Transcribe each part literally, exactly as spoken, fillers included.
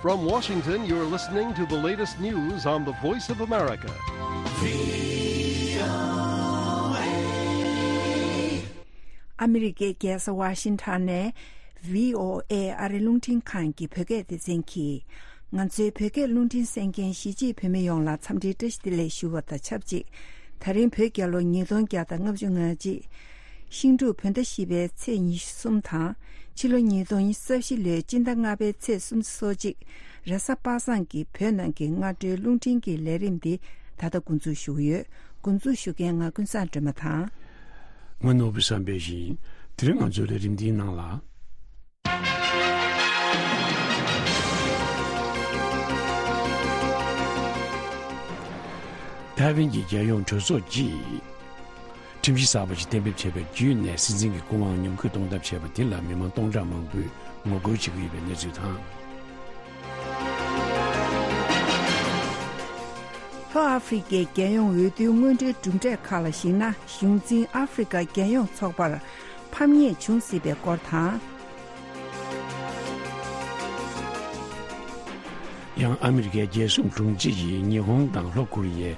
From Washington, you're listening to the latest news on the Voice of America. ཨ་མི་རི་ཀའི་རྒྱལ་ས་ཝ་ཤིང་ཊོན་ནས་བྷི་ཨོ་ཨེ་ཨ་རི་རླུང་འཕྲིན་ཁང་གི་བོད་སྐད་སྡེ་ཚན་གྱིས། ང་ཚོའི་བོད་སྐད་རླུང་འཕྲིན་གསན་མཁན་གཞིས་བྱེས་བོད་མི་ཡོངས་ལ་འཚམས་འདྲིའི་བཀྲ་ཤིས་བདེ་ལེགས་ཞུ་བ་དང་ཆབས་ཅིག་ད་རིང་བོད་རྒྱལ་ལོ་ཉིས་སྟོང་བརྒྱ་དང་ལྔ་བཅུ་ང་གཅིག་ཤིང་འབྲུག་བོད་ཟླ་བཞི་པའི་ཚེས་ཉི་ཤུ་གསུམ་དང་། ཕྱི་ལོ་ཉིས་སྟོང་ཉི་ཤུ་རྩ་བཞི་ལོའི་སྤྱི་ཟླ་ལྔ་པའི་ཚེས་སུམ་ཅུ་སོ་གཅིག་རེས་གཟའ་པ་སངས་ཀྱི་བོད་ནང་གི་སྔ་དྲོའི་རླུང་འཕྲིན་གྱི་ལས་རིམ་འདི་ད་ལྟ་འགོ་འཛུགས་ཞུ་གི་ཡོད། འགོ་འཛུགས་ཞུ་མཁན་ང་ཀུན་བཟང་སྒྲོལ་མ་དང་། ང་ནོར་བུ་བསམ་འཕེལ་ཡིན། དེ་རིང་ང་ཚོའི་ལས་རིམ་འདིའི་ནང་ལ། ཐའེ་ཝན་གྱི་རྒྱལ་ཡོངས་གྲོས་ཚོགས་ཀྱིས་ཁྲིམས་གཞི་གསར་པ་ཞིག་གཏན་འབེབས་བྱས་པ་བརྒྱུད་ནས་སྲིད་འཛིན་གྱི་སྐུ་དབང་ཉམས་རྒུད་གཏོང་ཐབས་བྱས་པ་དེ་ལ་མི་མང་སྟོང་ཕྲག་མང་པོས་ངོ་རྒོལ་བྱེད་ཀྱི་ཡོད་པའི་གནས་ཚུལ་དང་། ལྷོ་ཨ་ཧྥེ་རི་ཁའི་རྒྱལ་ཡོངས་འོས་བསྡུའི་དངོས་འབྲེལ་གྲུབ་འབྲས་ཁག་ལ་གཞིགས་ན། གཞུང་འཛིན་ཨ་ཧྥེ་རི་ཁ་རྒྱལ་ཡོངས་ཚོགས་པར་ཕམ་ཉེས་བྱུང་སྲིད་པའི་སྐོར་དང་། ཡང་ཨ་མི་རི་ཀའི་རྒྱལ་སྲུང་དྲུང་ཆེ་ཡིས་ཉི་ཧོང་དང་ལྷོ་ཀོ་རི་ཡའི་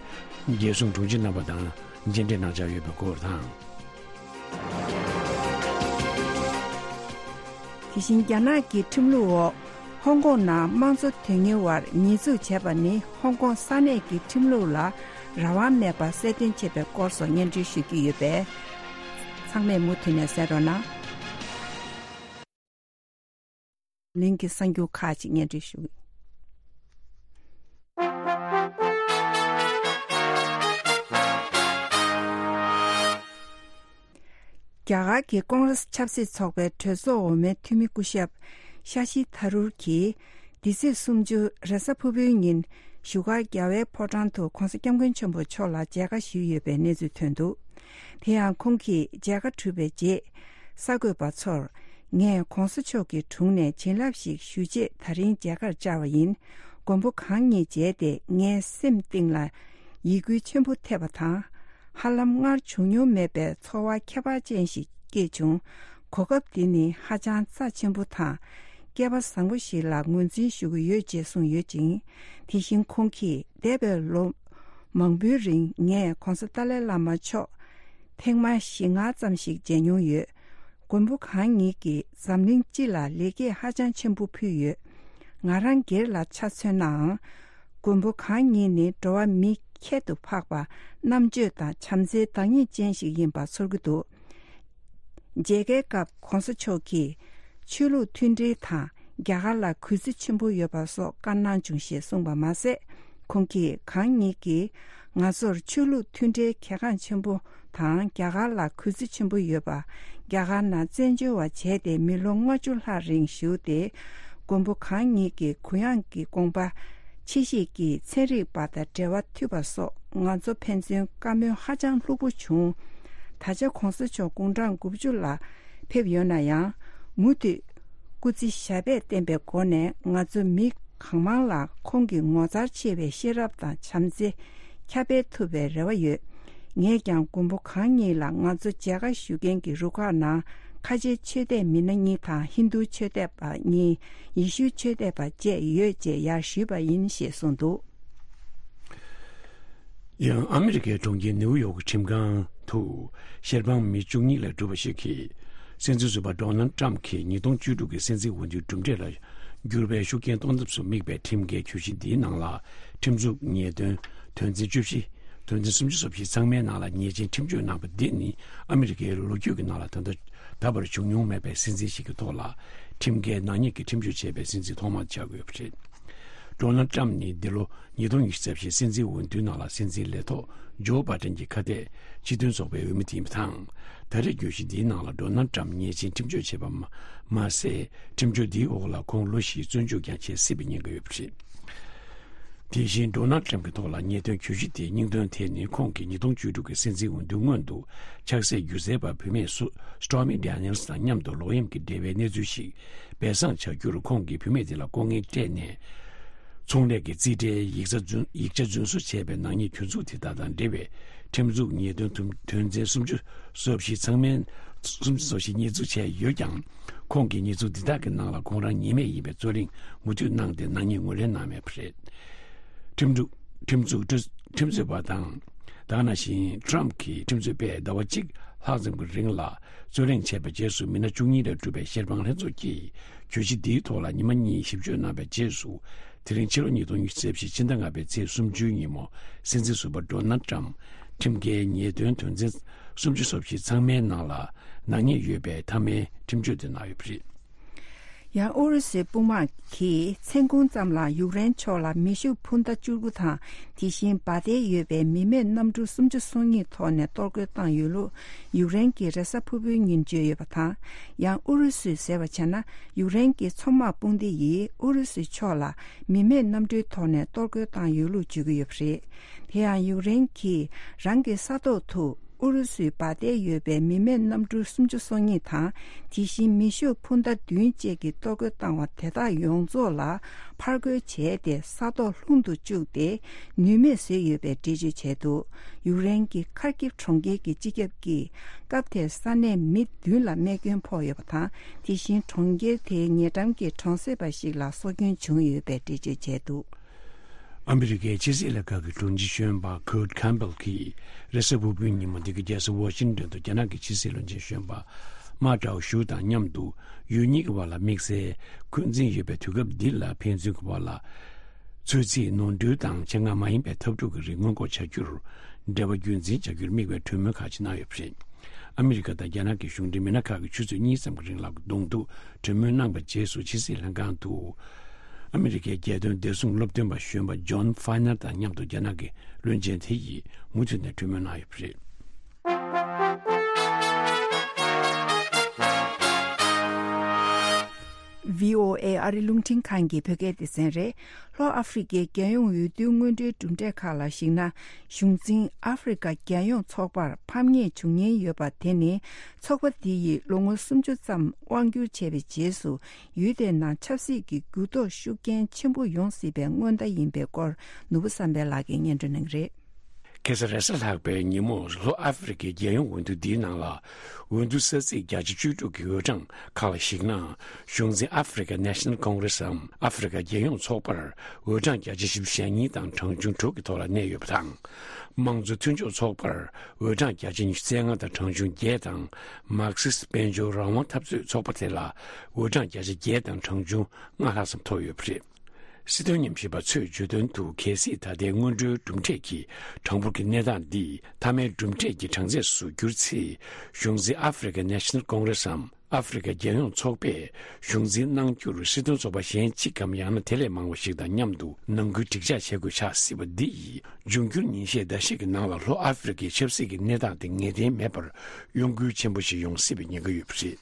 རྒྱལ་སྲུང་དྲུང་ཆེ་རྣམ་པ་དང་མཇལ་འཕྲད་གནང་འཆར་ཡོད་པའི་སྐོར་དང་། དེ་བཞིན་རྒྱ་ནག་གི་ཁྲིམས་ལུགས་འོག་ཧོང་ཀོང་ནང་དམངས་གཙོ་དོན་གཉེར་བར་ཉེས་འཛུགས་བྱས་པ་ནི་ཧོང་ཀོང་ས་གནས་ཀྱི་ཁྲིམས་ལུགས་ལ་རང་དབང་མེད་པ་གསལ་སྟོན་བྱས་པའི་སྐོར་སོགས་སྙན་སྒྲོན་ཞུ་རྒྱུ་ཡོད་པས། ཚང་མས་མུ་མཐུད་ནས་གསན་རོགས་གནང་། གླིང་གི་གསར་འགྱུར་ཁག་ཅིག་སྙན་སྒྲོན་ཞུ། རྒྱ་གར་གྱི་ཀོང་རེས་ཆབ་སྲིད་ཚོགས་པའི་གྲོས་ཚོགས་འོག་མའི་འཐུས་མི་སྐུ་ཞབས་ཤ་ཤི་ཐ་རུར་གྱིས། འདི་ཚེས་སུམ་ཅུ་རེས་གཟའ་ཕུར་བུའི་ཉིན་བཞུགས་སྒར་རྒྱལ་བའི་ཕོ་བྲང་དུ་༧གོང་ས་༧སྐྱབས་མགོན་ཆེན་པོ་མཆོག་ལ་མཇལ་ཁ་ཞུས་ཡོད་པའི་གནས་ཚུལ་ཐོན་འདུག་དེ་ཡང་ཁོང་གིས་མཇལ་ཁ་གྲུབ་པའི་རྗེས། གསར་འགོད་པ་ཚོར། ངས་༧གོང་ས་མཆོག་གི་དྲུང་ནས་བྱིན་རླབས་ཤིག་ཞུ་ཆེད་ད་རིང་མཇལ་ཁར་བཅར་བ་ཡིན། མགོན་པོ་གང་ཉིད་མཇལ་ཏེ་ངའི་སེམས་གཏིང་ལ་ཡིད་འགུལ་ཆེན་པོ་ཐེབས་པ་དང་། ཧ་ལམ་སྔར་བྱུང་མྱོང་མེད་པའི་ཚོར་བ་ཁྱད་པར་ཅན་ཞིག་སྐྱེས་བྱུང་། གོ་སྐབས་འདི་ནི་ཧ་ཅང་རྩ་ཆེན་པོ་དང་། སྐལ་པ་བཟང་པོ་ཞིག་ལ་ངོས་འཛིན་ཞུ་གི་ཡོད་ཅེས་གསུངས་ཡོད་ཅིང་། དེ་བཞིན་ཁོང་གིས་འདས་པའི་ལོ་མང་པོའི་རིང་ངས་༧གོང་ས་ཏཱ་ལའི་བླ་མ་མཆོག་ཐེངས་མ་བཞི་ལྔ་ཙམ་ཞིག་མཇལ་མྱོང་ཡོད། མགོན་པོ་གང་ཉིད་ཀྱིས་འཛམ་གླིང་སྤྱི་ལ་ལེགས་སྐྱེས་ཧ་ཅང་ཆེན་པོ་ཕུལ་ཡོད། ང་རང་སྒེར་ལ་ཆ་མཚོན་ནའང་། མགོན་པོ་གང་ཉིད་ནི་འགྲོ་བ་མི་ཁྱད་དུ་འཕགས་པ་རྣམ་དཔྱོད་དང་བྱམས་བརྩེའི་བདག་ཉིད་ཅན་ཞིག་ཡིན་པ་ཚོར་གྱི་འདུག་མཇལ་ཁའི་སྐབས་༧གོང་ས་མཆོག་གིས་ཆོས་ལུགས་མཐུན་སྒྲིལ་དང་རྒྱ་གར་ལ་གུས་བརྩི་ཆེན་པོ་ཡོད་པ་སོགས་བཀའ་གནང་བྱུང་ཞེས་གསུངས་པ་མ་ཟད། ཁོང་གིས་གང་ཉིད་ཀྱིས་ང་ཚོར་ཆོས་ལུགས་མཐུན་སྒྲིལ་གལ་འགངས་ཆེན་པོ་དང་རྒྱ་གར་ལ་གུས་བརྩི་ཆེན་པོ་ཡོད་པ། རྒྱ་གར་ནང་བཙན་བྱོལ་བ་བྱས་ཏེ་མི་ལོ་ལྔ་བཅུ་ལྷག་རིང་བཞུགས་ཏེ། མགོན་པོ་གང་ཉིད་ཀྱི་གུ་ཡངས་ཀྱི་དགོངས་པ། ཕྱི་བཤིག་གི་ཚན་རིག་པ་དང་འབྲེལ་བ་མཐུད་པ་སོགས་ང་ཚོ་ཕན་ཚུན་བཀའ་མོལ་ཧ་ཅང་ལྷུག་པོ་བྱུང་། ད་ཆ་༧གོང་ས་མཆོག་དགུང་གྲངས་དགུ་བཅུ་ལ་ཕེབས་ཡོད་ན་ཡང་། མུ་མཐུད་སྐུ་ཚེ་ཞབས་པད་བརྟན་པའི་སྒོ་ནས་ང་ཚོ་མི་གང་མང་ལ་ཁོང་གི་ངོ་མཚར་ཆེ་བའི་ཤེས་རབ་དང་བྱམས་བརྩེ་ཁྱབ་སྤེལ་ཐུབ་པའི་རེ་བ་ཡོད། ངས་ཀྱང་མགོན་པོ་གང་ཉིད་ལ་ང་ཚོ་མཇལ་ཁ་ཞུ་མཁན་གྱི་རུ་ཁག་ནང་ཁ་ཆེའི་ཆོས་དད་མི་སྣ་གཉིས་དང་ཧིན་རྡུའི་ཆོས་དད་པ་གཉིས། ཡེ་ཤུའི་ཆོས་དད་པ་བཅས་ཡོད་ཅེས་ཡར་ཞུས་པ་ཡིན་ཞེས་གསུངས་འདུག་ཡང་ཨ་མི་རི་ཀའི་གྲོང་ཁྱེར་ནེའུ་ཡོག་གི་ཁྲིམས་ཁང་དུ་ཤེར་ཕམ་མི་བཅུ་གཉིས་ལས་གྲུབ་པ་ཞིག་གིས་སྲིད་འཛིན་ཟུར་པ་ཌོ་ནལ་ཊམ་གྱིས་ཉིས་སྟོང་བཅུ་དྲུག་གི་སྲིད་འཛིན་འོས་བསྡུའི་གྲུབ་འབྲས་ལ་འགྱུར་བའི་ཤུགས་རྐྱེན་གཏོང་ཐབས་སུ་དམིགས་པའི་ཁྲིམས་འགལ་གྱོད་གཞི་འདིའི་ནང་ལ་ཁྲིམས་འཛུགས་ཉེས་དོན་དོན་ཚན་བཅུ་བཞི། དོན་ཚན་སུམ་ཅུ་སོ་བཞི་ཚང་མའི་ནང་ལ་ཉེས་ཅན་ཁྲིམས་གཅོད་གནང་པ་འདི་ནི་ཨ་མི་རི་ཀའི་ལོ་རྒྱུས་ཀྱི་ནང་ལ་ད་ལྟ་ད་བར་བྱུང་མྱོང་མེད་པའི་སྲིད་འཛིན་ཞིག་གི་ཐོག་ལ་ཁྲིམས་འགལ་ནག་ཉེས་ཀྱི་ཁྲིམས་གཅོད་བྱས་པའི་སྲིད་འཛིན་ཐོག་མ་ཆགས་ཀྱི་ཡོད་པ་རེད། ཌོ་ནལ་ཊམ་ནི་འདི་ལོ་ཉིས་སྟོང་ཉི་ཤུ་རྩ་བཞིའི་སྲིད་འཛིན་འོས་བསྡུའི་ནང་ལ་སྲིད་འཛིན་ལས་ཐོག་ཇོ་བྷ་ཏན་གྱི་ཁ་གཏད་སྤྱི་མཐུན་ཚོགས་པའི་འོས་མི་དེ་ཡིན་པ་དང་། ད་རེས་གྱོད་གཞི་འདིའི་ནང་ལ་ཌོ་ནལ་ཊམ་ཉེས་ཅན་ཁྲིམས་གཅོད་བྱས་པ་མ་མ་ཟད། ཁྲིམས་གཅོད་འདིའི་འོག་ལ་ཁོང་ལོ་བཞིའི་བཙོན་འཇུག་ཀྱང་བྱེད་སྲིད་པའི་ཉེན་ཁ་ཡོད་པ་རེད། དེ་བཞིན་ཌོ་ནལ་ཊམ་གྱི་ཐོག་ལ་ཉེས་དོན་གྱོད་གཞི་དེའི་སྙིང་དོན་དེ་ནི་ཁོང་གིས་ཉིས་སྟོང་བཅུ་དྲུག་གི་སྲིད་འཛིན་འོས་བསྡུ་སྔོན་དུ་ཆགས་སྲེད་སྒྱུ་རྩལ་པ་བུད་མེད་སུ་སི་ཊོར་མི་ཌེ་ནི་ཡལ་སི་དང་མཉམ་དུ་ལོག་གཡེམ་གྱི་འབྲེལ་བའི་གནས་ཚུལ་ཞིག་སྦས་གསང་བྱ་རྒྱུར་ཁོང་གིས་བུད་མེད་དེ་ལ་ལྐོག་རྔན་སྤྲད་ནས། ཚོང་ལས་ཀྱི་རྩིས་ཁྲའི་ཡིག་ཚང་རྫུན་ཡིག་ཆ་རྫུན་བཟོ་བྱས་པའི་ནག་ཉེས་གྱོད་འཛུགས་དེ་དག་དང་འབྲེལ་བའི་ ཁྲིམས་འཛུགས་ཉེས་དོན་དོན་ཚན་སུམ་ཅུ་སོ་བཞི་ཚང་མའི་སུམ་ཅུ་སོ་བཞི་ཉེས་འཛུགས་བྱས་ཡོད་ཀྱང་། ཁོང་གིས་ཉེས་འཛུགས་འདི་དག་གི་ནང་ལ་ཁོང་རང་ཉེས་མེད་ཡིན་པའི་རྩོད་གླེང་མུ་མཐུད་གནང་སྟེ་ནག་ཉེས་ངོས་ལེན་གནང་མེད་པ་རེད། ཁྲིམས་འཛུགས་ཁྲིམས་འཛུགས་ཁྲིམས་རྩོད་པ་དང་། ད་ག་ནང་བཞིན་ཊམ་གྱིས་ཁྲིམས་རྩོད་པས་ཟླ་བ་གཅིག་ལྷག་ཙམ་གྱི་རིང་ལ་རྩོད་གླེང་བྱས་པའི་རྗེས་སུ་མི་སྣ་བཅུ་གཉིས་ལས་གྲུབ་པའི་བཤེར་དཔང་ལྷན་ཚོགས་ཀྱིས་གྱོད་གཞི་འདིའི་ཐོག་ལ་ཉི་མ་གཉིས་ཞིབ་དཔྱོད་གནང་པའི་རྗེས་སུ། དེ་རིང་ཕྱི་ལོ་ཉིས་སྟོང་ཉི་ཤུ་རྩ་བཞི་ཕྱི་ཟླ་ལྔ་པའི་ཚེས་སུམ་ཅུའི་ཉིན་མོ། སྲིད་འཛིན་ཟུར་པ་ཌོ་ནལ་ཊམ་ཁྲིམས་འགལ་ཉེས་དོན་དོན་ཚན་སུམ་ཅུ་སོ་བཞི་ཚང་མའི་ནང་ལ་ནག་ཉེས་ཡོད་པའི་མཐའ་མའི་ཁྲིམས་གཅོད་དེ་གནང་ཡོད་པ་རེད། ཡང་ཨུ་རུ་སུའི་དཔུང་དམག་གིས་མཚན་གུང་ཙམ་ལ་ཡུཀ་རེན་ཕྱོགས་ལ་མེ་ཤུགས་འཕུར་མདའ་བཅུ་དགུ་དང་། དེ་བཞིན་འབར་མདེལ་ཡོད་པའི་མི་མེད་གནམ་གྲུ་སུམ་ཅུ་སོ་གཉིས་ཐོགས་ནས་གཏོར་རྒོལ་བཏང་ཡོད་ལུགས་ཡུཀ་རེན་གྱི་རེས་གཟའ་ཕུར་བུའི་ཉིན་བརྗོད་ཡོད་པ་དང་། ཡང་ཨུ་རུ་སུས་ཟེར་བ་བྱས་ན། ཡུཀ་རེན་གྱི་མཚོ་དམག་དཔུང་སྡེ་ཡིས་ཨུ་རུ་སུའི་ཕྱོགས་ལ་མི་མེད་གནམ་གྲུའི་ཐོག་ནས་གཏོར་རྒོལ་བཏང་ཡོད་ལུགས་བརྗོད་ཀྱི་ཡོད་པ་རེད། དེ་ཡང་ཡུཀ་རེན་གྱིས་རང་གི་ས་ཐོག་ཏུ་ཨུ་རུ་སུའི་འབར་མདེལ་ཡོད་པའི་མི་མེད་གནམ་གྲུ་སུམ་ཅུ་སོ་གཉིས་དང་། དེ་བཞིན་མེ་ཤུགས་འཕུར་མདའ་བདུན་བཅས་ཀྱིས་གཏོར་རྒོལ་བཏང་བ་དེ་དག་ཡོངས་རྫོགས་ལ་ཕར་རྒོལ་བྱས་ཏེ་ས་ཐོག་ལྷུང་དུ་བཅུག་སྟེ་ནུས་མེད་བཟོས་ཡོད་པའི་འགྲེལ་བརྗོད་བྱས་འདུག་ཡུཀ་རེན་གྱི་ཁར་ཀིབ་གྲོང་ཁྱེར་གྱི་སྤྱི་ཁྱབ་ཀྱིས་སྐབས་དེར་ས་གནས་མི་བདུན་ལ་རྨས་སྐྱོན་ཕོག་ཡོད་པ་དང་། དེ་བཞིན་གྲོང་ཁྱེར་དེའི་ཉེ་འགྲམ་གྱི་གྲོང་གསེབ་པ་ཞིག་ལ་སྲོག་སྐྱོན་བྱུང་ཡོད་པའི་འགྲེལ་བརྗོད་བྱས་འདུག་ཨ་མི་རི་ཀའི་ཕྱི་སྲིད་ལྷན་ཁང་གི་དྲུང་ཆེ་གཞོན་པ་ཁུར་ཁེམ་བེལ་གྱིས་རེས་གཟའ་ཕུར་བུའི་ཉིན་མོ་འདི་གའི་རྒྱལ་ས་ཝ་ཤིང་ཏོན་དུ་རྒྱ་ནག་གི་ཕྱི་སྲིད་བློན་ཆེན་གཞོན་པ་མ་ཀྲའོ་ཞུ་དང་མཉམ་དུ་ཡུལ་གཉིས་ཀྱི་བར་ལ་དམིགས་བསལ་འཁོན་འཛིན་ཡོད་པའི་དུས་སྐབས་འདི་ལ་ཕན་ཚུན་གྱི་བར་ལ་ཚོད་རྩིས་ནོར་འཁྲུལ་དང་ཆེད་མངགས་མ་ཡིན་པའི་འཐབ་འཁྲུག་གི་རིགས་སྔོན་འགོག་བྱ་རྒྱུར་འབྲེལ་བ་རྒྱུན་འཛིན་བྱ་རྒྱུར་དམིགས་པའི་གྲོས་མོལ་ཁག་ཅིག་གནང་ཡོད་པ་རེད། ཨ་མི་རི་ཀ་དང་རྒྱ་ནག་གི་གཞུང་འབྲེལ་མི་སྣ་ཁག་གིས་ཆུ་ཚོད་གཉིས་ཙམ་གྱི་རིང་ལ་གདོང་ཐུག་གྲོས་མོལ་གནང་བའི་རྗེས་སུ་ཕྱི་སྲིད་ལྷན་ཁང་དུ་ཨ་མི་རི་ཀའི་རྒྱལ་དོན་བདེ་སྲུང་སློབ་སྟོན་པ་གཞོན་པ་ཇོན་ཕའི་ནར་དང་མཉམ་དུ་རྒྱ་ནག་གི་བློན་ཆེན་དེ་ཡིས་མུ་མཐུད་ནས་གྲོས་མོལ་གནང་ཡོད་པ་རེད། ཝི་ཨོ་ཨེ་ཨ་རི་རླུང་འཕྲིན་ཁང་གི་བོད་སྐད་སྡེ་ཚན་རེད། ལྷོ་ཨ་ཧྥེ་རི་ཁའི་རྒྱལ་ཡོངས་འོས་བསྡུའི་སྔོན་འགྲོའི་གྲུབ་འབྲས་ཁག་ལ་གཞིགས་ན། གཞུང་འཛིན་ཨ་ཧྥེ་རི་ཁ་རྒྱལ་ཡོངས་ཚོགས་པར་ཕམ་ཉེས་བྱུང་ཉེན་ཡོད་པ་དེ་ནི། ཚོགས་པ་འདི་ཡིས་ལོ་ངོ་སུམ་ཅུ་ཙམ་དབང་བསྒྱུར་བྱས་པའི་རྗེས་སུ། ཡུལ་དེའི་ནང་ཆབ་སྲིད་ཀྱི་འགྱུར་ལྡོག་ཤུགས་རྐྱེན་ཆེན་པོ་ཡོང་སྲིད་པའི་སྔོན་བརྡ་ཡིན་པའི་སྐོར། ནོར་བུ་བསམ་འཕེལ་ལགས་ཀྱིས་སྙན་སྒྲོན་གནང་གི་རེད། ཁ་སང་རེས་གཟའ་ལྷག་པའི་ཉིན་མོ་ལྷོ་ཨ་ཧྥེ་རི་ཁའི་རྒྱལ་ཡོངས་འོས་བསྡུ་འདིའི་ནང་ལ། འོས་བསྡུ་ས་ཚིགས་བརྒྱ་ཆ་བཅུ་དྲུག་གི་འོས་གྲངས་ཁག་ལ་གཞིགས་ན། གཞུང་འཛིན་African National Congress འམ་ཨ་ཧྥེ་རི་ཁ་རྒྱལ་ཡོངས་ཚོགས་པར་འོས་གྲངས་བརྒྱ་ཆ་བཞི་བཅུ་ཞེ་གཉིས་དང་གྲངས་ཆུང་དྲུག་གི་ཐོག་ལ་གནས་ཡོད་པ་དང་། དམངས་གཙོ་མཐུན་ཕྱོགས་ཚོགས་པར་འོས་གྲངས་བརྒྱ་ཆ་ཉི་ཤུ་རྩ་ལྔ་དང་གྲངས་ཆུང་བརྒྱད་དང་། མར་ཁེ་སི་དཔལ་འབྱོར་རང་དབང་འཐབ་རྩོད་ཚོགས་པ་དེ་ལ་འོས་གྲངས་བརྒྱ་ཆ་བརྒྱད་དང་གྲངས་ཆུང་ལྔ་ལྷག་ཙམ་ཐོབ་ཡོད་པ་རེད། སྲིད་དོན་ཉམས་ཞིབ་པ་ཚོས་བརྗོད་དོན་དུ། གལ་སྲིད་ད་ལྟའི་སྔོན་འགྲོའི་གྲུབ་འབྲས་ཀྱིས་གྲངས་འབོར་གྱི་གནས་སྟངས་འདི་མཐའ་མའི་གྲུབ་འབྲས་ཀྱི་གྲངས་ཚད་སུ་གྱུར་ཚེ། གཞུང་འཛིན་African National Congress འམ་ཨ་ཧྥེ་རི་ཁ་རྒྱལ་ཡོངས་ཚོགས་པས་གཞུང་འཛིན་གནང་རྒྱུར་སྲིད་དོན་ཚོགས་པ་གཞན་གཅིག་གམ་ཡང་ན་དེ་ལས་མང་བ་ཞིག་དང་མཉམ་དུ་ནང་ཁུལ་འགྲིག་འཇགས་བྱེད་དགོས་ཆགས་སྲིད་པ་འདི་ཡིས། འབྱུང་འགྱུར་ཉིན་ཤས་ཟླ་ཤས་ཀྱི་ནང་ལ་ལྷོ་ཨ་ཧྥེ་རི་ཁའི་ཆབ་སྲིད་ཀྱི་གནས་སྟངས་དེ་ངེས་གཏན་མེད་པར་གཡོ་འགུལ་ཆེན་པོ་ཞིག་ཡོང་སྲིད་པའི་ཉེན་ཁ་ཡོད་པ་རེད།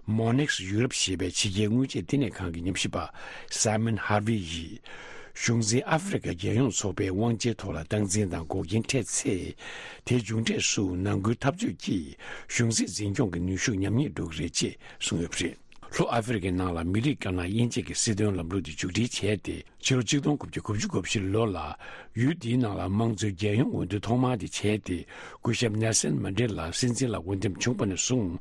མོ་ནེག་སི་ཡུ་རོབ་ཞེས་པའི་ཕྱི་རྒྱལ་དངུལ་ཆད་བསྟི་གནས་ཁང་གི་ཉམས་ཞིབ་པ་Simon Harvey ཡིས། གཞུང་འཛིན་ཨ་ཧྥེ་རི་ཁ་རྒྱལ་ཡོངས་ཚོགས་པའི་དབང་ཆའི་ཐོག་ལ་སྟངས་འཛིན་དང་འགོག་རྐྱེན་འཕྲད་ཚེ། དེའི་མཇུག་འབྲས་སུ་ནང་ཁུལ་འཐབ་རྩོད་ཀྱིས་གཞུང་སྲིད་འཛིན་སྐྱོང་གི་ནུས་ཤུགས་ཉམས་ཉེས་འགྲོ་གི་རེད་ཅེས་གསུངས་ཡོད་པ་རེད། ལྷོ་ཨ་ཧྥེ་རི་ཁའི་ནང་ལ་མི་རིགས་དཀར་ནག་དབྱེ་འབྱེད་ཀྱི་སྲིད་དོན་ལམ་ལུགས་དེ་མཇུག་སྒྲིལ་བྱས་ཏེ། ཕྱི་ལོ་གཅིག་སྟོང་དགུ་བརྒྱ་དགུ་བཅུ་གོ་བཞི་ལོ་ལ་ཡུལ་འདིའི་ནང་ལ་དམངས་གཙོའི་རྒྱལ་ཡོངས་འོས་བསྡུ་ཐོག་མ་དེ་བྱས་ཏེ། སྐུ་ཞབས་ནེལ་སན་མན་ཌེ་ལ་སྲིད་འཛིན་ལ་འོས་འདེམས་བྱུང་བ་ནས་བཟུང་།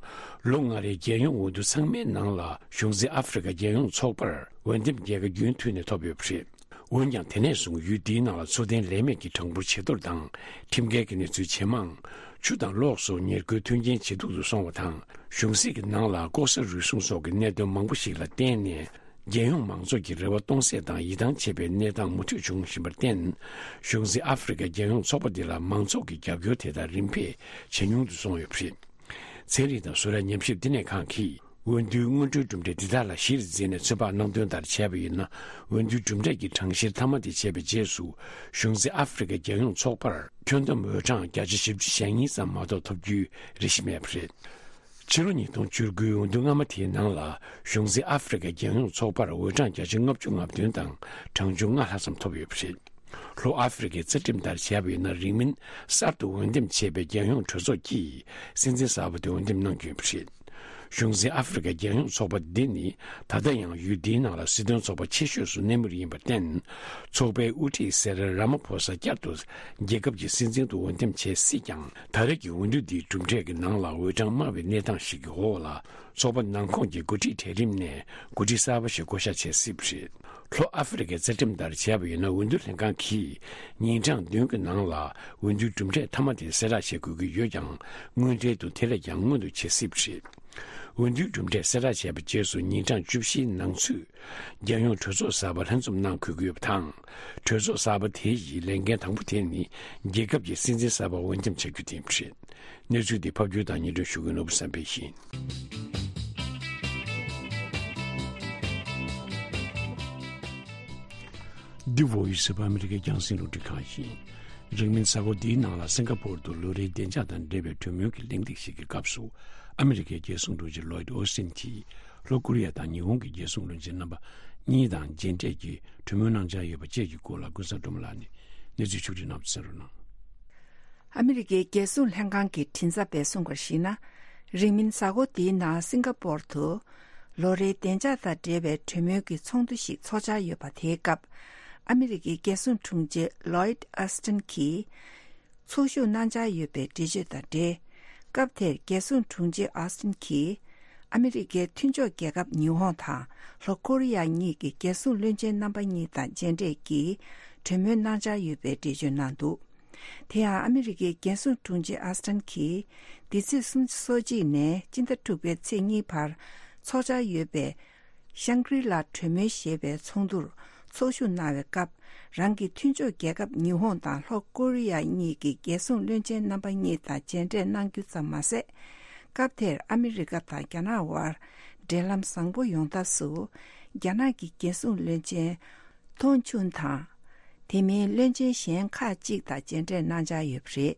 ལོ་ལྔ་རེའི་རྒྱལ་ཡོངས་འོས་བསྡུ་ཚང་མའི་ནང་ལ་གཞུང་འཛིན་ཨ་ཧྥེ་རི་ཁ་རྒྱལ་ཡོངས་ཚོགས་པར་འོས་འདེམས་རྒྱལ་ཁ་རྒྱུན་མཐུད་ནས་ཐོབ་ཡོད་པ་རེད། འོན་ཀྱང་དེ་ནས་བཟུང་ཡུལ་འདིའི་ནང་ལ་འཚོ་རྟེན་ལས་མེད་ཀྱི་གྲངས་འབོར་ཇེ་མཐོར་དང་། ཁྲིམས་འགལ་གྱི་གནས་ཚུལ་ཇེ་མང་། ཆུ་དང་གློག་སོགས་ཉེར་མཁོའི་མཐུན་རྐྱེན་ཇེ་སྡུག་ཏུ་སོང་བ་དང་། གཞུང་སྲིད་ཀྱི་ནང་ལ་ལྐོག་ཟ་རུལ་སུངས་སོགས་ཀྱི་གནད་དོན་མང་པོ་ཞིག་ལ་བརྟེན་ནས། རྒྱལ་ཡོངས་མང་ཚོགས་ཀྱི་རེ་བ་སྟོང་ཟད་དང་ཡིད་ཐང་ཆད་པའི་གནས་སྟངས་མུ་མཐུད་འབྱུང་བཞིན་པར་བརྟེན། གཞུང་འཛིན་ཨ་ཧྥེ་རི་ཁ་རྒྱལ་ཡོངས་ཚོགས་པ་འདི་ལ་མང་ཚོགས་ཀྱི་རྒྱབ་སྐྱོར་དེ་དག་རིམ་པས་ཇེ་ཉུང་དུ་སོང་ཡོད་པ་རེད། ཚན་རིག་དང་བཟོ་གྲྭ་ཉམས་ཞིབ་བསྟི་གནས་ཁང་གིས། འོས་བསྡུའི་སྔོན་འགྲོའི་གྲུབ་འབྲས་འདི་དག་ལ་གཞིར་འཛིན་ནས་ཚོད་དཔག་གནང་དོན་ལྟར་བྱས་པ་ཡིན་ན། འོས་བསྡུའི་གྲུབ་འབྲས་ཀྱི་གྲངས་བཤེར་མཐའ་མ་དེ་བྱས་པའི་རྗེས་སུ། གཞུང་འཛིན་ཨ་ཧྥེ་རི་ཁ་རྒྱལ་ཡོངས་ཚོགས་པར་ཁྱོན་བསྡོམས་འོས་གྲངས་བརྒྱ་ཆ་བཞི་བཅུ་ཞེ་གཉིས་ཙམ་མ་གཏོགས་ཐོབ་རྒྱུའི་རེ་གཞི་མེད་པ་རེད། ཕྱི་ལོ་ཉིས་སྟོང་བཅུ་དགུའི་འོས་བསྡུ་སྔ་མ་དེའི་ནང་ལ། གཞུང་འཛིན་ཨ་ཧྥེ་རི་ཁ་རྒྱལ་ཡོངས་ཚོགས་པར་འོས་གྲངས་བརྒྱ་ཆ་ལྔ་བཅུ་ང་བདུན་དང་གྲངས་ཆུང་ལྔ་ལྷག་ཙམ་ཐོབ་ཡོད་པ་རེད། ལྷོ་ཨ་ཧྥེ་རི་ཁའི་རྩ་ཁྲིམས་ལྟར་བྱས་པ་ཡིན་ན། རིང་མིན་གསར་དུ་འོས་འདེམས་བྱས་པའི་རྒྱལ་ཡོངས་གྲོས་ཚོགས་ཀྱིས་སྲིད་འཛིན་གསར་པ་དེ་འོས་འདེམས་གནང་རྒྱུ་ཡིན་པ་རེད། གཞུང་འཛིན་ཨ་ཧྥེ་རི་ཁའི་རྒྱལ་ཡོངས་ཚོགས་པ་འདི་ནི་ད་ལྟ་ཡང་ཡུལ་འདིའི་ནང་ལ་སྲིད་དོན་ཚོགས་པ་ཆེ་ཤོས་སུ་གནས་མུས་ཡིན་པར་བརྟེན། ཚོགས་པའི་དབུ་ཁྲིད་སེ་རལ་ར་མ་ཕོ་ས་བསྐྱར་དུ་རྒྱལ་ཁབ་ཀྱི་སྲིད་འཛིན་དུ་འོས་འདེམས་བྱེད་སྲིད་ཀྱང་། ད་རེས་ཀྱི་འོས་བསྡུ་འདིའི་གྲུབ་འབྲས་ཀྱི་ནང་ལ་འོས་གྲངས་དམའ་བའི་གནས་སྟངས་ཤིག་གི་འོག་ལ། ཚོགས་པ་ནང་ཁོངས་ཀྱི་འགོ་ཁྲིད་གྲལ་རིམ་ནས་འགོ་ཁྲིད་གསར་པ་ཞིག་བསྐོ་གཞག་བྱེད་སྲིད་པ་རེད། ལྷོ་ཨ་ཧྥེ་རི་ཁའི་རྩ་ཁྲིམས་ལྟར་བྱས་པ་ཡིན་ན། འོས་བསྡུ་ལྷན་ཁང་གིས་ཉིན་གྲངས་བདུན་གྱི་ནང་ལ་འོས་བསྡུའི་གྲུབ་འབྲས་མཐའ་མ་དེ་གསལ་བསྒྲགས་བྱེད་དགོས་ཀྱི་ཡོད་ཀྱང་། དངོས་འབྲེལ་དུ་དེ་ལས་ཀྱང་སྔོན་དུ་བྱེད་སྲིད་པ་རེད། འོས་བསྡུའི་གྲུབ་འབྲས་གསལ་བསྒྲགས་བྱས་པའི་རྗེས་སུ་ཉིན་གྲངས་བཅུ་བཞིའི་ནང་ཚུད། རྒྱལ་ཡོངས་གྲོས་ཚོགས་གསར་པ་ལྷན་འཛོམས་གནང་དགོས་ཀྱི་ཡོད་པ་དང་། གྲོས་ཚོགས་གསར་པ་དེ་ཡི་ལས་འགན་དང་པོ་དེ་ནི་རྒྱལ་ཁབ་ཀྱི་སྲིད་འཛིན་གསར་པ་འོས་འདེམས་བྱ་རྒྱུ་དེ་རེད། གནས་ཚུལ་འདི་ཕབ་སྒྱུར་དང་སྙན་སྒྲོན་ཞུ་མཁན་ནོར་བུ་བསམ་འཕེལ་ཡིན། འདི་བོ་ཡི་སི་ཨོཕ་ཨ་མི་རི་ཀའི་རྒྱང་སྲིང་རླུང་འཕྲིན་ཁང་ཡིན། རིང་མིན་གཟའ་འཁོར་འདིའི་ནང་ལ་སིང་ག་པོར་དུ་ལོ་རེའི་བདེ་འཇགས་དང་འབྲེལ་བའི་གྲོས་མོལ་གྱི་གླེང་སྟེགས་ཤིག་གི་སྐབས་སུ། ཨ་མི་རི་ཀའི་རྒྱལ་སྲུང་དྲུང་ཆེ་ལོའིད་ཨོ་སི་ཊིན་གྱིས། ལྷོ་ཀོ་རི་ཡ་དང་ཉི་ཧོང་གི་རྒྱལ་སྲུང་བློན་ཆེན་རྣམ་པ་གཉིས་དང་མཇལ་འཕྲད་ཀྱིས་གྲོས་མོལ་གནང་འཆར་ཡོད་པ་བཅས་ཀྱི་སྐོར་ལ། ཀུན་བཟང་སྒྲོལ་མ་ལགས་ནས་གནས་ཚུལ་ཕྱོགས་བསྒྲིགས་གནང་བ་གསན་རོགས་གནང་། ཨ་མི་རི་ཀའི་རྒྱལ་སྲུང་ལྷན་ཁང་གི་མགྲིན་ཚབ་པས་གསུངས་པར་གཞིགས་ན། རིང་མིན་གཟའ་འཁོར་འདིའི་ནང་སིང་ག་པོར་དུ་ལོ་རེའི་བདེ་འཇགས་དང་འབྲེལ་བའི་གྲོས་མོལ་གྱི་ཚོགས་འདུ་ཞིག་འཚོགས་འཆར་ཡོད་པ་དེའི་སྐབས། ཨ་མི་རི་ཀའི་རྒྱལ་སྲུང་དྲུང་ཆེ་ལོའིད་ཨོ་སི་ཊིན་གྱིས་ཚོགས་ཞུགས་གནང་འཆར་ཡོད་པའི་འགྲེལ་བརྗོད་དང་འབྲེལ། སྐབས་དེར་རྒྱལ་སྲུང་དྲུང་ཆེ་ཨོ་སི་ཊིན་གྱིས་ཨ་མི་རི་ཀའི་མཐུན་ཕྱོགས་རྒྱལ་ཁབ་ཉི་ཧོང་དང་ལྷོ་ཀོ་རི་ཡ་གཉིས་ཀྱི་རྒྱལ་སྲུང་བློན་ཆེན་རྣམ་པ་གཉིས་དང་མཇལ་འཕྲད་ཀྱིས་གྲོས་མོལ་གནང་འཆར་ཡོད་པའི་འགྲེལ་བརྗོད་གནང་འདུག། དེ་ཡང་ཨ་མི་རི་ཀའི་རྒྱལ་སྲུང་དྲུང་ཆེ་ཨོ་སི་ཊིན་གྱིས་འདི་ཚེས་སོ་གཅིག་ནས་སྤྱི་ཟླ་དྲུག་པའི་ཚེས་གཉིས་བར་འཚོགས་འཆར་ཡོད་པའི་ཤང་ཀྲི་ལ་གྲོས་མོལ་ཞེས་པའི་ཚོགས་འདུར་ཚོགས་ཞུགས་གནང་བའི་སྐབས། རང་གི་མཐུན་ཕྱོགས་རྒྱལ་ཁབ་ཉི་ཧོང་དང་ལྷོ་ཀོ་རི་ཡ་གཉིས་ཀྱི་རྒྱལ་སྲུང་བློན་ཆེན་རྣམ་པ་གཉིས་དང་མཇལ་འཕྲད་གནང་རྒྱུ་ཙམ་མ་ཟད། སྐབས་དེར་ཨ་མི་རི་ཀ་དང་རྒྱ་ནག་དབར་འབྲེལ་ལམ་བཟང་པོ་ཡོང་ཐབས་སུ། རྒྱ་ནག་གི་རྒྱལ་སྲུང་བློན་ཆེན་ཏོང་ཅུན་དང་། དེ་མིན་བློན་ཆེན་གཞན་ཁག་ཅིག་དང་མཇལ་འཕྲད་གནང་འཆར་ཡོད་པ་རེད།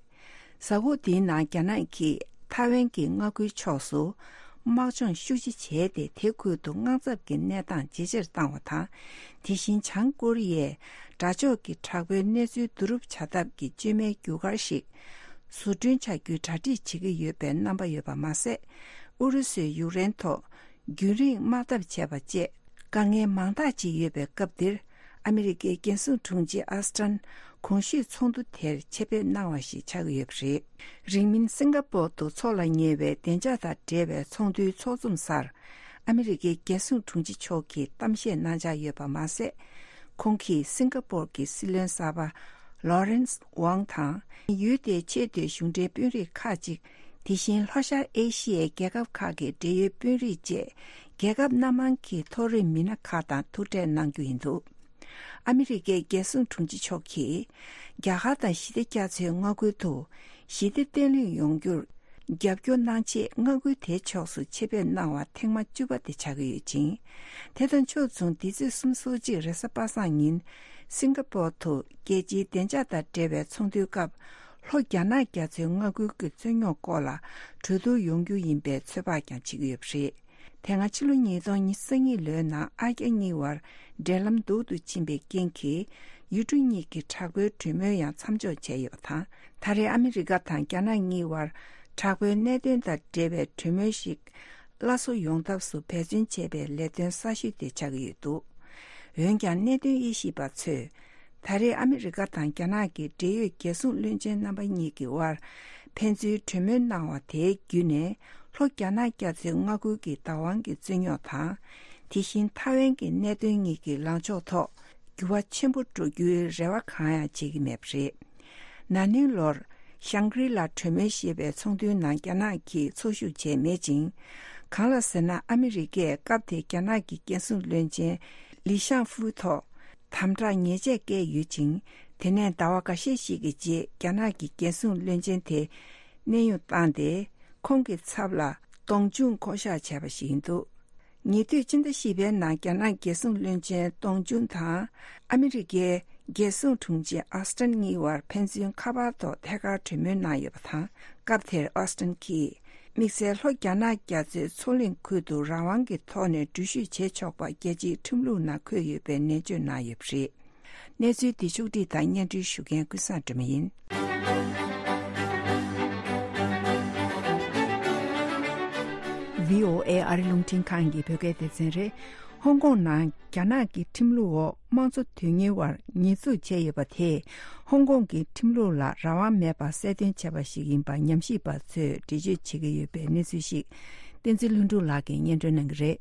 གཟའ་འཁོར་འདིའི་ནང་རྒྱ་ནག་གིས་ཐའེ་ཝན་གྱི་མངའ་ཁུལ་ཕྱོགས་སུ་དམག་སྦྱོང་ཤུགས་ཆེ་བྱས་ཏེ། དེ་ཁུལ་དུ་དངངས་འཚབ་ཀྱི་གནས་སྟངས་ཇེ་ཆེར་བཏང་བ་དང་། དེ་བཞིན་བྱང་ཀོ་རི་ཡས་དགྲ་ཕྱོགས་ཀྱི་དྲག་པོའི་གནས་ཚུལ་བསྡུ་རུབ་བྱ་ཐབས་ཀྱི་བཅོས་མའི་རྒྱུ་སྐར་ཞིག་བཟོ་སྐྲུན་བྱ་རྒྱུའི་གྲ་སྒྲིག་བྱེད་ཀྱི་ཡོད་པའི་རྣམ་པ་ཡོད་པ་མ་ཟད། ཨུ་རུ་སུས་ཡུཀ་རེན་ཐོག་རྒྱུན་རིང་དམག་འཐབ་བྱས་པ་བཅས་དཀའ་ངལ་མང་དག་ཅིག་ཡོད་པའི་སྐབས་འདིར། ཨ་མི་རི་ཀའི་རྒྱལ་སྲུང་དྲུང་ཆེ་ཨོ་སི་ཊིན་གོང་ཞུས་ཚོགས་འདུ་དེར་ཆེད་ཕེབས་གནང་བ་ཞིག་ཆགས་ཀྱི་ཡོད་པ་རེད། རིང་མིན་སིང་ག་པོར་དུ་འཚོགས་ལ་ཉེ་བའི་བདེ་འཇགས་དང་འབྲེལ་བའི་ཚོགས་འདུའི་ཚོགས་འཛོམས་སར། ཨ་མི་རི་ཀའི་རྒྱལ་སྲུང་དྲུང་ཆེ་མཆོག་གིས་གཏམ་བཤད་གནང་འཆར་ཡོད་པ་མ་ཟད། ཁོང་གིས་སིང་ག་པོར་གྱི་སྲིད་བློན་གསར་པ་ལོ་རེན་སི་ཝང་དང་། ཡུལ་དེའི་ཆེས་མཐོའི་གཞུང་འབྲེལ་དཔོན་རིགས་ཁག་ཅིག། དེ་བཞིན་ལྷོ་ཤར་ཨེ་ཤི་ཡའི་རྒྱལ་ཁབ་ཁག་གི་འབྲེལ་ཡོད་དཔོན་རིགས་བཅས། རྒྱལ་ཁབ་སྣ་མང་གི་མཐོ་རིམ་མི་སྣ་ཁག་དང་ཐུག་འཕྲད་གནང་རྒྱུ་ཡིན་འདུག། ཨ་མི་རི་ཀའི་རྒྱལ་སྲུང་དྲུང་ཆེ་མཆོག་གིས། རྒྱ་གར་དང་ཞི་བདེ་རྒྱ་མཚོའི་མངའ་ཁུལ་དུ་ཞི་བདེ་བརྟན་ལྷིང་ཡོང་རྒྱུར་རྒྱབ་སྐྱོར་གནང་ཆེད་མངའ་ཁུལ་དེའི་ཕྱོགས་སུ་ཆེད་ཕེབས་གནང་བ་ཐེངས་མ་བཅུ་པ་དེ་ཆགས་ཀྱི་ཡོད་ཅིང་། དེ་དང་ཕྱོགས་མཚུངས་འདི་ཚེས་སོ་གཅིག་རེས་གཟའ་པ་སངས་ཉིན་སིང་ག་པོར་དུ་རྒྱལ་སྤྱིའི་བདེ་འཇགས་དང་འབྲེལ་བའི་ཚོགས་འདུའི་སྐབས། ལྷོ་རྒྱ་ནག་རྒྱ་མཚོའི་མངའ་ཁུལ་གྱི་རྩོད་རྙོག་སྐོར་ལ་གྲོས་བསྡུར་ཡོང་རྒྱུ་ཡིན་པའི་ཚོད་དཔག་ཀྱང་བྱེད་ཀྱི་ཡོད་པ་རེད། དེ་སྔ་ཕྱི་ལོ་ཉིས་སྟོང་ཉི་ཤུ་རྩ་གཉིས་ལོའི་ནང་ཨ་རྒྱ་གཉིས་བར་འབྲེལ་ལམ་སྡུག་ཏུ་ཕྱིན་པའི་རྐྱེན་གྱིས། ཡུལ་གྲུ་གཉིས་ཀྱི་དྲག་པོའི་གྲོས་མོལ་ཡང་མཚམས་འཇོག་བྱས་ཡོད་པ་དང་། ད་རེས་ཨ་མི་རི་ཀ་དང་རྒྱ་ནག་གཉིས་བར་དྲག་པོའི་གནད་དོན་དང་འབྲེལ་བའི་གྲོས་མོལ་ཞིག་སླར་གསོ་ཡོང་ཐབས་སུ་འབད་བརྩོན་བྱེད་པའི་ལས་དོན་གསར་ཤོས་དེ་ཆགས་ཀྱི་ཡོད་འདུག། འོན་ཀྱང་གནད་དོན་དབྱེ་ཞིབ་པ་ཚོས། ད་རེས་ཨ་མི་རི་ཀ་དང་རྒྱ་ནག་གི་འབྲེལ་ཡོད་རྒྱལ་སྲུང་བློན་ཆེན་རྣམ་པ་གཉིས་ཀྱི་དབར་ཕན་ཚུན་གྲོས་མོལ་གནང་བ་དེའི་བརྒྱུད་ནས། ལྷོ་རྒྱ་ནག་རྒྱ་མཚོའི་མངའ་ཁུལ་གྱི་བདག་དབང་གི་རྩོད་རྙོག་དང་། དེ་བཞིན་ཐའེ་ཝན་གྱི་གནད་དོན་གཉིས་ཀྱི་ལངས་ཕྱོགས་ཐོག་འགྱུར་བ་ཆེན་པོ་འགྲོ་རྒྱུའི་རེ་བ་གང་ཡང་བྱེད་ཀྱི་མེད་པ་རེད། ན་ནིང་ལོར་ཤང་ཀྲི་ལ་གྲོས་མོལ་ཞེས་པའི་ཚོགས་འདུའི་ནང་རྒྱ་ནག་གིས་ཚོགས་ཞུགས་བྱས་མེད་ཅིང་། གང་ལ་ཟེར་ན། ཨ་མི་རི་ཀས་སྐབས་དེའི་རྒྱ་ནག་གི་རྒྱལ་སྲུང་བློན་ཆེན་ལི་ཤང་ཧྥུའུ་ཐོག་དམ་དྲག་ཉེས་ཆད་བཀལ་ཡོད་ཅིང་། དེ་ནས་ཟླ་བ་འགའ་ཤས་ཤིག་གི་རྗེས། རྒྱ་ནག་གི་རྒྱལ་སྲུང་བློན་ཆེན་དེ་གནས་དབྱུང་བཏང་སྟེ། ཁོང་གི་ཚབ་ལ་ཏོང་ཅུན་བསྐོ་གཞག་བྱས་པ་ཞིག་ཡིན་འདུག། ཉེ་དུས་ཕྱི་ཟླ་བཞི་པའི་ནང་རྒྱ་ནག་རྒྱལ་སྲུང་བློན་ཆེན་ཏོང་ཅུན་དང་ཨ་མི་རི་ཀའི་རྒྱལ་སྲུང་དྲུང་ཆེ་ཨོ་སི་ཊིན་གཉིས་བར་ཕན་ཚུན་ཁ་པར་ཐོག་ཐད་ཀར་གྲོས་མོལ་གནང་ཡོད་པ་དང་། སྐབས་དེར་ཨོ་སི་ཊིན་གྱིས་དམིགས་བསལ་ལྷོ་རྒྱ་ནག་རྒྱ་མཚོའི་མཚོ་གླིང་ཁུལ་དུ་རང་དབང་གི་ཐོག་ནས་འགྲུལ་བཞུད་བྱེད་ཆོག་པ་རྒྱལ་སྤྱིའི་ཁྲིམས་ལུགས་ནང་འཁོད་ཡོད་པའི་ནན་བརྗོད་གནང་ཡོད་པ་རེད། གནས་ཚུལ་འདི་ཕྱོགས་བསྒྲིགས་དང་སྙན་སྒྲོན་ཞུ་མཁན་ཀུན་བཟང་སྒྲོལ་མ་ཡིན། བྷི་ཨོ་ཨེ་ཨ་རི་རླུང་འཕྲིན་ཁང་གི་བོད་སྐད་སྡེ་ཚན་རེད། ཧོང་ཀོང་ནང་རྒྱ་ནག་གི་ཁྲིམས་ལུགས་འོག་དམངས་གཙོ་དོན་གཉེར་བར་ཉེས་འཛུགས་བྱས་ཡོད་པ་དེས་ཧོང་ཀོང་གི་ཁྲིམས་ལུགས་ལ་རང་དབང་མེད་པར་གསལ་སྟོན་བྱས་པ་ཞིག་ཡིན་པ་ཉམས་ཞིབ་པ་ཚོས་འགྲེལ་བརྗོད་བྱེད་ཀྱི་ཡོད་པའི་གནས་ཚུལ་ཞིག་བསྟན་འཛིན་ལྷུན་གྲུབ་ལགས་ཀྱིས་སྙན་སྒྲོན་གནང་གི་རེད།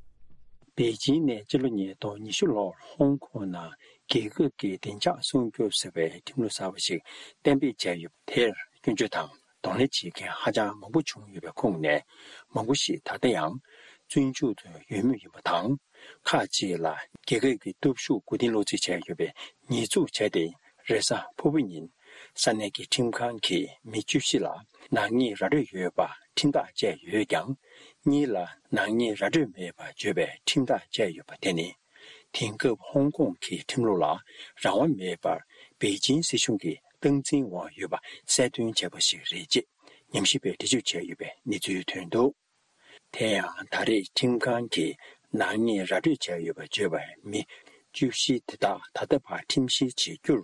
པེ་ཅིང་ནས་སྤྱི་ལོ་ཉིས་སྟོང་ཉི་ཤུ་ལོར་ཧོང་ཀོང་ནང་རྒྱལ་ཁབ་ཀྱི་བདེ་འཇགས་སྲུང་སྐྱོབ་ཟེར་བའི་ཁྲིམས་ལུགས་གསར་པ་ཞིག་གཏན་འབེབས་བྱས་ཡོད་པ་དེར་སྐྱོན་བརྗོད་དང་གདོང་ལེན་བྱེད་མཁན་ཧ་ཅང་མང་པོ་བྱུང་ཡོད་པའི་ཁོངས་ནས། མང་པོ་ཞིག་ད་ལྟ་ཡང་བཙོན་འཇུག་ཏུ་ཡོད་མུས་ཡིན་པ་དང་། ཁག་ཅིག་ལ་རྒྱལ་ཁབ་ཀྱི་སྟོབས་ཤུགས་མགོ་རྟིང་སློག་རྩིས་བྱས་ཡོད་པའི་ཉེས་འཛུགས་བྱས་ཏེ། རེས་གཟའ་ཕུར་བུ་ཉིན་ས་གནས་ཀྱི་ཁྲིམས་ཁང་གིས་མི་བཅུ་བཞི་ལ་ནག་ཉེས་ར་སྤྲོད་ཡོད་པ་ཁྲིམས་ཐག་བཅད་ཡོད་ཀྱང་། གཉིས་ལ་ནག་ཉེས་ར་སྤྲོད་མེད་པ་བརྗོད་པའི་ཁྲིམས་ཐག་བཅད་ཡོད་པ་དེ་ནི། དེང་སྐབས་ཧོང་ཀོང་གི་ཁྲིམས་ལུགས་ལ་རང་དབང་མེད་པར་པེ་ཅིང་སྲིད་གཞུང་གིས་སྟངས་འཛིན་འོག་ཡོད་པ་གསལ་སྟོན་བྱས་པ་ཞིག་རེད་ཅེས་ཉམས་ཞིབ་པས་འགྲེལ་བརྗོད་བྱས་ཡོད་པའི་གནས་ཚུལ་ཐོན་འདུག་དེ་ཡང་ད་རེས་ཁྲིམས་ཁང་གིས་ནག་ཉེས་ར་སྤྲོད་བྱས་ཡོད་པ་བརྗོད་པའི་མི་བཅུ་བཞི་དེ་དག་ད་ལྟ་བར་ཁྲིམས་བཤེར་བྱེད་རྒྱུར་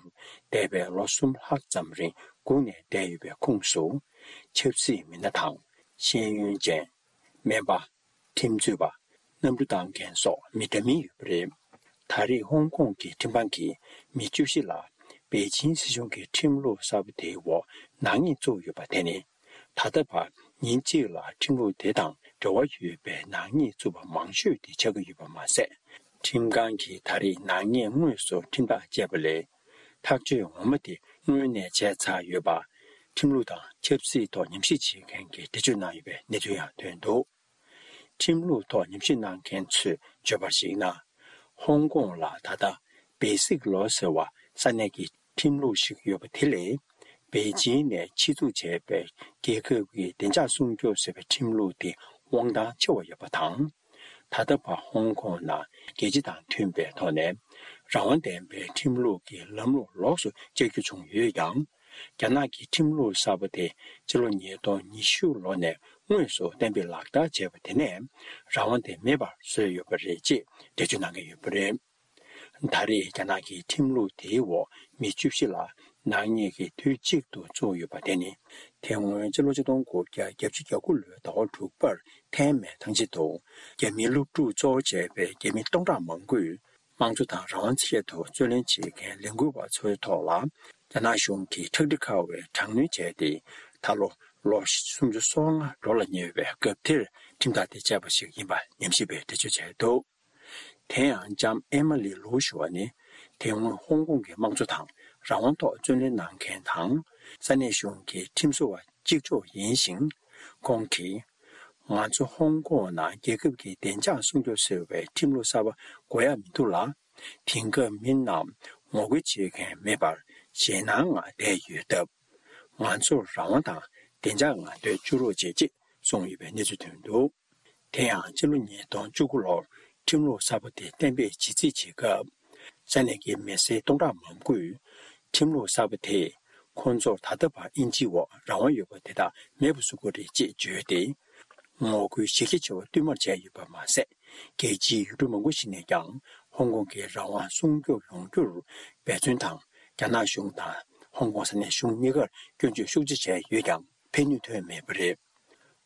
འདས་པའི་ལོ་གསུམ་ལྷག་ཙམ་རིང་སྒུག་ནས་བསྡད་ཡོད་པའི་ཁོངས་སུ། ཆབ་སྲིད་མི་སྣ་དང་ཤེས་ཡོན་ཅན། སྨན་པ། ཁྲིམས་རྩོད་པ། གནམ་གྲུ་བཏང་མཁན་སོགས་མི་འདྲ་མིན་ཡོད་པ་རེད། ད་རེས་ཧོང་ཀོང་གི་ཁྲིམས་ཁང་གིས་མི་བཅུ་བཞི་ལ་པེ་ཅིང་སྲིད་གཞུང་གི་ཁྲིམས་ལུགས་གསར་པ་དེའི་འོག་ནག་ཉེས་བཙུགས་ཡོད་པ་དེ་ནི། ད་ལྟ་བར་ཉིན་གཅིག་ལ་ཁྲིམས་ལུགས་དེ་དང་འབྲེལ་བ་ཡོད་པའི་ནག་ཉེས་བཙུགས་པ་མང་ཤོས་དེ་ཆགས་ཀྱི་ཡོད་པ་མ་ཟད། ཁྲིམས་ཁང་གིས་ད་རེས་ནག་ཉེས་དངོས་སུ་ཁྲིམས་ཐག་བཅད་པ་ལས། ཐག་གཅོད་ངོ་མ་དེ་སྔོན་ནས་བྱས་ཚར་ཡོད་པ། ཁྲིམས་ལུགས་དང་ཆབ་སྲིད་ཐོག་ཉམས་ཞིབ་བྱེད་མཁན་གྱིས་འགྲེལ་བརྗོད་གནང་ཡོད་པའི་གནས་ཚུལ་ཡང་ཐོན་འདུག་ཁྲིམས་ལུགས་ཐོག་ཉམས་ཞིབ་གནང་མཁན་ཚོས་བརྗོད་པར་གཞིགས་ན། ཧོང་ཀོང་ལ་ད་ལྟ་བེ་སིག་ལོ་ཟེར་བ་ས་གནས་ཀྱི་ཁྲིམས་ལུགས་ཤིག་ཡོད་པ་དེ་ལས། པེ་ཅིང་ནས་ཆེད་འཛུགས་བྱས་པའི་རྒྱལ་ཁབ་ཀྱི་བདེ་འཇགས་སྲུང་སྐྱོབ་ཟེར་བའི་ཁྲིམས་ལུགས་དེ་དབང་ཐང་ཆེ་བ་ཡོད་པ་དང་། ད་ལྟ་བར་ཧོང་ཀོང་ནང་རྒྱལ་སྤྱི་དང་མཐུན་པའི་ཐོག་ནས་རང་དབང་ལྡན་པའི་ཁྲིམས་ལུགས་ཀྱི་ལམ་ལུགས་ལོགས་སུ་བཅད་རྒྱུ་བྱུང་ཡོད་ཀྱང་། རྒྱ་ནག་གི་ཁྲིམས་ལུགས་གསར་པ་དེ་སྤྱི་ལོ་ཉིས་སྟོང་ཉི་ཤུ་ལོ་ནས་དངོས་སུ་གཏན་འབེབས་ལག་བསྟར་བྱས་པ་དེ་ནས་རང་དབང་དེ་མེད་པར་བཟོས་ཡོད་པ་རེད་ཅེས་འགྲེལ་བརྗོད་གནང་གི་ཡོད་པ་རེད། ད་རེས་རྒྱ་ནག་གི་ཁྲིམས་ལུགས་དེའི་འོག་མི་བཅུ་བཞི་ལ་ནག་ཉེས་ཀྱིས་དུས་གཅིག་ཏུ་བཙུགས་ཡོད་པ་དེ་ནི། དེ་སྔོན་སྤྱི་ལོ་ཆིག་སྟོང་དགུ་བརྒྱ་བརྒྱད་ཅུ་གྱ་དགུ་ལོའི་ཟླ་བ་དྲུག་པར་ཐའེ་མེན་ཐང་ཆེན་དུ་རྒྱ་མིའི་སློབ་ཕྲུག་གཙོ་བོ་བྱས་པའི་རྒྱ་མི་སྟོང་ཕྲག་མང་པོས། དམངས་གཙོ་དང་རང་དབང་ཆེད་དུ་རྩོད་ལེན་བྱེད་མཁན་ལས་འགུལ་བ་ཚོའི་ཐོག་ལ། རྒྱ་ནག་གཞུང་གིས་ཁྲག་དྲི་ཁ་བའི་དྲག་གནོན་བྱས་ཏེ། ད་ལོ་ལོ་སུམ་ཅུ་སོ་ལྔ་འགྲོ་ལ་ཉེ་བའི་སྐབས་དེར་ཁྲིམས་ཐག་དེ་བཅད་པ་ཞིག་ཡིན་པ་ཉམས་ཞིབ་པས་འགྲེལ་བརྗོད་བྱས་འདུག་དེ་ཡང་ལྕམ་ཨེ་མ་ལི་ལུའུ་ཞུ་བ་ནི། དེ་སྔོན་ཧོང་ཀོང་གི་དམངས་གཙོ་དང་རང་དབང་ཐོག་རྩོད་ལེན་གནང་མཁན་དང་། ས་གནས་གཞུང་གི་ཁྲིམས་བཟོ་བ་གཅིག་ལྕོགས་ཡིན་ཞིང་། ཁོང་གིས། ང་ཚོ་ཧོང་ཀོང་ནང་རྒྱལ་ཁབ་ཀྱི་བདེ་འཇགས་སྲུང་སྐྱོབ་ཟེར་བའི་ཁྲིམས་ལུགས་གསར་པ་དགོས་ཡ་མི་འདུག་ལ། དེང་སྐབས་མི་རྣམས་ངོ་རྒོལ་བྱེད་མཁན་མེད་པར་ཞེད་སྣང་ངང་བསྡད་ཡོད་སྟབས། ང་ཚོར་རང་དབང་དང་བདེ་འཇགས་ངང་སྡོད་བཅུག་རོགས་བྱེད་ཅེས་གསུངས་ཡོད་པའི་གནས་ཚུལ་ཐོན་འདུག་དེ་ཡང་ཕྱི་ལོ་ཉིས་སྟོང་བཅུ་དགུ་ལོར་ཁྲིམས་ལུགས་གསར་པ་དེ་གཏན་འབེབས་བྱེད་རྩིས་བྱེད་སྐབས། ས་གནས་ཀྱི་མི་སེར་སྟོང་ཕྲག་མང་པོས་ཁྲིམས་ལུགས་གསར་པ་དེས་ཁོང་ཚོར་ད་ལྟ་བར་དབྱིན་ཇིའི་འོག་རང་དབང་ཡོད་པ་དེ་དག་མེད་པར་བཟོ་དགོས་རེད་ཅེས་བརྗོད་དེ། ངོ་རྒོལ་གཞི་རྒྱ་ཆེ་བ་བསྟུད་མར་བྱས་ཡོད་པ་མ་ཟད། རྒྱལ་སྤྱིའི་ཡུལ་གྲུ་མང་པོ་ཞིག་ནས་ཀྱང་ཧོང་ཀོང་གི་རང་དབང་སྲུང་སྐྱོབ་ཡོང་རྒྱུར་འབད་བརྩོན་དང་། རྒྱ་ནག་གཞུང་དང་ཧོང་ཀོང་ས་གནས་གཞུང་གཉིས་ཀར་སྐྱོན་བརྗོད་ཤུགས་ཆེ་བྱས་ཡོད་ཀྱང་ཕན་ནུས་ཐོན་མེད་པ་རེད།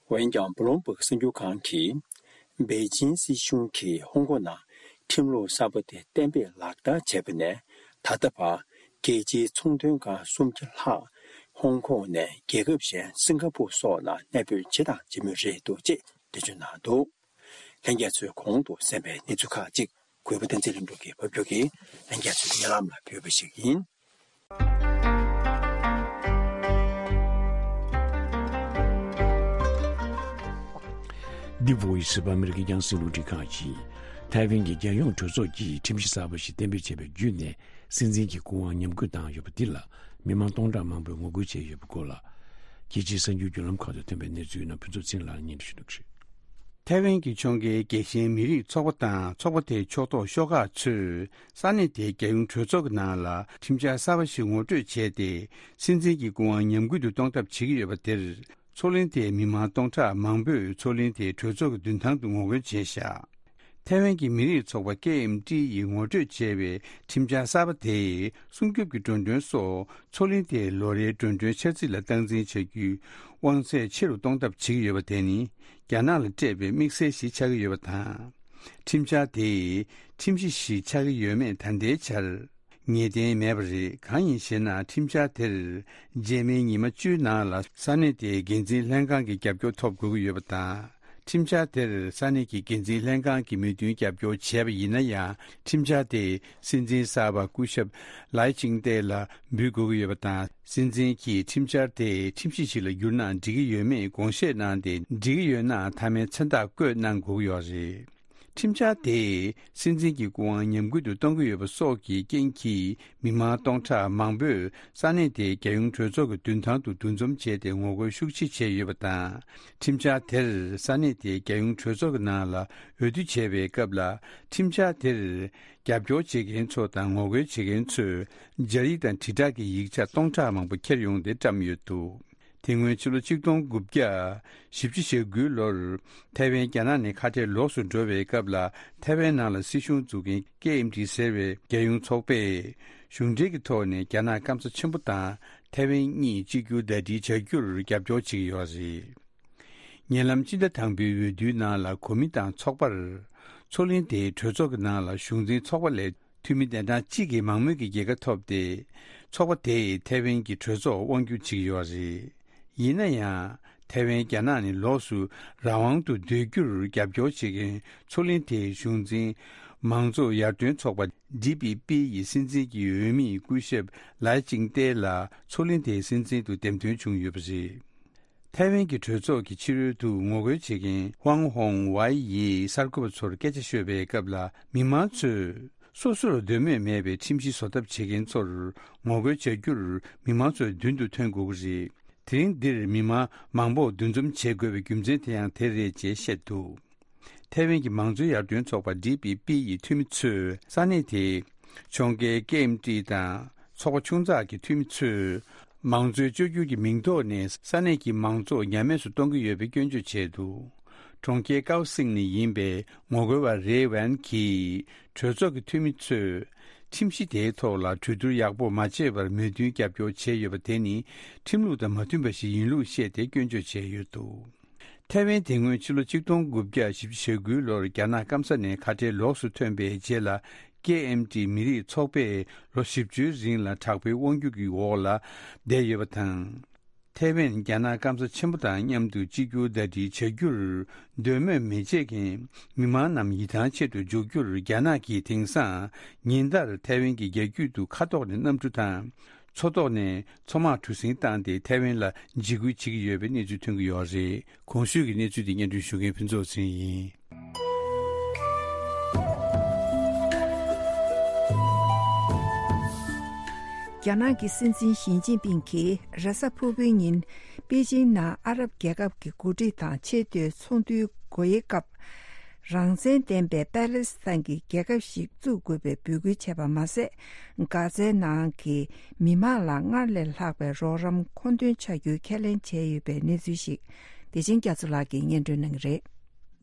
འོན་ཀྱང་། བུ་ལོན་སྦུག་གསར་འགྱུར་ཁང་གིས། པེ་ཅིང་སྲིད་གཞུང་གིས་ཧོང་ཀོང་ནང་ཁྲིམས་ལུགས་གསར་པ་དེ་གཏན་འབེབས་ལག་བསྟར་བྱས་པ་ནས་ད་ལྟ་བར། རྒྱལ་སྤྱིའི་ཚོང་དོན་ཁང་སུམ་བརྒྱ་ལྷག་ཧོང་ཀོང་ནས་རྒྱལ་ཁབ་གཞན་སིང་ག་པུར་སོགས་ནང་གནས་སྤོས་བྱས་དང་བྱེད་མུས་རེད་འདུག་ཅེས་འགྲེལ་བརྗོད་གནང་འདུག་ལྷན་རྒྱས་ཚོས་གོང་དུ་གསན་པའི་གནས་ཚུལ་ཁག་ཅིག་གུས་པ་བསྟན་འཛིན་ལྷུན་གྲུབ་ཀྱིས་ཕབ་སྒྱུར་གྱིས་ལྷན་རྒྱས་ཚོའི་སྙན་ལམ་ལ་ཕུལ་བ་ཞིག་ཡིན། འདི་བྷོ་ཡིས་ཨོཕ་ཨ་མེ་རི་ཀའི་རྒྱང་སྲིང་རླུང་འཕྲིན་ཁང་ཡིན། ཐའེ་ཝན་གྱི་རྒྱལ་ཡོངས་གྲོས་ཚོགས་ཀྱིས་ཁྲིམས་གཞི་གསར་པ་ཞིག་གཏན་འབེབས་བྱས་པ་བརྒྱུད་ནས་སྲིད་འཛིན་གྱི་སྐུ་དབང་ཉམས་རྒུད་བཏང་ཡོད་པ་འདི་ལ་མི་མང་སྟོང་ཕྲག་མང་པོས་ངོ་རྒོལ་བྱས་ཡོད་པའི་སྐོར་ལ། རྒྱལ་སྤྱིའི་གསར་འགྱུར་བརྒྱུད་ལམ་ཁག་ཏུ་ཐོན་པའི་གནས་ཚུལ་རྣམས་ཕུན་ཚོགས་ཚེ་རིང་ལགས་སྙན་སྒྲོན་ཞུ་གནང་གི་རེད། ཐའེ་ཝན་གྱི་ཕྱོགས་འགལ་རྒྱལ་ཞེན་མི་རིགས་ཚོགས་པ་དང་ཚོགས་པ་དེའི་ཕྱོགས་གཏོགས་ཤོག་ཁག་ཚོས་ས་གནས་དེའི་རྒྱལ་ཡོངས་གྲོས་ཚོགས་ཀྱི་ནང་ལ་ཁྲིམས་འཆར་གསར་པ་ཞིག་ངོ་སྤྲོད་བྱས་ཏེ། སྲིད་འཛིན་གྱི་སྐུ་དབང་ཉམས་རྒུད་དུ་གཏོང་ཐབས་བྱེད་ཀྱི་ཡོད་པ་དེར། མཚོ་གླིང་དེའི་མི་མང་སྟོང་ཕྲག་མང་པོས་མཚོ་གླིང་དེའི་གྲོས་ཚོགས་ཀྱི་མདུན་ཐང་དུ་ངོ་རྒོལ་བྱས་བཞག་ཐའེ་ཝན་གྱི་མི་རིགས་ཚོགས་པ་ཀེ་ཨེམ་ཏི་ཡིས་ངོ་སྤྲོད་བྱས་པའི་ཁྲིམས་འཆར་གསར་པ་དེས་སྲུང་སྐྱོབ་ཀྱི་འགྲོ་གྲོན་སོགས་མཚོ་གླིང་དེའི་ལོ་རེའི་འགྲོ་གྲོན་འཆར་རྩིས་ལ་སྟངས་འཛིན་བྱ་རྒྱུའི་ དབང་ཚད་ཆེ་རུ་གཏོང་ཐབས་བྱེད་ཀྱི་ཡོད་པ་དེ་ནི་རྒྱ་ནག་ལ་སྤྲད་པའི་དམིགས་བསལ་ཞིག་ཆགས་ཀྱི་ཡོད་པ་དང་། ཁྲིམས་འཆར་དེ་ཁྲིམས་གཞི་ཞིག་ཆགས་ཀྱི་ཡོད་མེད་ད་ལྟའི་ཆར་ངེས་གཏན་མེད་པ་རེད། གང་ཡིན་ཞེ་ན། ཁྲིམས་འཆར་དེར་རྗེས་མའི་ཉི་མ་བཅུའི་ནང་ལ་ས་གནས་དེའི་འགན་འཛིན་ལྷན་ཁང་གི་རྒྱབ་སྐྱོར་ཐོབ་དགོས་ཀྱི་ཡོད་པ་དང་། ཁྲིམས་འཆར་དེར་ས་གནས་ཀྱི་འགན་འཛིན་ལྷན་ཁང་གིས་མོས་མཐུན་རྒྱབ་སྐྱོར་བྱས་པ་ཡིན་ན་ཡང་། ཁྲིམས་འཆར་དེ་སྲིད་འཛིན་གསར་པ་སྐུ་ཞབས་ལའེ་ཅིང་ཏེ་ལ་འབུལ་དགོས་ཀྱི་ཡོད་པ་དང་། སྲིད་འཛིན་གྱིས་ཁྲིམས་འཆར་དེ་ཁྲིམས་གཞི་ཞིག་ལ་བསྒྱུར་ན་འགྲིག་གི་ཡོད་མེད་དགོངས་བཞེས་གནང་སྟེ། འགྲིག་གི་ཡོད་ན་མཐའ་མའི་མཚན་རྟགས་བཀོད་གནང་དགོས་ཀྱི་ཡོད་རེད། ཁྲིམས་འཆར་དེས་སྲིད་འཛིན་གྱི་སྐུ་དབང་ཉམས་རྒུད་དུ་གཏོང་གི་ཡོད་པ་སོགས་ཀྱི་རྐྱེན་གྱིས་མི་མང་སྟོང་ཕྲག་མང་པོས་ས་གནས་དེའི་རྒྱལ་ཡོངས་གྲོས་ཚོགས་ཀྱི་མདུན་ཐང་དུ་འདུ་འཛོམས་བྱས་ཏེ་ངོ་རྒོལ་ཤུགས་ཆེ་བྱས་ཡོད་པ་དང་། ཁྲིམས་འཆར་དེར་ས་གནས་དེའི་རྒྱལ་ཡོངས་གྲོས་ཚོགས་ཀྱི་ནང་ལ་འོས་བསྡུ་བྱས་པའི་སྐབས་ལ། ཁྲིམས་འཆར་དེར་རྒྱབ་སྐྱོར་བྱེད་མཁན་ཚོ་དང་ངོ་རྒོལ་བྱེད་མཁན་ཚོས་སྦྱར་ཡིག་དང་དྲིལ་བསྒྲགས་ཀྱི་ཡིག་ཆ་སྟོང་ཕྲག་མང་པོ་འཁྱེར་ཡོང་སྟེ་བཀྲམ་ཡོད་འདུག་དེ་སྔོན་ཕྱི་ལོ་ཆིག་སྟོང་དགུ་བརྒྱ་བཞི་བཅུ་ཞེ་དགུའི་ལོར་ཐའེ་ཝན་རྒྱ་ནག་ནས་ཁ་བྲལ་ལོགས་སུ་འགྲོ་བའི་སྐབས་ལ། ཐའེ་ཝན་ནང་ལ་སྲིད་གཞུང་འཛུགས་མཁན་ཀེ་ཨེམ་ཏི་ཟེར་བའི་རྒྱལ་ཡོངས་ཚོགས་པས་གཞུང་འབྲེལ་གྱི་ཐོག་ནས་རྒྱ་ནག་སྐམ་ས་ཆེན་པོ་དང་ཐའེ་ཝན་གཉིས་གཅིག་གྱུར་ཟླ་སྒྲིལ་བྱ་རྒྱུར་རྒྱབ་སྐྱོར་བྱེད་ཀྱི་ཡོད་རེད། ཉེ་ལམ་སྤྱི་ཟླ་དང་པོའི་འོས་བསྡུའི་ནང་ལ་གོ་མི་དང་ཚོགས་པར། མཚོ་གླིང་དེའི་གྲོས་ཚོགས་ཀྱི་ནང་ལ་གཞུང་འཛིན་ཚོགས་པ་ལས་འཐུས་མི་གདན་གྲངས་གཅིག་གི་མང་མོས་ཀྱི་རྒྱལ་ཁ་ཐོབ་སྟེ། ཚོགས་པ་དེས་ཐའེ་ཝན་གྱི་གྲོས་ཚོགས་དབང་སྒྱུར་བྱེད་ཀྱི་ཡོད་རེད། ཡིན་ན་ཡང་། ཐའེ་ཝན་རྒྱ་ནག་ནས་ལོགས་སུ་རང་དབང་དུ་སྡོད་རྒྱུར་རྒྱབ་སྐྱོར་བྱེད་མཁན་མཚོ་གླིང་དེའི་གཞུང་འཛིན་མང་གཙོ་ཡར་ཐོན་ཚོགས་པ་ཌི་པི་པི་ཡི་སྲིད་འཛིན་གྱི་འོས་མི་སྐུ་ཞབས་ལའེ་ཅིང་ཏེ་ལ་མཚོ་གླིང་དེའི་སྲིད་འཛིན་དུ་འདེམས་ཐོན་བྱུང་ཡོད་པ་རེད། ཐའེ་ཝན་གྱི་གྲོས་ཚོགས་ཀྱི་ཕྱི་རོལ་དུ་ངོ་རྒོལ་བྱེད་མཁན་ཧུའང་ཧོང་ཝའེ་ཡིས་གསར་འགོད་པ་ཚོར་སྐད་ཆ་ཤོད་པའི་སྐབས་ལ། མི་མང་ཚོས་སོ་སོར་འདོད་མོས་མེད་པའི་ཁྲིམས་གཞི་བཟོ་ཐབས་བྱེད་མཁན་ཚོར་ངོ་རྒོལ་བྱ་རྒྱུར་མི་མང་ཚོས་མདུན་དུ་ཐོན་དགོས་ཀྱི་རེད། དེ་རིང་འདིར་མི་མང་མང་པོ་འདུ་འཛོམས་བྱེད་དགོས་པའི་རྒྱུ་མཚན་དེ་ཡང་དེ་རེད་ཅེས་བཤད་འདུག་ཐའེ་ཝན་གྱི་མང་གཙོའི་ཡར་ཐོན་ཚོགས་པ་ཌི་པི་པི་ཡི་འཐུས་མི་ཚོས་ས་གནས་དེའི་ཕྱོགས་འགལ་ཀེ་ཨེམ་ཏི་དང་ཚོགས་པ་ཆུང་ཙག་གི་འཐུས་མི་ཚོས་མང་གཙོའི་བཅོས་བསྒྱུར་གྱི་མིང་ཐོག་ནས་ས་གནས་ཀྱི་མང་གཙོ་ཉམས་དམས་སུ་གཏོང་གི་ཡོད་པའི་སྐྱོན་བརྗོད་བྱས་འདུག་གྲོང་ཁྱེར་ཀའོ་སིང་ནས་ཡིན་པའི་ངོ་རྒོལ་བ་རེ་ཝན་གྱིས་གྲོས་ཚོགས་ཀྱི་འཐུས་མི་ཚོས་ཁྲིམས་གཞི་དེའི་ཐོག་ལ་གྲོས་བསྡུར་ཡག་པོ་མ་བྱས་པར་མོས་མཐུན་རྒྱབ་སྐྱོར་བྱས་ཡོད་པ་དེ་ནི་ཁྲིམས་ལུགས་དང་མ་མཐུན་པ་ཞིག་ཡིན་ལུགས་བཤད་དེ་སྐྱོན་བརྗོད་བྱས་ཡོད་འདུག་ཐའེ་ཝན་དེ་སྔོན་ཕྱི་ལོ་ཆིག་སྟོང་དགུ་བརྒྱ་བཞི་བཅུ་ཞེ་དགུའི་ལོར་རྒྱ་ནག་སྐམ་ས་ནས་ཁ་བྲལ་ལོགས་སུ་ཐོན་པའི་རྗེས་ལ། ཀེ་ཨེམ་ཏི་མི་རིགས་ཚོགས་པས་ལོ་བཞི་བཅུའི་རིང་ལ་དྲག་པོའི་དབང་སྒྱུར་གྱི་འོག་ལ་བསྡད་ཡོད་པ་དང་། ཐའེ་ཝན་རྒྱ་ནག་སྐམ་ས་ཆེན་པོ་དང་མཉམ་དུ་གཅིག་གྱུར་ཟླ་སྒྲིལ་བྱ་རྒྱུར་འདོད་མོས་མི་བྱེད་མཁན་མི་མང་རྣམས་ཡིད་ཐང་ཆད་དུ་འཇུག་རྒྱུར་རྒྱ་ནག་གིས་དེང་སང་ཉིན་ལྟར་ཐའེ་ཝན་གྱི་རྒྱ་རྒྱུད་དུ་མཁའ་ཐོག་ནས་གནམ་གྲུ་དང་། མཚོ་ཐོག་ནས་མཚོ་དམག་གྲུ་གཟིངས་བཏང་སྟེ་ཐའེ་ཝན་ལ་འཇིགས་སྐུལ་བྱེད་ཀྱི་ཡོད་པའི་གནས་ཚུལ་ཐོན་གྱི་ཡོད་རེད། གོང་ཞུས་ཀྱི་གནས་ཚུལ་དེ་སྙན་སྒྲོན་ཞུ་མཁན་ཕུན་ཚོགས་ཚེ་རིང་ཡིན། རྒྱ་ནག་གི་སྲིད་འཛིན་ཞི་ཅིན་ཕིང་གིས་རེས་གཟའ་ཕུར་བུའི་ཉིན་པེ་ཅིང་ནང་ཨ་རབ་རྒྱལ་ཁབ་ཀྱི་འགོ་ཁྲིད་དང་ཆེས་མཐོའི་ཚོགས་འདུའི་སྒོ་དབྱེའི་སྐབས། རང་བཙན་ལྡན་པའི་པ་ལི་སི་ཐན་གྱི་རྒྱལ་ཁབ་ཞིག་བཙུགས་དགོས་པའི་འབོད་སྐུལ་བྱས་པ་མ་ཟད། གྷ་ཛའི་ནང་གི་མི་མང་ལ་སྔར་ལས་ལྷག་པའི་རོགས་རམ་མཁོ་འདོན་བྱ་རྒྱུའི་ཁས་ལེན་བྱས་ཡོད་པའི་གནས་ཚུལ་ཞིག་བདེ་ཆེན་རྒྱ་མཚོ་ལགས་ཀྱིས་སྙན་སྒྲོན་གནང་གི་རེད།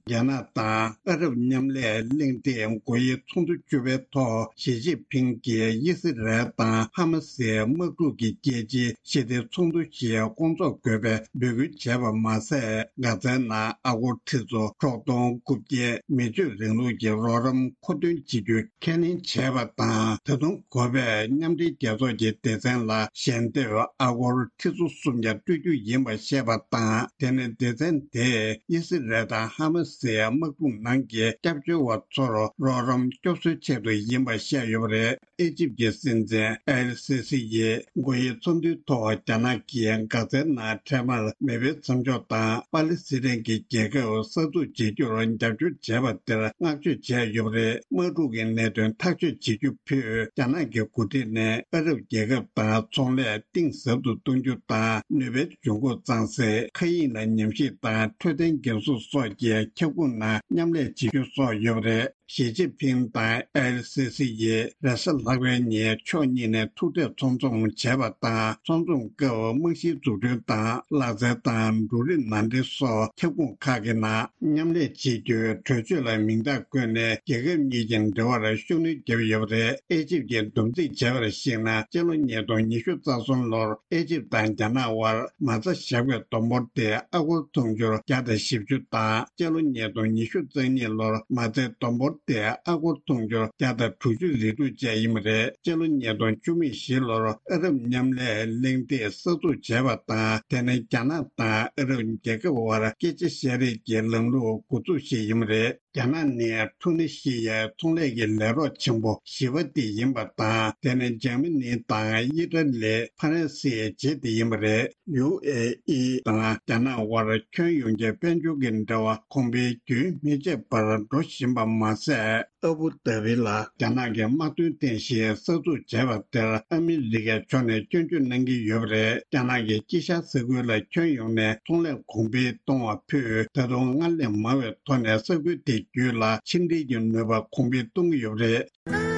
རྒྱ་ནག་དང་ཨ་རབ་མཉམ་ལས་གླེང་སྟེགས་སྒོ་དབྱེའི་ཚོགས་འདུ་བཅུ་པའི་ཐོག་ཞི་ཅིན་ཕིང་གིས་དབྱི་སི་རལ་དང་ཧ་མ་སིའི་དམག་འཁྲུག་གི་རྒྱལ་སྤྱིའི་ཞི་བདེའི་ཚོགས་འདུ་ཞིག་སྐོང་ཚོགས་དགོས་པའི་འབོད་སྐུལ་བྱས་པ་མ་ཟད། གྷ་ཛའི་ནང་ཨ་སྒོར་ཁྲི་ཚོ་དྲུག་སྟོང་དགུ་བརྒྱ་མི་སྤྱོད་རིང་ལུགས་ཀྱི་རོགས་རམ་མཁོ་འདོན་བྱེད་རྒྱུ་ཁས་ལེན་བྱས་པ་དང་། ད་དུང་དགོས་པས་མཉམ་འབྲེལ་རྒྱལ་ཚོགས་ཀྱི་སྡེ་ཚན་ལ་ཞལ་འདེབས་ཨ་སྒོར་ཁྲི་ཚོ་སུམ་བརྒྱ་སྤྲོད་རྒྱུ་ཡིན་པ་བཤད་པ་དང་། དེ་ནི་སྡེ་ཚན་དེས་དབྱི་སི་རལ་དང་ཧ་མ་སིའི་དམག་འཁྲུག་ནང་གི་སྐྱབས་བཅོལ་བ་ཚོར་རོགས་རམ་སྐྱོབ་གསོའི་ཆེད་དུ་ཡིན་པ་བཤད་ཡོད་པ་རེད། ཨེ་ཇིབ་ཀྱི་སྲིད་འཛིན་ཨེལ་སི་སི་ཡིས་སྒོ་དབྱེའི་ཚོགས་འདུའི་ཐོག་རྒྱ་ནག་གིས་གྷ་ཛའི་ནང་འཕྲལ་མར་མེ་འཕེན་མཚམས་འཇོག་དང་། པ་ལི་སི་ཐན་གྱི་རྒྱལ་ཁབ་གསར་འཛུགས་བྱེད་རྒྱུར་རྒྱབ་སྐྱོར་བྱས་པ་དེར་བསྔགས་བརྗོད་བྱས་ཡོད་པ་རེད། དམག་འཁྲུག་གི་གནད་དོན་ཐག་གཅོད་བྱེད་རྒྱུ་ཕུད། རྒྱ་ནག་གི་འགོ་ཁྲིད་ནས་ཨ་རབ་རྒྱལ་ཁབ་དང་ཚོང་ལས་གཏིང་ཟབ་ཏུ་གཏོང་རྒྱུ་དང་། ནུས་པའི་འབྱུང་ཁུངས་གཙང་སེལ། མཁའ་དབྱིངས་ལ་ཉམས་ཞིབ་དང་འཕྲོད་བསྟེན་འགན་སྲུང་སོགས་ཀྱི་ཁྱབ་ཁོངས་ནང་མཉམ་ལས་བྱེད་རྒྱུ་སོགས་ཡོད་པ་རེད། ཞི་ཅིན་ཕིང་དང་ཨེལ་སི་སི་ཡིས་རེས་གཟའ་ལྷག་པའི་ཉིན་ཕྱོགས་གཉིས་ནས་ཐུག་འཕྲད་ཚོགས་འཛོམས་བྱས་པ་དང་། ཚོགས་འཛོམས་སྐབས་རྨང་གཞིའི་འཛུགས་སྐྲུན་དང་། ལག་རྩལ་དང་འབྲུ་རིགས་ནང་འདྲེན་སོགས་ཁྱབ་ཁོངས་ཁག་གི་ནང་མཉམ་ལས་བྱེད་རྒྱུའི་གྲོས་ཆོད་ལ་མིང་རྟགས་བཀོད་ནས། རྒྱལ་ཁབ་གཉིས་ཀྱི་འབྲེལ་བར་ཤུགས་སྣོན་བརྒྱབ་ཡོད་པ་རེད། ཨེ་ཇིབ་ཀྱིས་འདུམ་འགྲིག་བྱས་པར་གཞིགས་ན། སྤྱི་ལོ་ཉིས་སྟོང་ཉི་ཤུ་རྩ་གསུམ་ལོར་ཨེ་ཇིབ་དང་རྒྱ་ནག་དབར་མ་རྩ་བཞག་པའི་བསྡོམས་འབོར་དེ་ཨ་སྒོར་ཐོན་སྦྱོར་བརྒྱ་དང་བཞི་བཅུ་དང་། སྤྱི་ལོ་ཉིས་སྟོང་ཉི་ཤུ་རྩ་གཉིས་ལོར་མ་རྩའི་བསྡོམས་འབོར་དེ་ཨ་སྒོར་ཐོན་སྦྱོར་བརྒྱ་དང་དྲུག་ཅུ་རེ་དྲུག་བཅས་ཡིན་པ་རེད། སྤྱི་ལོ་ཉིས་སྟོང་བཅུ་མེད་བཞི་ལོར་ཨ་རབ་མཉམ་ལས་གླེང་སྟེགས་གསར་འཛུགས་བྱས་པ་དང་། དེ་ནས་རྒྱ་ནག་དང་ཨ་རབ་རྒྱལ་ཁབ་དབར་སྐད་ཆ་བཤད་རེས་ཀྱི་ལམ་ལུགས་འགོ་འཛུགས་ཤིག་ཡིན་པ་རེད། རྒྱ་ནག་ནི་ཐུ་ནི་ཤི་ཡའི་ཚོང་ལས་ཀྱི་ལས་རོགས་ཆེན་པོ་བཞི་པ་དེ་ཡིན་པ་དང་། དེ་ནས་འཇར་མ་ནི་དང་ཨི་ཏྲ་ལི། ཧྥ་རན་སིའི་རྗེས་དེ་ཡིན་པ་རེད། ཡུ་ཨེ་ཨི་དང་རྒྱ་ནག་དབར་ཁྱོན་ཡོངས་ཀྱི་དཔལ་འབྱོར་གྱི་འབྲེལ་བ་གོང་འཕེལ་རྒྱུན་མི་ཆད་པར་འགྲོ་བཞིན་པ་མ་ཟད། ཨ་བུ་དྷ་བི་ལ་རྒྱ་ནག་གི་དམག་དོན་རྟེན་གཞི་གསར་འཛུགས་བྱས་པ་དེར་ཨ་མི་རི་ཀའི་ཕྱོགས་ནས་སྐྱོན་བརྗོད་གནང་གི་ཡོད་པ་རེད། རྒྱ་ནག་གིས་དཀྱིལ་ཤར་ས་ཁུལ་ལ་ཁྱོན་ཡོངས་ནས་ཚོང་ལས་གོང་འཕེལ་གཏོང་བ་ཕུད། ད་དུང་སྔར་ལས་མང་བའི་ཐོག་ནས་ས་ཁུལ་དེ་བརྒྱུད་ལ་ཕྱི་འབྲེལ་གྱི་ནུས་པ་གོང་འཕེལ་གཏོང་གི་ཡོད་པ་རེད།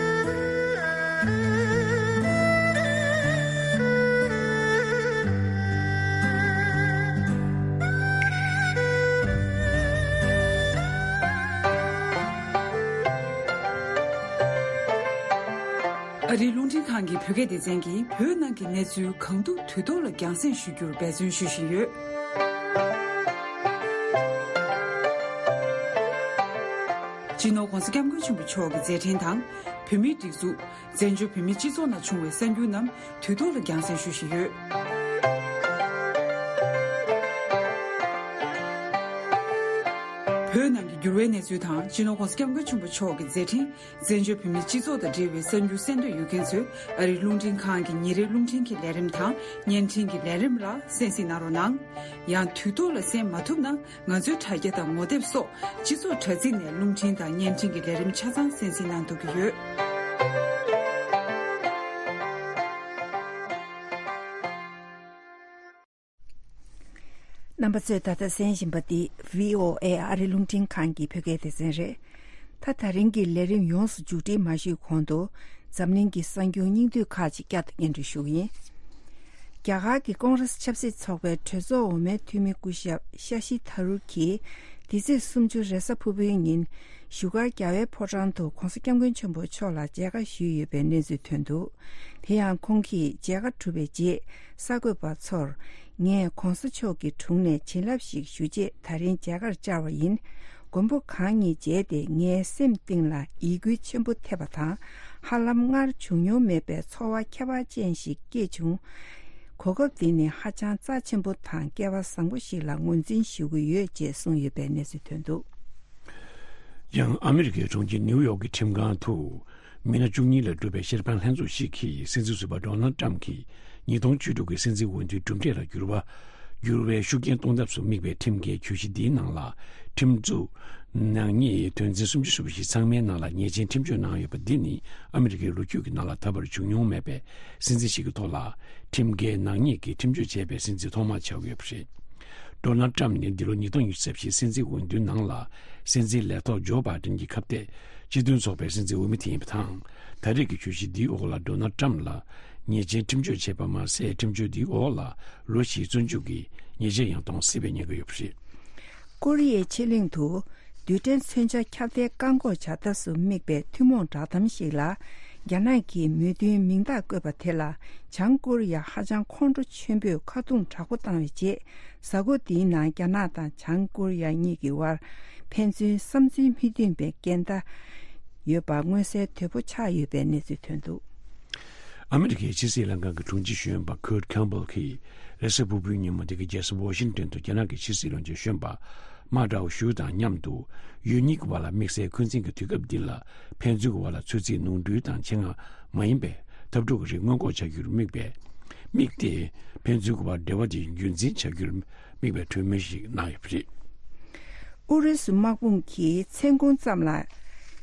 ཨ་རིའི་རླུང་འཕྲིན་ཁང་གི་བོད་སྐད་སྡེ་ཚན་གྱིས་བོད་ནང་གི་གནས་ཚུལ་གང་ཐུབ་དུས་ཐོག་ལ་རྒྱང་སྲིང་ཞུ་རྒྱུར་འབད་བརྩོན་ཞུ་བཞིན་ཡོད། སྤྱི་ནོར་༧གོང་ས་༧སྐྱབས་མགོན་ཆེན་པོ་མཆོག་གི་མཛད་འཕྲིན་དང་། བོད་མིའི་སྒྲིག་འཛུགས། བཙན་བྱོལ་བོད་མིའི་སྤྱི་ཚོགས་ནང་བྱུང་བའི་གསར་འགྱུར་རྣམས་དུས་ཐོག་ལ་རྒྱང་སྲིང་ཞུ་བཞིན་ཡོད། བོད་ནང་གི་འགྱུར་བའི་གནས་ཚུལ་དང་། སྤྱི་ནོར་༧གོང་ས་༧སྐྱབས་མགོན་ཆེན་པོ་མཆོག་གི་མཛད་འཕྲིན། བཙན་བྱོལ་བོད་མིའི་སྤྱི་ཚོགས་དང་འབྲེལ་བའི་གསར་འགྱུར་གསན་འདོད་ཡོད་མཁན་ཚོས་ཨ་རིའི་རླུང་འཕྲིན་ཁང་གི་ཉིན་རེའི་རླུང་འཕྲིན་གྱི་ལས་རིམ་དང་བརྙན་འཕྲིན་གྱི་ལས་རིམ་ལ་གསན་གཟིགས་གནང་རོགས་གནང་། ཡང་དུས་ཐོག་ལ་གསན་མ་ཐུབ་ན། ང་ཚོའི་དྲ་རྒྱ་དང་ངོ་དེབ་སོགས་སྤྱི་ཚོགས་དྲ་ཚིགས་ནས་རླུང་འཕྲིན་དང་བརྙན་འཕྲིན་གྱི་ལས་རིམ་ཆ་ཚང་གསན་གཟིགས་གནང་ཐུབ་ཀྱི་ཡོད། རྣམ་པ་ཚོས་ད་ལྟ་གསན་བཞིན་པ་འདི་བྷི་ཨོ་ཨེ་ཨ་རི་རླུང་འཕྲིན་ཁང་གི་བོད་སྐད་སྡེ་ཚན་རེད། ད་ད་རིང་གི་ལས་རིམ་ཡོངས་སུ་མཇུག་སྒྲིལ་མ་ཞུས་གོང་དུ། འཛམ་གླིང་གི་གསར་འགྱུར་སྙིང་བསྡུས་ཁག་ཅིག་བསྐྱར་དུ་སྙན་སྒྲོན་ཞུ་གི་ཡིན། རྒྱ་གར་གྱི་ཀོང་རེས་ཆབ་སྲིད་ཚོགས་པའི་གྲོས་ཚོགས་འོག་མའི་འཐུས་མི་སྐུ་ཞབས་ཤ་ཤི་ཐ་རུར་གྱིས། འདི་ཚེས་སུམ་ཅུ་རེས་གཟའ་ཕུར་བུའི་ཉིན། བཞུགས་སྒར་རྒྱལ་བའི་ཕོ་བྲང་དུ་༧གོང་ས་༧སྐྱབས་མགོན་ཆེན་པོ་མཆོག་ལ་མཇལ་ཁ་ཞུས་ཡོད་པའི་གནས་ཚུལ་ཐོན་འདུག་དེ་ཡང་ཁོང་གིས་མཇལ་ཁ་གྲུབ་པའི་རྗེས། གསར་འགོད་པ་ཚོར། ངས་༧གོང་ས་མཆོག་གི་དྲུང་ནས་བྱིན་རླབས་ཤིག་ཞུ་ཆེད་ད་རིང་མཇལ་ཁར་བཅར་བ་ཡིན། མགོན་པོ་གང་ཉིད་མཇལ་ཏེ་ངའི་སེམས་གཏིང་ལ་ཡིད་འགུལ་ཆེན་པོ་ཐེབས་པ་དང་། ཧ་ལམ་སྔར་བྱུང་མྱོང་མེད་པའི་ཚོར་བ་ཁྱད་པར་ཅན་ཞིག་སྐྱེས་བྱུང་། གོ་སྐབས་འདི་ནི་ཧ་ཅང་རྩ་ཆེན་པོ་དང་སྐལ་བ་བཟང་པོ་ཞིག་ལ་ངོས་འཛིན་ཞུ་གི་ཡོད་ཅེས་གསུངས་ཡོད་པའི་གནས་ཚུལ་ཐོན་འདུག་ཡང་ཨ་མི་རི་ཀའི་གྲོང་ཁྱེར་ནིའུ་ཡོག་གི་ཁྲིམས་ཁང་དུ། མི་སྣ་བཅུ་གཉིས་ལས་གྲུབ་པའི་ཤེས་དཔལ་ལྷན་ཚོགས་ཤིག་གིས་སྲིད་འཛིན་ཟུར་པ་ཌོ་ནལ་ཊམ་གྱིས་ཉིས་སྟོང་བཅུ་དྲུག་གི་སྲིད་འཛིན་འོས་བསྡུའི་གྲུབ་འབྲས་ལ་འགྱུར་བ། འགྱུར་བའི་ཤུགས་རྐྱེན་གཏོང་ཐབས་སུ་དམིགས་པའི་ཁྲིམས་འགལ་གྱོད་གཞི་འདིའི་ནང་ལ། ཁྲིམས་འཛུགས་ནག་ཉེས་དོན་ཚན་སུམ་ཅུ་སོ་བཞི་ཚང་མའི་ནང་ལ་ཉེས་ཅན་ཁྲིམས་གཅོད་གནང་ཡོད་པ་འདི་ནི་ཨ་མི་རི་ཀའི་ལོ་རྒྱུས་ཀྱི་ནང་ལ་ད་བར་བྱུང་མྱོང་མེད་པའི་སྲིད་འཛིན་ཞིག་གི་ཐོག་ལ། ཁྲིམས་འགལ་ནག་ཉེས་ཀྱི་ཁྲིམས་གཅོད་བྱས་པའི་སྲིད་འཛིན་ཐོག་མ་ཆགས་ཡོད་པ་རེད། ཌོ་ནལ་ཊམ་ནི་འདི་ལོ་ཉིས་སྟོང་ཉི་ཤུ་རྩ་བཞི་སྲིད་འཛིན་འོས་བསྡུའི་ནང་ལ་སྲིད་འཛིན་ལས་ཐོག་ཇོ་བྷའི་ཌེན་གྱི་ཁ་གཏད་སྤྱི་མཐུན་ཚོགས་པའི་སྲིད་འཛིན་འོས་མི་དེ་ཡིན་པ་དང་། ད་རེས་ཀྱི་གྱོད་གཞི་འདིའི་འོག་ལ་ཌོ་ནལ་ཊམ་ལ་ཉེས་ཅན་ཁྲིམས་གཅོད་བྱས་པ་མ་ཟད། ཁྲིམས་གཅོད་འདིའི་འོག་ལ་ལོ་བཞིའི་བཙོན་འཇུག་གི་ཉེས་ཆད་ཡང་གཏོང་སྲིད་པའི་ཉེན་ཁ་ཡོད་པ་རེད། ཀོ་རི་ཡའི་ཕྱེད་གླིང་དུ་རྡུལ་ཕྲན་མཚོན་ཆ་ཁྱབ་གདལ་བཀག་འགོག་བྱ་ཐབས་སུ་དམིགས་པའི་ཐུན་མོང་བསྒྲགས་གཏམ་ཞིག་ལ། རྒྱ་ནག་གིས་མོས་མཐུན་མིང་རྟགས་བཀོད་པ་དེ་ལ། བྱང་ཀོ་རི་ཡ་ཧ་ཅང་ཁོང་ཁྲོ་ཆེན་པོས་ཁ་རྡུང་དྲག་པོ་བཏང་བའི་རྗེས། གཟའ་འཁོར་འདིའི་ནང་རྒྱ་ནག་དང་བྱང་ཀོ་རི་ཡ་གཉིས་ཀྱི་དབར་ཕན་ཚུན་བསམ་ཚུལ་མི་མཐུན་པའི་འགལ་ཟླ་ཡོད་པ་མངོན་གསལ་དོད་པོ་ཆགས་ཡོད་པའི་གནས་ཚུལ་ཐོན་འདུག་ཨ་མི་རི་ཀའི་ཕྱི་སྲིད་ལྷན་ཁང་གི་དྲུང་ཆེ་གཞོན་པ་ཁུར་ཁེམ་བྷལ་གྱིས་རེས་གཟའ་ཕུར་བུའི་ཉིན་མོ་འདི་གའི་རྒྱལ་ས་ཝ་ཤིང་ཏོན་དུ་རྒྱ་ནག་གི་ཕྱི་སྲིད་བློན་ཆེན་གཞོན་པ་མཱ་ཀྲའོ་ཞུ་དང་མཉམ་དུ་ཡུལ་གཉིས་ཀྱི་བར་ལ་དམིགས་བསལ་འཁོན་འཛིན་གྱི་དུས་སྐབས་འདི་ལ་ཕན་ཚུན་གྱི་བར་ལ་ཚོད་རྩིས་ནོར་འཁྲུལ་དང་ཆེད་མངགས་མ་ཡིན་པའི་འཐབ་འཁྲུག་གི་རིགས་སྔོན་འགོག་བྱ་རྒྱུར་དམིགས་པའི་དམིགས་ཏེ། ཕན་ཚུན་གྱི་བར་འབྲེལ་བ་དེ་རྒྱུན་འཛིན་བྱ་རྒྱུར་དམིགས་པའི་གྲོས་མོལ་ཞིག་གནང་ཡོད་པ་རེད། ཨུ་རུ་སུ་དམག་དཔུང་གིས་མཚན་གུང་ཙམ་ལ་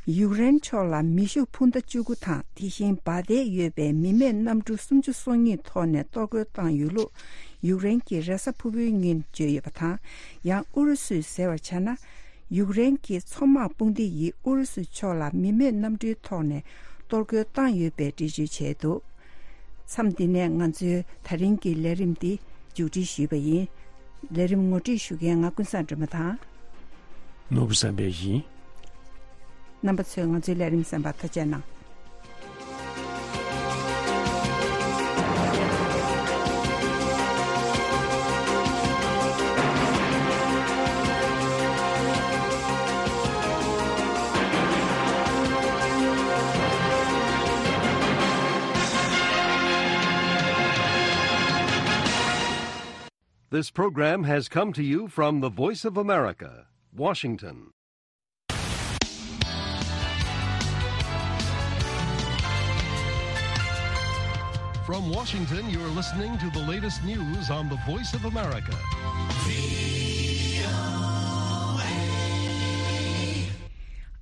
ཡུཀ་རེན་ཕྱོགས་ལ་མེ་ཤུགས་འཕུར་མདའ་བཅུ་དགུ་དང་། དེ་བཞིན་འབར་མདེལ་ཡོད་པའི་མི་མེད་གནམ་གྲུ་སུམ་ཅུ་སོ་གཉིས་ཐོག་ནས་གཏོར་རྒོལ་བཏང་ཡོད་ལུགས་ཡུཀ་རེན་གྱིས་རེས་གཟའ་ཕུར་བུའི་ཉིན་བརྗོད་ཡོད་པ་དང་། ཡང་ཨུ་རུ་སུས་ཟེར་བར་བྱས་ན། ཡུཀ་རེན་གྱི་མཚོ་དམག་དཔུང་སྡེ་ཡིས་ཨུ་རུ་སུ་ཕྱོགས་ལ་མི་མེད་གནམ་གྲུའི་ཐོག་ནས་གཏོར་རྒོལ་བཏང་ཡོད་པའི་འགྲེལ་བརྗོད་བྱས་འདུག་མཚམས་འདི་ནས་ང་ཚོའི་ད་རིང་གི་ལས་རིམ་འདི་མཇུག་སྒྲིལ་ཞུས་པ་ཡིན། ལས་རིམ་ངོ་སྤྲོད་ཞུ་མཁན་ང་ཀུན་བཟང་སྒྲོལ་མ་དང་། ནོར་བུ་བསམ་འཕེལ་ཡིན། རྣམ་པ་ཚོས་ང་ཚོའི་ལས་རིམ་གསན་པར་ཐུགས་རྗེ་གནང་། This program has come to you from the Voice of America, Washington. From Washington, you're listening to the latest news on the Voice of America.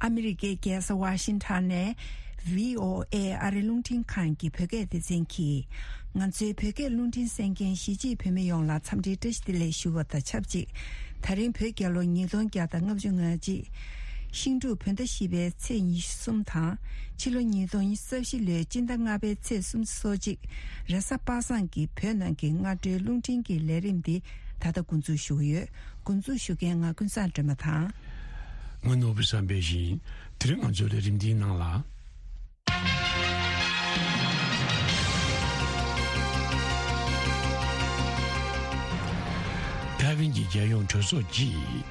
ཨ་མི་རི་ཀའི་རྒྱལ་ས་ཝ་ཤིང་ཊོན་ནས་བྷི་ཨོ་ཨེ་ཨ་རི་རླུང་འཕྲིན་ཁང་གི་བོད་སྐད་སྡེ་ཚན་གྱིས། ང་ཚོའི་བོད་སྐད་རླུང་འཕྲིན་གསན་མཁན་གཞིས་བྱེས་བོད་མི་ཡོངས་ལ་འཚམས་འདྲིའི་བཀྲ་ཤིས་བདེ་ལེགས་ཞུ་བ་དང་ཆབས་ཅིག་ད་རིང་བོད་རྒྱལ་ལོ་ཉིས་སྟོང་བརྒྱ་དང་ལྔ་བཅུ་ང་གཅིག་ཤིང་འབྲུག་བོད་ཟླ་བཞི་པའི་ཚེས་ཉི་ཤུ་གསུམ་དང་། ཕྱི་ལོ་ཉིས་སྟོང་ཉི་ཤུ་རྩ་བཞི་ལོའི་སྤྱི་ཟླ་ལྔ་པའི་ཚེས་སུམ་ཅུ་སོ་གཅིག་རེས་གཟའ་པ་སངས་ཀྱི་བོད་ནང་གི་སྔ་དྲོའི་རླུང་འཕྲིན་གྱི་ལས་རིམ་འདི་ད་ལྟ་འགོ་འཛུགས་ཞུ་གི་ཡོད། འགོ་འཛུགས་ཞུ་མཁན་ང་ཀུན་བཟང་སྒྲོལ་མ་དང་། ང་ནོར་བུ་བསམ་འཕེལ་ཡིན། དེ་རིང་ང་ཚོའི་ལས་རིམ་འདིའི་ནང་ལ། ཐའེ་ཝན་གྱི་རྒྱལ་ཡོངས་གྲོས་ཚོགས་ཀྱིས་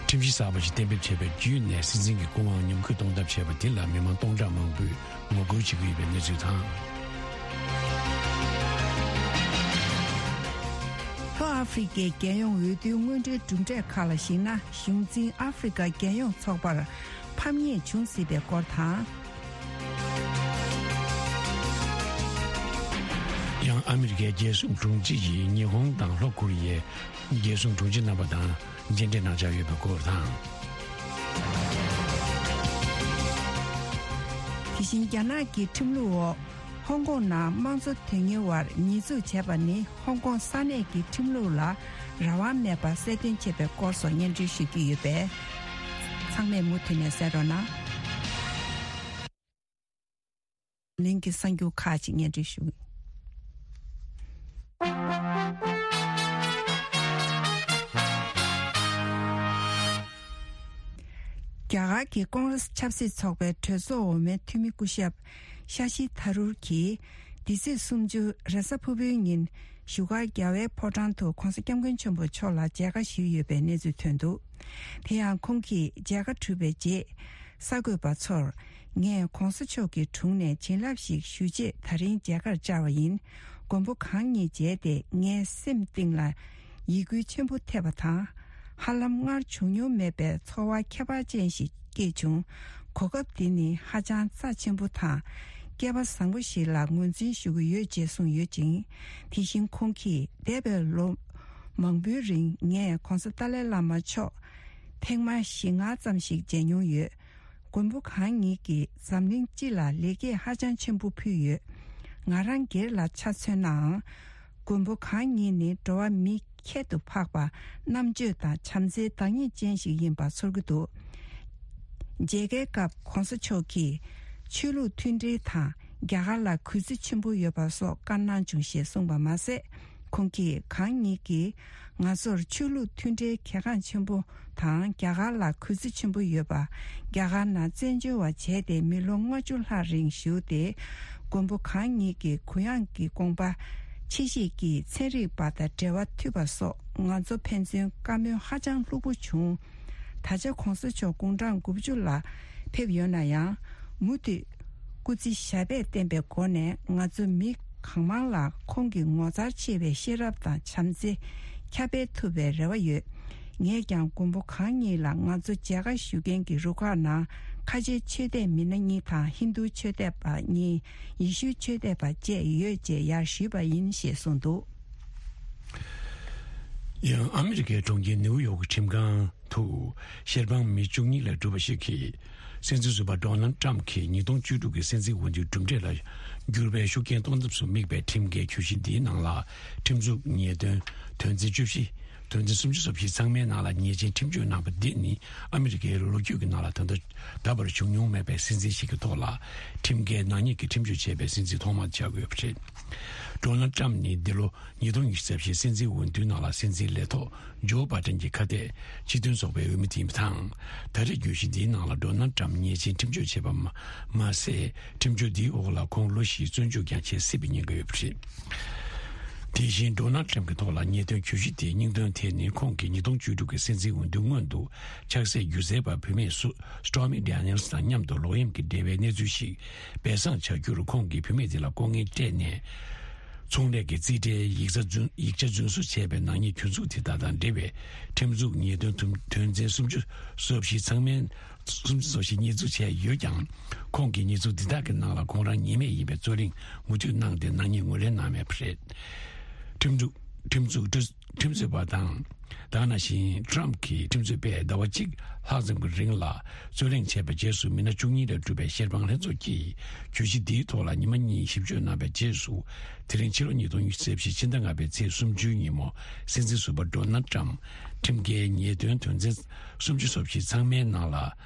ཁྲིམས་གཞི་གསར་པ་ཞིག་གཏན་འབེབས་བྱས་པ་བརྒྱུད་ནས་སྲིད་འཛིན་གྱི་སྐུ་དབང་ཉམས་རྒུད་གཏོང་ཐབས་བྱས་པ་དེ་ལ་མི་མང་སྟོང་ཕྲག་མང་པོས་ངོ་རྒོལ་བྱེད་ཀྱི་ཡོད་པའི་གནས་ཚུལ་དང་། ལྷོ་ཨ་ཧྥེ་རི་ཀའི་རྒྱལ་ཡོངས་འོས་བསྡུའི་སྔོན་འགྲོའི་གྲུབ་འབྲས་ཁག་ལ་གཞིགས་ན། གཞུང་འཛིན་ཨ་ཧྥེ་རི་ཀ་རྒྱལ་ཡོངས་ཚོགས་པར་ཕམ་ཉེས་བྱུང་སྲིད་པའི་སྐོར་དང་། ཡང་ཨ་མི་རི་ཀའི་རྒྱལ་སྲུང་དྲུང་ཆེ་ཡིས་ཉི་ཧོང་དང་ལྷོ་ཀོ་རི་ཡའི་རྒྱལ་སྲུང་དྲུང་ཆེ་རྣམ་པ་དང་མཇལ་འཕྲད་གནང་འཆར་ཡོད་པའི་སྐོར་དང་། དེ་བཞིན་རྒྱ་ནག་གི་ཁྲིམས་ལུགས་འོག་ཧོང་ཀོང་ནང་དམངས་གཙོ་དོན་གཉེར་བར་ཉེས་འཛུགས་བྱས་པ་ནི་ཧོང་ཀོང་ས་གནས་ཀྱི་ཁྲིམས་ལུགས་ལ་རང་དབང་མེད་པར་གསལ་སྟོན་བྱས་པའི་སྐོར་སོགས་སྙན་སྒྲོན་ཞུ་རྒྱུ་ཡོད་པས། ཚང་མས་མུ་མཐུད་ནས་གསན་རོགས་གནང་། ལིང་གི་གསར་འགྱུར་ཁག་ཅིག་སྙན་སྒྲོན་ཞུ། རྒྱ་གར་གྱི་ཀོང་རེས་ཆབ་སྲིད་ཚོགས་པའི་གྲོས་ཚོགས་འོག་མའི་འཐུས་མི་སྐུ་ཞབས་ཤ་ཤི་ཐ་རུར་གྱིས་འདི་ཚེས་སུམ་ཅུ་རེས་གཟའ་ཕུར་བུའི་ཉིན་བཞུགས་སྒར་རྒྱལ་བའི་ཕོ་བྲང་དུ་༧གོང་ས་༧སྐྱབས་མགོན་ཆེན་པོ་མཆོག་ལ་མཇལ་ཁ་ཞུས་ཡོད་པའི་གནས་ཚུལ་ཐོན་འདུག་དེ་ཡང་ཁོང་གིས་མཇལ་ཁ་གྲུབ་པའི་རྗེས། གསར་འགོད་པ་ཚོར། ངས་༧གོང་ས་མཆོག་གི་དྲུང་ནས་བྱིན་རླབས་ཤིག་ཞུ་ཆེད་ད་རིང་མཇལ་ཁར་བཅར་བ་ཡིན། མགོན་པོ་གང་ཉིད་མཇལ་ཏེ་ངའི་སེམས་གཏིང་ལ་ཡིད་འགུལ་ཆེན་པོ་ཐེབས་པ་དང་། ཧ་ལམ་སྔར་བྱུང་མྱོང་མེད་པའི་ཚོར་བ་ཁྱད་པར་ཅན་ཞིག་སྐྱེས་བྱུང་། གོ་སྐབས་འདི་ནི་ཧ་ཅང་རྩ་ཆེན་པོ་དང་། སྐལ་པ་བཟང་པོ་ཞིག་ལ་ངོས་འཛིན་ཞུ་གི་ཡོད་ཅེས་གསུངས་ཡོད་ཅིང་། དེ་བཞིན་ཁོང་གིས་འདས་པའི་ལོ་མང་པོའི་རིང་ངས་༧གོང་ས་ཏཱ་ལའི་བླ་མ་མཆོག་ཐེངས་མ་བཞི་ལྔ་ཙམ་ཞིག་མཇལ་མྱོང་ཡོད། མགོན་པོ་གང་ཉིད་ཀྱིས་འཛམ་གླིང་སྤྱི་ལ་ལེགས་སྐྱེས་ཧ་ཅང་ཆེན་པོ་ཕུལ་ཡོད། ང་རང་སྒེར་ལ་ཆ་མཚོན་ནའང་། མགོན་པོ་གང་ཉིད་ནི་འགྲོ་བ་མི་ཁྱད་དུ་འཕགས་པ་རྣམ་དཔྱོད་དང་བྱམས་བརྩེའི་བདག་ཉིད་ཅན་ཞིག་ཡིན་པ་ཚོར་གྱི་འདུག་མཇལ་ཁའི་སྐབས་༧གོང་ས་མཆོག་གིས་ཆོས་ལུགས་མཐུན་སྒྲིལ་དང་རྒྱ་གར་ལ་གུས་བརྩི་ཆེན་པོ་ཡོད་པ་སོགས་བཀའ་གནང་བྱུང་ཞེས་གསུངས་པ་མ་ཟད། ཁོང་གིས་གང་ཉིད་ཀྱིས་ང་ཚོར་ཆོས་ལུགས་མཐུན་སྒྲིལ་གལ་འགངས་ཆེན་པོ་དང་རྒྱ་གར་ལ་གུས་བརྩི་ཆེན་པོ་ཡོད་པ། རྒྱ་གར་ནང་བཙན་བྱོལ་བ་བྱས་ཏེ་མི་ལོ་ལྔ་བཅུ་ལྷག་རིང་བཞུགས་ཏེ། མགོན་པོ་གང་ཉིད་ཀྱི་གུ་ཡངས་ཀྱི་དགོངས་པ་ཆེ་བཞེས་ཀྱིས་ཚན་རིག་པ་དང་འབྲེལ་བ་མཐུད་པ་སོགས་ང་ཚོ་ཕན་ཚུན་བཀའ་མོལ་ཧ་ཅང་ལྷུག་པོ་བྱུང་། ད་ཆ་༧གོང་ས་མཆོག་དགུང་གྲངས་དགུ་བཅུ་ལ་ཕེབས་ཡོད་ན་ཡང་། མུ་མཐུད་སྐུ་ཚེ་ཞབས་པད་བརྟན་པའི་སྒོ་ནས་ང་ཚོ་མི་གང་མང་ལ་ཁོང་གི་ངོ་མཚར་ཆེ་བའི་ཤེས་རབ་དང་བྱམས་བརྩེ་ཁྱབ་སྤེལ་ཐུབ་པའི་རེ་བ་ཡོད། ངས་ཀྱང་མགོན་པོ་གང་ཉིད་ལ་ང་ཚོ་མཇལ་ཁ་ཞུ་མཁན་གྱི་རུ་ཁག་ནང་ཁ་ཆེའི་ཆོས་དད་མི་སྣ་གཉིས་དང་ཧིན་རྡུ་ཆོས་དད་པ་གཉིས། ཡེ་ཤུའི་ཆོས་དད་པ་བཅས་ཡོད་ཅེས་ཡར་ཞུས་པ་ཡིན་ཞེས་གསུངས་འདུག་ཡང་ཨ་མི་རི་ཀའི་གྲོང་ཁྱེར་ནེའུ་ཡོག་གི་ཁྲིམས་ཁང་དུ་ཤེར་དཔང་མི་བཅུ་གཉིས་ལས་གྲུབ་པ་ཞིག་གིས་སྲིད་འཛིན་ཟུར་པ་ཌོ་ནལ་ཊམ་གྱིས་ཉིས་སྟོང་བཅུ་དྲུག་གི་སྲིད་འཛིན་འོས་བསྡུའི་གྲུབ་འབྲས་ལ་འགྱུར་བའི་ཤུགས་རྐྱེན་གཏོང་ཐབས་སུ་དམིགས་པའི་ཁྲིམས་འགལ་གྱོད་གཞི་འདིའི་ནང་ལ་ཁྲིམས་འཛུགས་ཉེས་དོན་དོན་ཚན་བཅུ་བཞི། དོན་ཚན་སུམ་ཅུ་སོ་བཞི་ཚང་མའི་ནང་ལ་ཉེས་ཅན་ཁྲིམས་གཅོད་གནང་བ་འདི་ནི་ཨ་མི་རི་ཀའི་ལོ་རྒྱུས་ཀྱི་ནང་ལ་ད་ལྟ་ད་བར་བྱུང་མྱོང་མེད་པའི་སྲིད་འཛིན་ཞིག་གི་ཐོག་ལ་ཁྲིམས་འགལ་ནག་ཉེས་ཀྱི་ཁྲིམས་གཅོད་བྱས་པའི་སྲིད་འཛིན་ཐོག་མ་ཆགས་ཡོད་པ་རེད། ཌོ་ནལ་ཊམ་ནི་འདི་ལོ་ཉིས་སྟོང་ཉི་ཤུ་རྩ་བཞིའི་སྲིད་འཛིན་འོས་བསྡུའི་ནང་ལ་སྲིད་འཛིན་ལས་ཐོག་ཇོ་བྷ་ཏན་གྱི་ཁ་གཏད་སྤྱི་མཐུན་ཚོགས་པའི་འོས་མི་དེ་ཡིན་པ་དང་། ད་རེས་གྱོད་གཞི་འདིའི་ནང་ལ་ཌོ་ནལ་ཊམ་ཉེས་ཅན་ཁྲིམས་གཅོད་བྱས་པ་མ་མ་ཟད། ཁྲིམས་གཅོད་འདིའི་འོག་ལ་ཁོང་ལོ་བཞིའི་བཙོན་འཇུག་ཀྱང་བྱེད་སྲིད་པའི་ཉེན་ཁ་ཡོད་པ་རེད། དེ་བཞིན་ཌོ་ནལ་ཊམ་གྱི་ཐོག་ལ་ཉེས་དོན་གྱོད་གཞི་དེའི་སྙིང་དོན་དེ་ནི་ཁོང་གིས་ཉིས་སྟོང་བཅུ་དྲུག་གི་སྲིད་འཛིན་འོས་བསྡུ་སྔོན་དུ་ཆགས་སྲེད་སྒྱུ་རྩལ་པ་བུད་མེད་སུ་Stormy Daniels་དང་མཉམ་དུ་ལོག་གཡེམ་གྱི་འབྲེལ་བའི་གནས་ཚུལ་ཞིག་སྦས་གསང་བྱ་རྒྱུར་ཁོང་གིས་བུད་མེད་དེ་ལ་ལྐོག་རྔན་སྤྲད་ནས། ཚོང་ལས་ཀྱི་རྩིས་ཁྲའི་ཡིག་ཚང་རྫུན་ཡིག་ཆ་རྫུན་བཟོ་བྱས་པའི་ནག་ཉེས་གྱོད་འཛུགས་དེ་དག་དང་འབྲེལ་བའི་ཁྲིམས་འཛུགས་ཉེས་དོན་དོན་དོན་ཚན་སུམ་ཅུ་སོ་བཞི་ཚང་མའི་སུམ་ཅུ་སོ་བཞི་ཉེས་འཛུགས་བྱས་ཡོད་ཀྱང་། ཁོང་གིས་ཉེས་འཛུགས་འདི་དག་གི་ནང་ལ་ཁོང་རང་ཉེས་མེད་ཡིན་པའི་རྩོད་གླེང་མུ་མཐུད་གནང་སྟེ་ནག་ཉེས་ངོས་ལེན་གནང་མེད་པ་རེད། ཁྲིམས་འཛུགས་ཁྲིམས་འཛུགས་ཁྲིམས་རྩོད་པ་དང་། ད་ག་ནང་བཞིན་ཊམ་གྱི་ཁྲིམས་རྩོད་པས་ཟླ་བ་གཅིག་ལྷག་ཙམ་གྱི་རིང་ལ་རྩོད་གླེང་བྱས་པའི་རྗེས་སུ་མི་སྣ་བཅུ་གཉིས་ལས་གྲུབ་པའི་ཤེས་དཔང་ལྷན་ཚོགས་ཀྱིས་གྱོད་གཞི་འདིའི་ཐོག་ལ་ཉི་མ་གཉིས་ཞིབ་དཔྱོད་གནང་བའི་རྗེས་སུ། དེ་རིང་ཕྱི་ལོ་ཉིས་སྟོང་ཉི་ཤུ་རྩ་བཞི་ཕྱི་ཟླ་ལྔ་པའི་ཚེས་སུམ་ཅུའི་ཉིན་མོ་སྲིད་འཛིན་ཟུར་པ་ཌོ་ནལ་ཊམ་ཁྲིམས་འགལ་ཉེས་དོན་དོན་ཚན་སུམ་ཅུ་སོ་བཞི་ཚང་མའི་ནང་ལ་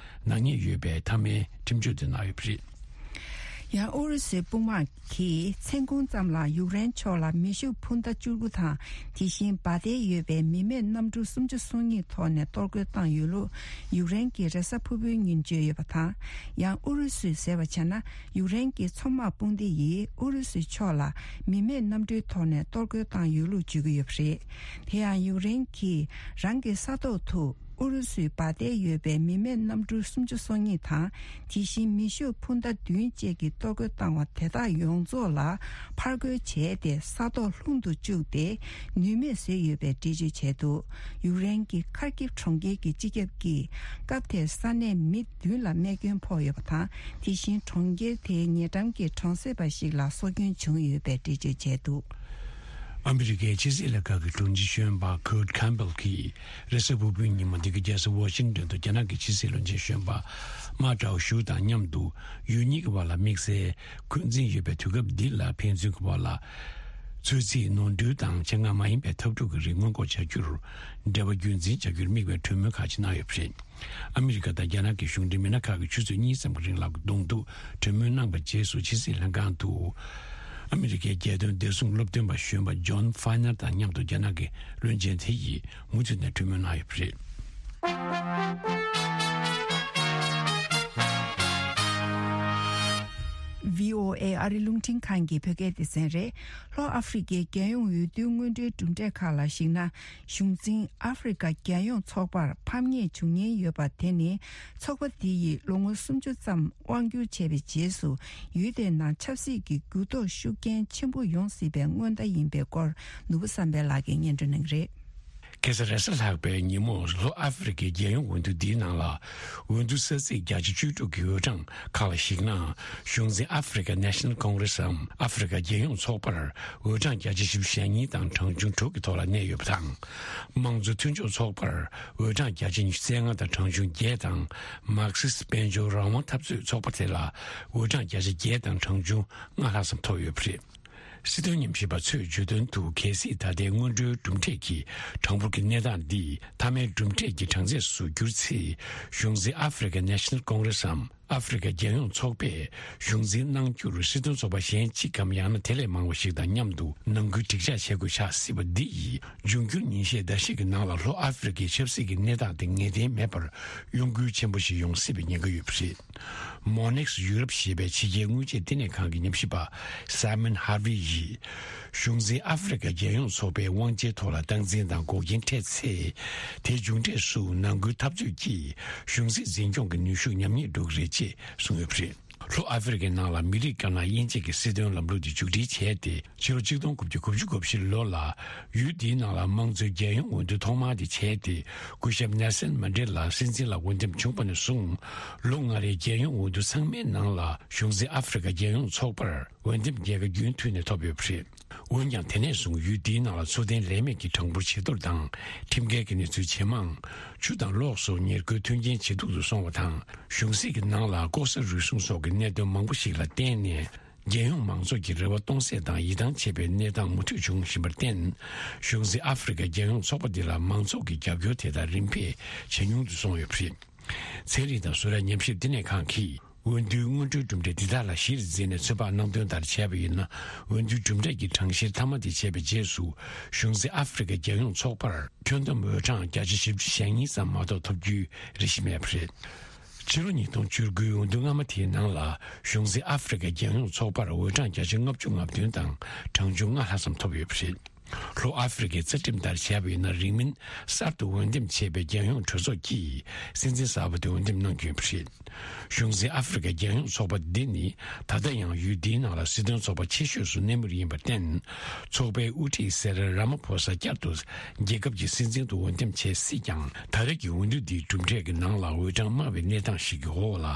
ནག་ཉེས་ཡོད་པའི་མཐའ་མའི་ཁྲིམས་གཅོད་དེ་གནང་ཡོད་པ་རེད། ཡང་ཨུ་རུ་སུའི་དཔུང་དམག་གིས་མཚན་གུང་ཙམ་ལ་ཡུཀ་རེན་ཕྱོགས་ལ་མེ་ཤུགས་འཕུར་མདའ་བཅུ་དགུ་དང་། དེ་བཞིན་འབའ་སྡེ་ཡོད་པའི་མི་མེད་གནམ་གྲུ་སུམ་ཅུ་སོ་གཉིས་ཐོག་ནས་གཏོར་རྒོལ་བཏང་ཡོད་ལུགས་ཡུཀ་རེན་གྱི་རེས་གཟའ་ཕུར་བུའི་ཉིན་བརྗོད་ཡོད་པ་དང་། ཡང་ཨུ་རུ་སུས་ཟེར་བ་བྱས་ན། ཡུཀ་རེན་གྱི་མཚོ་དམག་དཔུང་སྡེ་ཡིས་ཨུ་རུ་སུའི་ཕྱོགས་ལ་མི་མེད་གནམ་གྲུའི་ཐོག་ནས་གཏོར་རྒོལ་བཏང་ཡོད་ལུགས་བརྗོད་ཀྱི་ཡོད་པ་རེད། དེ་ཡང་ཡུཀ་རེན་གྱིས་རང་གི་ས་ཐོག་ཏུ། ཨུ་རུ་སུའི་འབའ་སྡེ་ཡོད་པའི་མི་མེད་གནམ་གྲུ་སུམ་ཅུ་སོ་གཉིས་དང་། དེ་བཞིན་མེ་ཤུགས་འཕུར་མདའ་བདུན་བཅས་ཀྱིས་གཏོར་རྒོལ་བཏང་བ་དེ་དག་ཡོངས་རྫོགས་ལ་ཕར་རྒོལ་བྱས་ཏེ་ས་ཐོག་ལྷུང་དུ་བཅུག་སྟེ་ནུས་མེད་བཟོས་ཡོད་པའི་འགྲེལ་བརྗོད་བྱས་འདུག་ཡུཀ་རེན་གྱི་ཁར་ཀིབ་གྲོང་ཁྱེར་གྱི་སྤྱི་ཁྱབ་ཀྱིས་སྐབས་དེར་ས་གནས་མི་བདུན་ལ་རྨས་སྐྱོན་ཕོག་ཡོད་པ་དང་། དེ་བཞིན་གྲོང་ཁྱེར་དེའི་ཉེ་འགྲམ་གྱི་གྲོང་གསེབ་པ་ཞིག་ལ་སྲོག་སྐྱོན་བྱུང་ཡོད་པའི་འགྲེལ་བརྗོད་བྱས་འདུག་ཨ་མི་རི་ཀའི་ཕྱི་སྲིད་ལྷན་ཁང་གི་དྲུང་ཆེ་གཞོན་པ་Kurt Campbell་གྱིས་རེས་གཟའ་ཕུར་བུའི་ཉིན་མོ་འདི་གའི་རྒྱལ་ས་ཝ་ཤིང་ཏོན་དུ་རྒྱ་ནག་གི་ཕྱི་སྲིད་བློན་ཆེན་གཞོན་པ་མཱ་ཀྲའོ་ཞུ་དང་མཉམ་དུ་ཡུལ་གཉིས་ཀྱི་བར་ལ་དམིགས་བསལ་འཁོན་འཛིན་ཡོད་པའི་དུས་སྐབས་འདི་ལ་ཕན་ཚུན་གྱི་བར་ལ་ཚོད་རྩིས་ནོར་འཁྲུལ་དང་ཆེད་མངགས་མ་ཡིན་པའི་འཐབ་འཁྲུག་གི་རིགས་སྔོན་འགོག་བྱ་རྒྱུར་འབྲེལ་བ་རྒྱུན་འཛིན་བྱ་རྒྱུར་དམིགས་པའི་གྲོས་མོལ་ཁག་ཅིག་གནང་ཡོད་པ་རེད། ཨ་མི་རི་ཀ་དང་རྒྱ་ནག་གི་གཞུང་འབྲེལ་མི་སྣ་ཁག་གིས་ཆུ་ཚོད་གཉིས་ཙམ་གྱི་རིང་ལ་གདོང་ཐུག་གྲོས་མོལ་གནང་བའི་རྗེས་སུ་ཕྱི་སྲིད་ལྷན་ཁང་དུ་ཨ་མི་རི་ཀའི་རྒྱལ་དོན་བདེ་སྲུང་སློབ་སྟོན་པ་གཞོན་པ་ཇོན་ཧྥ་ནར་དང་མཉམ་དུ་རྒྱ་ནག་གི་བློན་ཆེན་དེ་ཡིས་མུ་མཐུད་ནས་གྲོས་མོལ་གནང་ཡོད་པ་རེད། ཝི་ཨོ་ཨེ་ཨ་རི་རླུང་འཕྲིན་ཁང་གི་བོད་སྐད་སྡེ་ཚན་རེད། ལྷོ་ཨ་ཧྥེ་རི་ཀའི་རྒྱལ་ཡོངས་འོས་བསྡུའི་སྔོན་འགྲོའི་གྲུབ་འབྲས་ཁག་ལ་གཞིགས་ན། གཞུང་འཛིན་ཨ་ཧྥེ་རི་ཀ་རྒྱལ་ཡོངས་ཚོགས་པར་ཕམ་ཉེས་བྱུང་ཉེན་ཡོད་པ་དེ་ནི། ཚོགས་པ་དེ་ཡིས་ལོ་ངོ་སུམ་ཅུ་ཙམ་དབང་བསྒྱུར་བྱས་པའི་རྗེས་སུ། ཡུལ་དེའི་ནང་ཆབ་སྲིད་ཀྱི་འགྱུར་ལྡོག་ཤུགས་རྐྱེན་ཆེན་པོ་ཡོང་སྲིད་པའི་སྔོན་བརྡ་ཡིན་པའི་སྐོར། ནོར་བུ་བསམ་འཕེལ་ལགས་ཀྱིས་སྙན་སྒྲོན་གནང་གི་རེད། ཁ་སང་རེས་གཟའ་ལྷག་པའི་ཉིན་མོ་ལྷོ་ཨ་ཧྥེ་རི་ཀའི་རྒྱལ་ཡོངས་འོས་བསྡུ་འདིའི་ནང་ལ། འོས་བསྡུ་ས་ཚིགས་བརྒྱ་ཆ་བཅུ་དྲུག་གི་འོས་གྲངས་ཁག་ལ་གཞིགས་ན། གཞུང་འཛིན་African National Congress་འམ་ཨ་ཧྥེ་རི་ཀ་རྒྱལ་ཡོངས་ཚོགས་པར་འོས་གྲངས་བརྒྱ་ཆ་བཞི་བཅུ་ཞེ་གཉིས་དང་གྲངས་ཆུང་དྲུག་གི་ཐོག་ལ་གནས་ཡོད་པ་དང་། དམངས་གཙོ་མཐུན་ཕྱོགས་ཚོགས་པར་འོས་གྲངས་བརྒྱ་ཆ་ཉི་ཤུ་རྩ་ལྔ་དང་གྲངས་ཆུང་བརྒྱད་དང་། མར་ཁེ་སི་དཔལ་འབྱོར་རང་དབང་འཐབ་རྩོད་ཚོགས་པ་དེ་ལ་འོས་གྲངས་བརྒྱ་ཆ་བརྒྱད་དང་གྲངས་ཆུང་ལྔ་ལྷག་ཙམ་ཐོབ་ཡོད་པ་རེད། སྲིད་དོན་ཉམས་ཞིབ་པ་ཚོས་བརྗོད་དོན་དུ། གལ་སྲིད་ད་ལྟའི་སྔོན་འགྲོའི་གྲུབ་འབྲས་ཀྱི་གྲངས་འབོར་གྱི་གནས་སྟངས་འདི་མཐའ་མའི་གྲུབ་འབྲས་ཀྱི་གྲངས་ཚད་སུ་འགྱུར་ཚེ། གཞུང་འཛིན་African National Congressའམ་ཨ་ཧྥེ་རི་ཀ་རྒྱལ་ཡོངས་ཚོགས་པས་གཞུང་འཛིན་གནང་རྒྱུར་སྲིད་དོན་ཚོགས་པ་གཞན་གཅིག་གམ་ཡང་ན་དེ་ལས་མང་བ་ཞིག་དང་མཉམ་དུ་ནང་ཁུལ་འགྲིག་འཇགས་བྱེད་དགོས་ཆགས་སྲིད་པ་འདི་ཡིས། འབྱུང་འགྱུར་ཉིན་ཤས་ཟླ་ཤས་ཀྱི་ནང་ལ་ལྷོ་ཨ་ཧྥེ་རི་ཀའི་ཆབ་སྲིད་ཀྱི་གནས་སྟངས་དེ་ངེས་གཏན་མེད་པར་གཡོ་འགུལ་ཆེན་པོ་ཞིག་ཡོང་སྲིད་པའི་ཉེན་ཁ་ཡོད་པ་རེད། Monex Europe་ཞེས་པའི་ཕྱི་རྒྱལ་དངུལ་ཆད་བསྟི་གནས་ཁང་གི་ཉམས་ཞིབ་པ་Simon Harvey་ཡིས། གཞུང་འཛིན་ཨ་ཧྥེ་རི་ཀ་རྒྱལ་ཡོངས་ཚོགས་པའི་དབང་ཆའི་ཐོག་ལ་སྟངས་འཛིན་དང་འགོག་རྐྱེན་འཕྲད་ཚེ། དེའི་མཇུག་འབྲས་སུ་ནང་ཁུལ་འཐབ་རྩོད་ཀྱིས་གཞུང་སྲིད་འཛིན་སྐྱོང་གི་ནུས་ཤུགས་ཉམས་ཉེས་འགྲོ་གི་རེད་ཅེས་གསུངས་ཡོད་པ་རེད། ལྷོ་ཨ་ཧྥེ་རི་ཀའི་ནང་ལ་མི་རིགས་དཀར་ནག་དབྱེ་འབྱེད་ཀྱི་སྲིད་དོན་ལམ་ལུགས་དེ་མཇུག་སྒྲིལ་བྱས་ཏེ། ཕྱི་ལོ་གཅིག་སྟོང་དགུ་བརྒྱ་དགུ་བཅུ་གོ་བཞི་ལོ་ལ་ཡུལ་འདིའི་ནང་ལ་དམངས་གཙོའི་རྒྱལ་ཡོངས་འོས་བསྡུ་ཐོག་མ་དེ་བྱས་ཏེ། སྐུ་ཞབས་ནེལ་སན་མན་ཌེ་ལ་སྲིད་འཛིན་ལ་འོས་འདེམས་བྱུང་བ་ནས་བཟུང་། ལོ་ལྔ་རེའི་རྒྱལ་ཡོངས་འོས་བསྡུ་ཚང་མའི་ནང་ལ་གཞུང་འཛིན་ཨ་ཧྥེ་རི་ཀ་རྒྱལ་ཡོངས་ཚོགས་པར་འོས་འདེམས་རྒྱལ་ཁ་རྒྱུན་མཐུད་ནས་ཐོབ་ཡོད་པ་རེད། འོན་ཀྱང་དེ་ནས་བཟུང་ཡུལ་འདིའི་ནང་ལ་འཚོ་རྟེན་ལས་མེད་ཀྱི་གྲངས་འབོར་ཇེ་མཐོར་དང་། ཁྲིམས་འགལ་གྱི་གནས་ཚུལ་ཇེ་མང་། ཆུ་དང་གློག་སོགས་ཉེར་མཁོའི་མཐུན་རྐྱེན་ཇེ་སྡུག་ཏུ་སོང་བ་དང་། གཞུང་སྲིད་ཀྱི་ནང་ལ་ལྐོག་ཟ་རུལ་སུངས་སོགས་ཀྱི་གནད་དོན་མང་པོ་ཞིག་ལ་བརྟེན་ནས། རྒྱལ་ཡོངས་མང་ཚོགས་ཀྱི་རེ་བ་སྟོང་ཟད་དང་ཡིད་ཐང་ཆད་པའི་གནས་སྟངས་མུ་མཐུད་འབྱུང་བཞིན་པར་བརྟེན། གཞུང་འཛིན་ཨ་ཧྥེ་རི་ཁའི་རྒྱལ་ཡོངས་ཚོགས་པ་འདི་ལ་མང་ཚོགས་ཀྱི་རྒྱབ་སྐྱོར་དེ་དག་རིམ་འཕེལ་ཇེ་ཉུང་དུ་སོང་ཡོད་པ་རེད། ཚན་རིག་དང་བཟོ་གྲྭ་ཉམས་ཞིབ་བསྟི་གནས་ཁང་གིས། འོས་བསྡུའི་སྔོན་འགྲོའི་གྲུབ་འབྲས་འདི་དག་ལ་གཞིར་འཛིན་ནས་ཚོད་དཔག་གནང་དོན་ལྟར་བྱས་པ་ཡིན་ན། འོས་བསྡུའི་གྲུབ་འབྲས་ཀྱི་གྲངས་བཤེར་མཐའ་མ་དེ་བྱས་པའི་རྗེས་སུ། གཞུང་འཛིན་ཨ་ཧྥེ་རི་ཁའི་རྒྱལ་ཡོངས་ཚོགས་པར་ཁྱོན་བསྡོམས་འོས་གྲངས་བརྒྱ་ཆ་བཞི་བཅུ་ཞེ་གཉིས་ཙམ་མ་གཏོགས་ཐོབ་རྒྱུའི་རེ་ཞིག་མེད་པ་རེད། ཕྱི་ལོ་ཉིས་སྟོང་བཅུ་དགུའི་འོས་བསྡུ་སྔ་མ་དེའི་ནང་ལ། གཞུང་འཛིན་ཨ་ཧྥེ་རི་ཁའི་རྒྱལ་ཡོངས་ཚོགས་པར་འོས་གྲངས་བརྒྱ་ཆ་ལྔ་བཅུ་ང་བདུན་དང་གྲངས་ཆུང་ལྔ་ལྷག་ཙམ་ཐོབ་ཡོད་པ་རེད། ལྷོ་ཨ་ཧྥེ་རི་ཁའི་རྩ་ཁྲིམས་ལྟར་བྱས་པ་ཡིན་ན། རིང་མིན་གསར་དུ་འོས་འདེམས་བྱས་པའི་རྒྱལ་ཡོངས་གྲོས་ཚོགས་ཀྱིས་སྲིད་འཛིན་གསར་པ་དེ་འོས་འདེམས་གནང་རྒྱུ་ཡིན་པ་རེད། གཞུང་འཛིན་ཨ་ཧྥེ་རི་ཁའི་རྒྱལ་ཡོངས་ཚོགས་པ་འདི་ནི། ད་ལྟ་ཡང་ཡུལ་འདིའི་ནང་ལ་སྲིད་དོན་ཚོགས་པ་ཆེ་ཤོས་སུ་གནས་མུས་ཡིན་པར་བརྟེན། ཚོགས་པའི་དབུ་ཁྲིད་སེ་རལ་ར་མ་ཕོ་ས་བསྐྱར་དུ་རྒྱལ་ཁབ་ཀྱི་སྲིད་འཛིན་དུ་འོས་འདེམས་བྱེད་སྲིད་ཀྱང་། ད་རེས་ཀྱི་འོས་བསྡུ་འདིའི་གྲུབ་འབྲས་ཀྱི་ནང་ལ་འོས་གྲངས་དམའ་བའི་གནས་སྟངས་ཤིག་གི་འོག་ལ།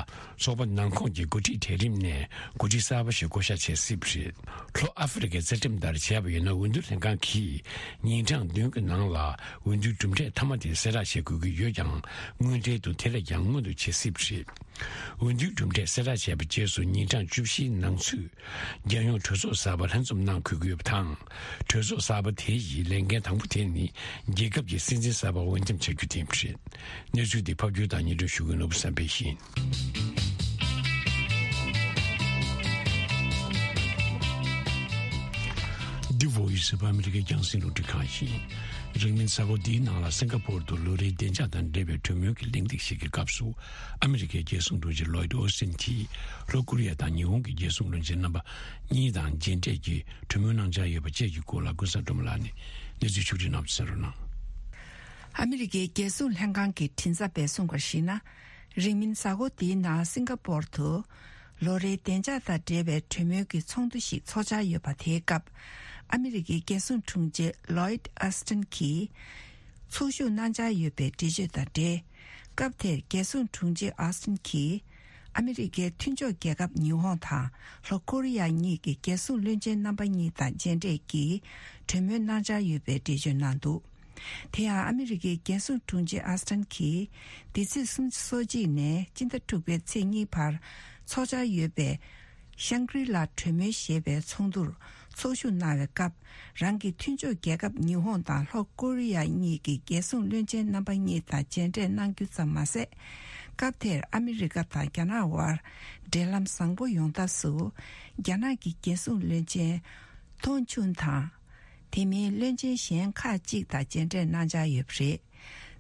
ཚོགས་པ་ནང་ཁོངས་ཀྱི་འགོ་ཁྲིད་གྲལ་རིམ་ནས་འགོ་ཁྲིད་གསར་པ་ཞིག་བསྐོ་བཞག་བྱེད་སྲིད་པ་རེད། ལྷོ་ཨ་ཧྥེ་རི་ཁའི་རྩ་ཁྲིམས་ལྟར་བྱས་པ་ཡིན་ན། འོས་བསྡུ་ལྷན་ཁང་གིས་ཉིན་གྲངས་བདུན་གྱི་ནང་ལ་འོས་བསྡུའི་གྲུབ་འབྲས་མཐའ་མ་དེ་གསལ་བསྒྲགས་བྱེད་དགོས་ཀྱི་ཡོད་ཀྱང་། དངོས་འབྲེལ་དུ་དེ་ལས་ཀྱང་སྔོན་དུ་བྱེད་སྲིད་པ་རེད། འོས་བསྡུའི་གྲུབ་འབྲས་གསལ་བསྒྲགས་བྱས་པའི་རྗེས་སུ་ཉིན་གྲངས་བཅུ་བཞིའི་ནང་ཚུད། རྒྱལ་ཡོངས་གྲོས་ཚོགས་གསར་པ་ལྷན་འཛོམས་གནང་དགོས་ཀྱི་ཡོད་པ་དང་། གྲོས་ཚོགས་གསར་པ་དེ་ཡི་ལས་འགན་དང་པོ་དེ་ནི། རྒྱལ་ཁབ་ཀྱི་སྲིད་འཛིན་གསར་པ་འོས་འདེམས་བྱ་རྒྱུ་དེ་ཡིན་པ་རེད། གནས་ཚུལ་འདི་ཕབ་སྒྱུར་དང་སྙན་སྒྲོན་ཞུ་མཁན་ནོར་བུ་བསམ་འཕེལ་ཡིན། འདི་བོ་ཡི་སི་ཨོཕ་ཨ་མི་རི་ཀའི་རྒྱང་སྲིང་རླུང་འཕྲིན་ཁང་ཡིན། རིང་མིན་གཟའ་འཁོར་འདིའི་ནང་ལ་སིང་ག་པོར་དུ་ལོ་རེའི་བདེ་འཇགས་དང་འབྲེལ་བའི་གྲོས་མོལ་གྱི་གླེང་སྟེགས་ཤིག་གི་སྐབས་སུ། ཨ་མི་རི་ཀའི་རྒྱལ་སྲུང་དྲུང་ཆེ་ལོའིད་ཨོ་སི་ཊིན་གྱིས་ལྷོ་ཀོ་རི་ཡ་དང་ཉི་ཧོང་གི་རྒྱལ་སྲུང་བློན་ཆེན་རྣམ་པ་གཉིས་དང་མཇལ་འཕྲད་ཀྱིས་གྲོས་མོལ་གནང་འཆར་ཡོད་པ་བཅས་ཀྱི་སྐོར་ལ་ཀུན་བཟང་སྒྲོལ་མ་ལགས་ནས་གནས་ཚུལ་ཕྱོགས་སྒྲིག་གནང་བ་གསན་རོགས་གནང་། ཨ་མི་རི་ཀའི་རྒྱལ་སྲུང་ལྷན་ཁང་གི་མགྲིན་ཚབ་པས་གསུངས་པར་གཞིགས་ན། རིང་མིན་གཟའ་འཁོར་འདིའི་ནང་སིང་ག་པོར་དུ་ལོ་རེའི་བདེ་འཇགས་དང་འབྲེལ་བའི་གྲོས་མོལ་གྱི་ཚོགས་འདུ་ཞིག་ཚོགས་འཆར་ཡོད་པ། དེའི་སྐབས་ཨ་མི་རི་ཀའི་རྒྱལ་སྲུང་དྲུང་ཆེ་ལོའིད་ཨོ་སི་ཊིན་གྱིས་ཚོགས་ཞུགས་གནང་འཆར་ཡོད་པའི་འགྲེལ་བརྗོད་དང་འབྲེལ། སྐབས་དེར་རྒྱལ་སྲུང་དྲུང་ཆེ་ཨོ་སི་ཊིན་གྱིས་ཨ་མི་རི་ཀའི་མཐུན་ཕྱོགས་རྒྱལ་ཁབ་ཉི་ཧོང་དང་ལྷོ་ཀོ་རི་ཡ་གཉིས་ཀྱི་རྒྱལ་སྲུང་བློན་ཆེན་རྣམ་པ་གཉིས་དང་མཇལ་འཕྲད་ཀྱིས་གྲོས་མོལ་གནང་འཆར་ཡོད་པའི་འགྲེལ་བརྗོད་གནང་འདུག། དེ་ཡང་ཨ་མི་རི་ཀའི་རྒྱལ་སྲུང་དྲུང་ཆེ་ཨོ་སི་ཊིན་གྱིས་འདི་ཚེས་སོ་གཅིག་ནས་སྤྱི་ཟླ་དྲུག་པའི་ཚེས་གཉིས་བར་ཚོགས་འཆར་ཡོད་པའི་ཤང་ཀྲི་ལ་གྲོས་མོལ་ཞེས་པའི་ཚོགས་འདུར་ཚོགས་ཞུགས་གནང་བའི་སྐབས། རང་གི་མཐུན་ཕྱོགས་རྒྱལ་ཁབ་ཉི་ཧོང་དང་ལྷོ་ཀོ་རི་ཡ་གཉིས་ཀྱི་རྒྱལ་སྲུང་བློན་ཆེན་རྣམ་པ་གཉིས་དང་མཇལ་འཕྲད་གནང་རྒྱུ་ཙམ་མ་ཟད། སྐབས་དེར་ཨ་མི་རི་ཀ་དང་རྒྱ་ནག་དབར་འབྲེལ་ལམ་བཟང་པོ་ཡོང་ཐབས་སུ། རྒྱ་ནག་གི་རྒྱལ་སྲུང་བློན་ཆེན་ཐོང་ཆུན་དང་། དེ་མིན་བློན་ཆེན་གཞན་ཁག་ཅིག་དང་མཇལ་འཕྲད་གནང་འཆར་ཡོད་པ་རེད།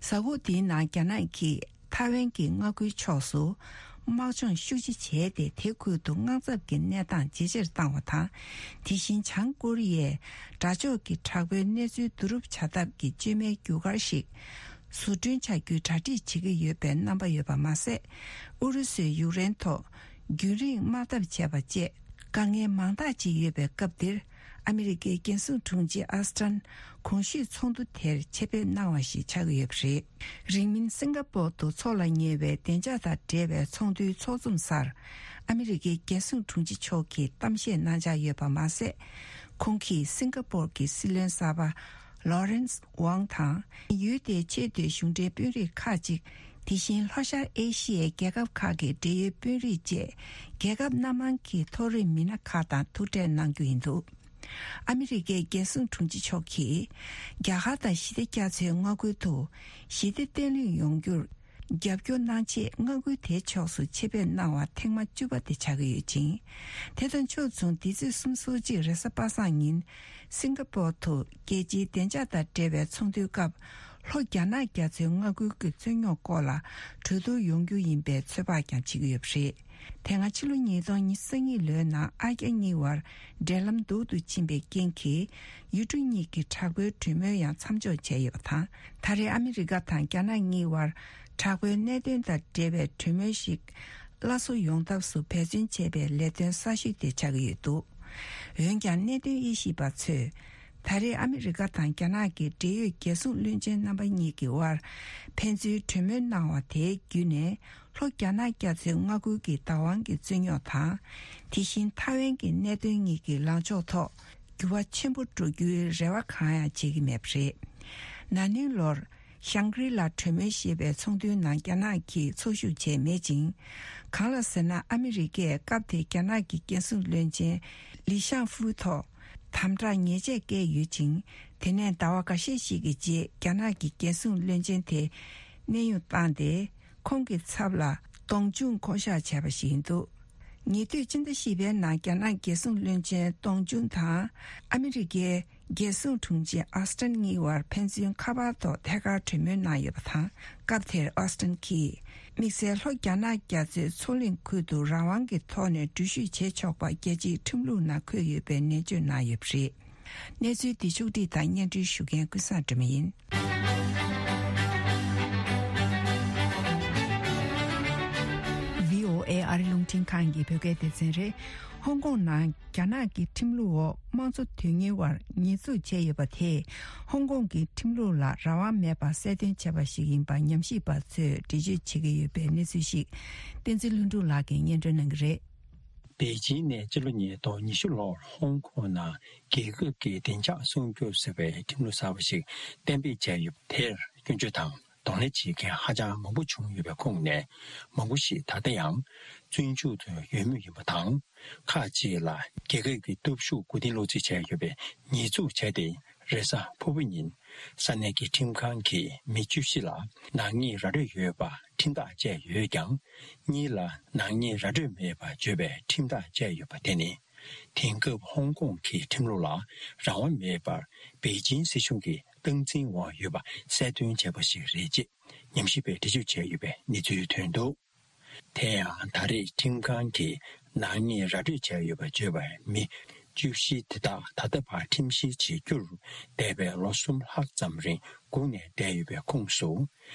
གཟའ་འཁོར་འདིའི་ནང་རྒྱ་ནག་གིས་ཐའེ་ཝན་གྱི་མངའ་ཁུལ་ཕྱོགས་སུ་དམག་སྦྱོང་ཤུགས་ཆེ་བྱས་ཏེ། དེ་ཁུལ་དུ་དམག་འཐབ་ཀྱི་གནས་སྟངས་ཇེ་ཆེར་བཏང་བ་དང་། དེ་བཞིན་བྱང་ཀོ་རི་ཡས་དགྲ་ཕྱོགས་ཀྱི་དྲག་པོའི་གནས་ཚུལ་བསྡུ་རུབ་བྱ་ཐབས་ཀྱི་བཅོས་མའི་རྒྱུ་སྐར་ཞིག་བཟོ་སྐྲུན་བྱ་རྒྱུའི་གྲ་སྒྲིག་བྱེད་ཀྱི་ཡོད་པའི་རྣམ་པ་ཡོད་པ་མ་ཟད། ཨུ་རུ་སུས་ཡུཀ་རེན་ཐོག་རྒྱུན་རིང་དམག་འཐབ་བྱས་པ་བཅས། དཀའ་ངལ་མང་དག་ཅིག་ཡོད་པའི་སྐབས་འདིར། ཨ་མི་རི་ཀའི་རྒྱལ་སྲུང་དྲུང་ཆེ་ཨོ་སི་ཊིན་གོང་ཞུས་ཚོགས་འདུ་དེར་ཆེད་ཕེབས་གནང་བ་ཞིག་ཆགས་ཀྱི་ཡོད་པ་རེད། རིང་མིན་སིང་ག་པོར་དུ་འཚོགས་ལ་ཉེ་བའི་བདེ་འཇགས་དང་འབྲེལ་བའི་ཚོགས་འདུའི་ཚོགས་འཛོམས་སར། ཨ་མི་རི་ཀའི་རྒྱལ་སྲུང་དྲུང་ཆེ་མཆོག་གིས་གཏམ་བཤད་གནང་འཆར་ཡོད་པ་མ་ཟད། ཁོང་གིས་སིང་ག་པོར་གྱི་སྲིད་བློན་གསར་པ་ལོ་རེན་སི་ཝང་དང་། ཡུལ་དེའི་ཆེས་མཐོའི་གཞུང་འབྲེལ་དཔོན་རིགས་ཁག་ཅིག། དེ་བཞིན་ལྷོ་ཤར་ཨེ་ཤི་ཡའི་རྒྱལ་ཁབ་ཁག་གི་འབྲེལ་ཡོད་དཔོན་རིགས་བཅས། རྒྱལ་ཁབ་སྣ་མང་གི་མཐོ་རིམ་མི་སྣ་ཁག་དང་ཐུག་འཕྲད་གནང་རྒྱུ་ཡིན་འདུག། ཨ་མི་རི་ཀའི་རྒྱལ་སྲུང་དྲུང་ཆེ་མཆོག་གིས། རྒྱ་གར་དང་ཞི་བདེ་རྒྱ་མཚོའི་མངའ་ཁུལ་དུ་ཞི་བདེ་བརྟན་ལྷིང་ཡོང་རྒྱུར་རྒྱབ་སྐྱོར་གནང་ཆེད། མངའ་ཁུལ་དེའི་ཕྱོགས་སུ་ཆེད་ཕེབས་གནང་བ་ཐེངས་མ་བཅུ་པ་དེ་ཆགས་ཀྱི་ཡོད་ཅིང་། དེ་དང་ཕྱོགས་མཚུངས། འདི་ཚེས་སོ་གཅིག་རེས་གཟའ་པ་སངས་ཉིན། སིང་ག་པོར་དུ་རྒྱལ་སྤྱིའི་བདེ་འཇགས་དང་འབྲེལ་བའི་ཚོགས་འདུའི་སྐབས། ལྷོ་རྒྱ་ནག་རྒྱ་མཚོའི་མངའ་ཁུལ་གྱི་རྩོད་རྙོག་སྐོར་ལ་གྲོས་བསྡུར་ཡོང་རྒྱུ་ཡིན་པའི་ཚོད་དཔག་ཀྱང་བྱེད་ཀྱི་ཡོད་པ་རེད། དེ་སྔ་ཕྱི་ལོ་ཉིས་སྟོང་ཉི་ཤུ་རྩ་གཉིས་ལོའི་ནང་། ཨ་རྒྱ་གཉིས་བར་འབྲེལ་ལམ་སྡུག་ཏུ་ཕྱིན་པའི་རྐྱེན་གྱིས། ཡུལ་གྲུ་གཉིས་ཀྱི་དྲག་པོའི་གྲོས་མོལ་ཡང་མཚམས་འཇོག་བྱས་ཡོད་པ་དང་། ད་རེས་ཨ་མི་རི་ཀ་དང་རྒྱ་ནག་གཉིས་བར་དྲག་པོའི་གནད་དོན་དང་འབྲེལ་བའི་གྲོས་མོལ་ཞིག་སླར་གསོ་ཡོང་ཐབས་སུ་འབད་བརྩོན་བྱེད་པའི་ལས་དོན་གསར་ཤོས་དེ་ཆགས་ཀྱི་ཡོད་འདུག། འོན་ཀྱང་། གནད་དོན་དབྱེ་ཞིབ་པ་ཚོས། ད་རེས་ཨ་མི་རི་ཀ་དང་རྒྱ་ནག་གི་འབྲེལ་ཡོད་རྒྱལ་སྲུང་བློན་ཆེན་རྣམ་པ་གཉིས་ཀྱི་དབར་ཕན་ཚུན་གྲོས་མོལ་གནང་བ་དེའི་བརྒྱུད་ནས། ལྷོ་རྒྱ་ནག་རྒྱ་མཚོའི་མངའ་ཁུལ་གྱི་བདག་དབང་གི་རྩོད་རྙོག་དང་། དེ་བཞིན་ཐའེ་ཝན་གྱི་གནད་དོན་གཉིས་ཀྱི་ལངས་ཕྱོགས་ཐོག་འགྱུར་བ་ཆེན་པོ་འགྲོ་རྒྱུའི་རེ་བ་གང་ཡང་བྱེད་ཀྱི་མེད་པ་རེད། ན་ནིང་ལོར། ཤང་ཀྲི་ལ་གྲོས་མོལ་ཞེས་པའི་ཚོགས་འདུའི་ནང་རྒྱ་ནག་གིས་ཚོགས་ཞུགས་བྱས་མེད་ཅིང་། གང་ལ་ཟེར་ན། ཨ་མི་རི་ཀས་སྐབས་དེའི་རྒྱ་ནག་གི་རྒྱལ་སྲུང་བློན་ཆེན་ལི་ཤང་ཧྥུའུ་ཐོག་དམ་དྲག་ཉེས་ཆད་བཀལ་ཡོད་ཅིང་། དེ་ནས་ཟླ་བ་འགའ་ཤས་ཤིག་གི་རྗེས་རྒྱ་ནག་གི་རྒྱལ་སྲུང་བློན་ཆེན་དེ་གནས་དབྱུང་བཏང་སྟེ། ཁོང་གི་ཚབ་ལ་ཏོང་ཅུན་བསྐོ་གཞག་བྱས་པ་ཞིག་ཡིན་འདུག་ཉེ་དུས་ཕྱི་ཟླ་བཞི་པའི་ནང་རྒྱ་ནག་རྒྱལ་སྲུང་བློན་ཆེན་ཏོང་ཅུན་དང་ཨ་མི་རི་ཀའི་རྒྱལ་སྲུང་དྲུང་ཆེ་ཨོ་སི་ཊིན་གཉིས་བར་ཕན་ཚུན་ཁ་པར་ཐོག་ཐད་ཀར་གྲོས་མོལ་གནང་ཡོད་པ་དང་། སྐབས་དེར་ཨོ་སི་ཊིན་གྱིས་དམིགས་བསལ་ལྷོ་རྒྱ་ནག་རྒྱ་མཚོའི་མཚོ་གླིང་ཁུལ་དུ་རང་དབང་གི་ཐོག་ནས་འགྲུལ་བཞུད་བྱེད་ཆོག་པ་རྒྱལ་སྤྱིའི་ཁྲིམས་ལུགས་ནང་འཁོད་ཡོད་པའི་ནན་བརྗོད་གནང་ཡོད་པ་རེད། གནས་ཚུལ་འདི་ཕྱོགས་བསྒྲིགས་དང་སྙན་སྒྲོན་ཞུ་མཁན་ཀུན་བཟང་སྒྲོལ་མ་ཡིན། བྷི་ཨོ་ཨེ་ཨ་རི་རླུང་འཕྲིན་ཁང་གི་བོད་སྐད་སྡེ་ཚན་རེད། ཧོང་ཀོང་ནང་རྒྱ་ནག་གི་ཁྲིམས་ལུགས་འོག་དམངས་གཙོ་དོན་གཉེར་བར་ཉེས་འཛུགས་བྱས་ཡོད་པ་དེས། ཧོང་ཀོང་གི་ཁྲིམས་ལུགས་ལ་རང་དབང་མེད་པར་གསལ་སྟོན་བྱས་པ་ཞིག་ཡིན་པ་ཉམས་ཞིབ་པ་ཚོས་འགྲེལ་བརྗོད་བྱེད་ཀྱི་ཡོད་པའི་གནས་ཚུལ་ཞིག་བསྟན་འཛིན་ལྷུན་གྲུབ་ལགས་ཀྱིས་སྙན་སྒྲོན་གནང་གི་རེད། པེ་ཅིང་ནས་སྤྱི་ལོ་ཉིས་སྟོང་ཉི་ཤུ་ལོར་ཧོང་ཀོང་ནང་རྒྱལ་ཁབ་ཀྱི་བདེ་འཇགས་སྲུང་སྐྱོབ་ཟེར་བའི་ཁྲིམས་ལུགས་གསར་པ་ཞིག་གཏན་འབེབས་བྱས་ཡོད་པ་དེར་སྐྱོན་བརྗོད་དང་གདོང་ལེན་བྱེད་མཁན་ཧ་ཅང་མང་པོ་བྱུང་ཡོད་པའི་ཁོངས་ནས། མང་པོ་ཞིག་ད་ལྟ་ཡང་བཙོན་འཇུག་ཏུ་ཡོད་མུས་ཡིན་པ་དང་། ཁག་ཅིག་ལ་རྒྱལ་ཁབ་ཀྱི་སྟོབས་ཤུགས་མགོ་རྟིང་སློག་རྩིས་བྱས་ཡོད་པའི་ཉེས་འཛུགས་བྱས་ཏེ། རེས་གཟའ་ཕུར་བུ་ཉིན་ས་གནས་ཀྱི་ཁྲིམས་ཁང་གིས་མི་བཅུ་བཞི་ལ་ནག་ཉེས་ར་སྤྲོད་ཡོད་པ་ཁྲིམས་ཐག་བཅད་ཡོད་ཀྱང་། གཉིས་ལ་ནག་ཉེས་ར་སྤྲོད་མེད་པ་བརྗོད་པའི་ཁྲིམས་ཐག་བཅད་ཡོད་པ་དེ་ནི། དེང་སྐབས་ཧོང་ཀོང་གི་ཁྲིམས་ལུགས་ལ་རང་དབང་མེད་པར་པེ་ཅིང་སྲིད་གཞུང་གིས་སྟངས་འཛིན་འོག་ཡོད་པ་གསལ་སྟོན་བྱས་པ་ཞིག་རེད་ཅེས་ཉམས་ཞིབ་པས་འགྲེལ་བརྗོད་བྱས་ཡོད་པའི་གནས་ཚུལ་ཐོན་འདུག་དེ་ཡང་ད་རེས་ཁྲིམས་ཁང་གིས་ནག་ཉེས་ར་སྤྲོད་བྱས་ཡོད་པ་བརྗོད་པའི་མི་བཅུ་བཞི་དེ་དག་ད་ལྟ་བར་ཁྲིམས་བཤེར་བྱེད་རྒྱུར་འདས་པའི་ལོ་གསུམ་ལྷག་ཙམ་རིང་སྒུག་ནས་བསྡད་ཡོད་པའི་ཁོངས་སུ།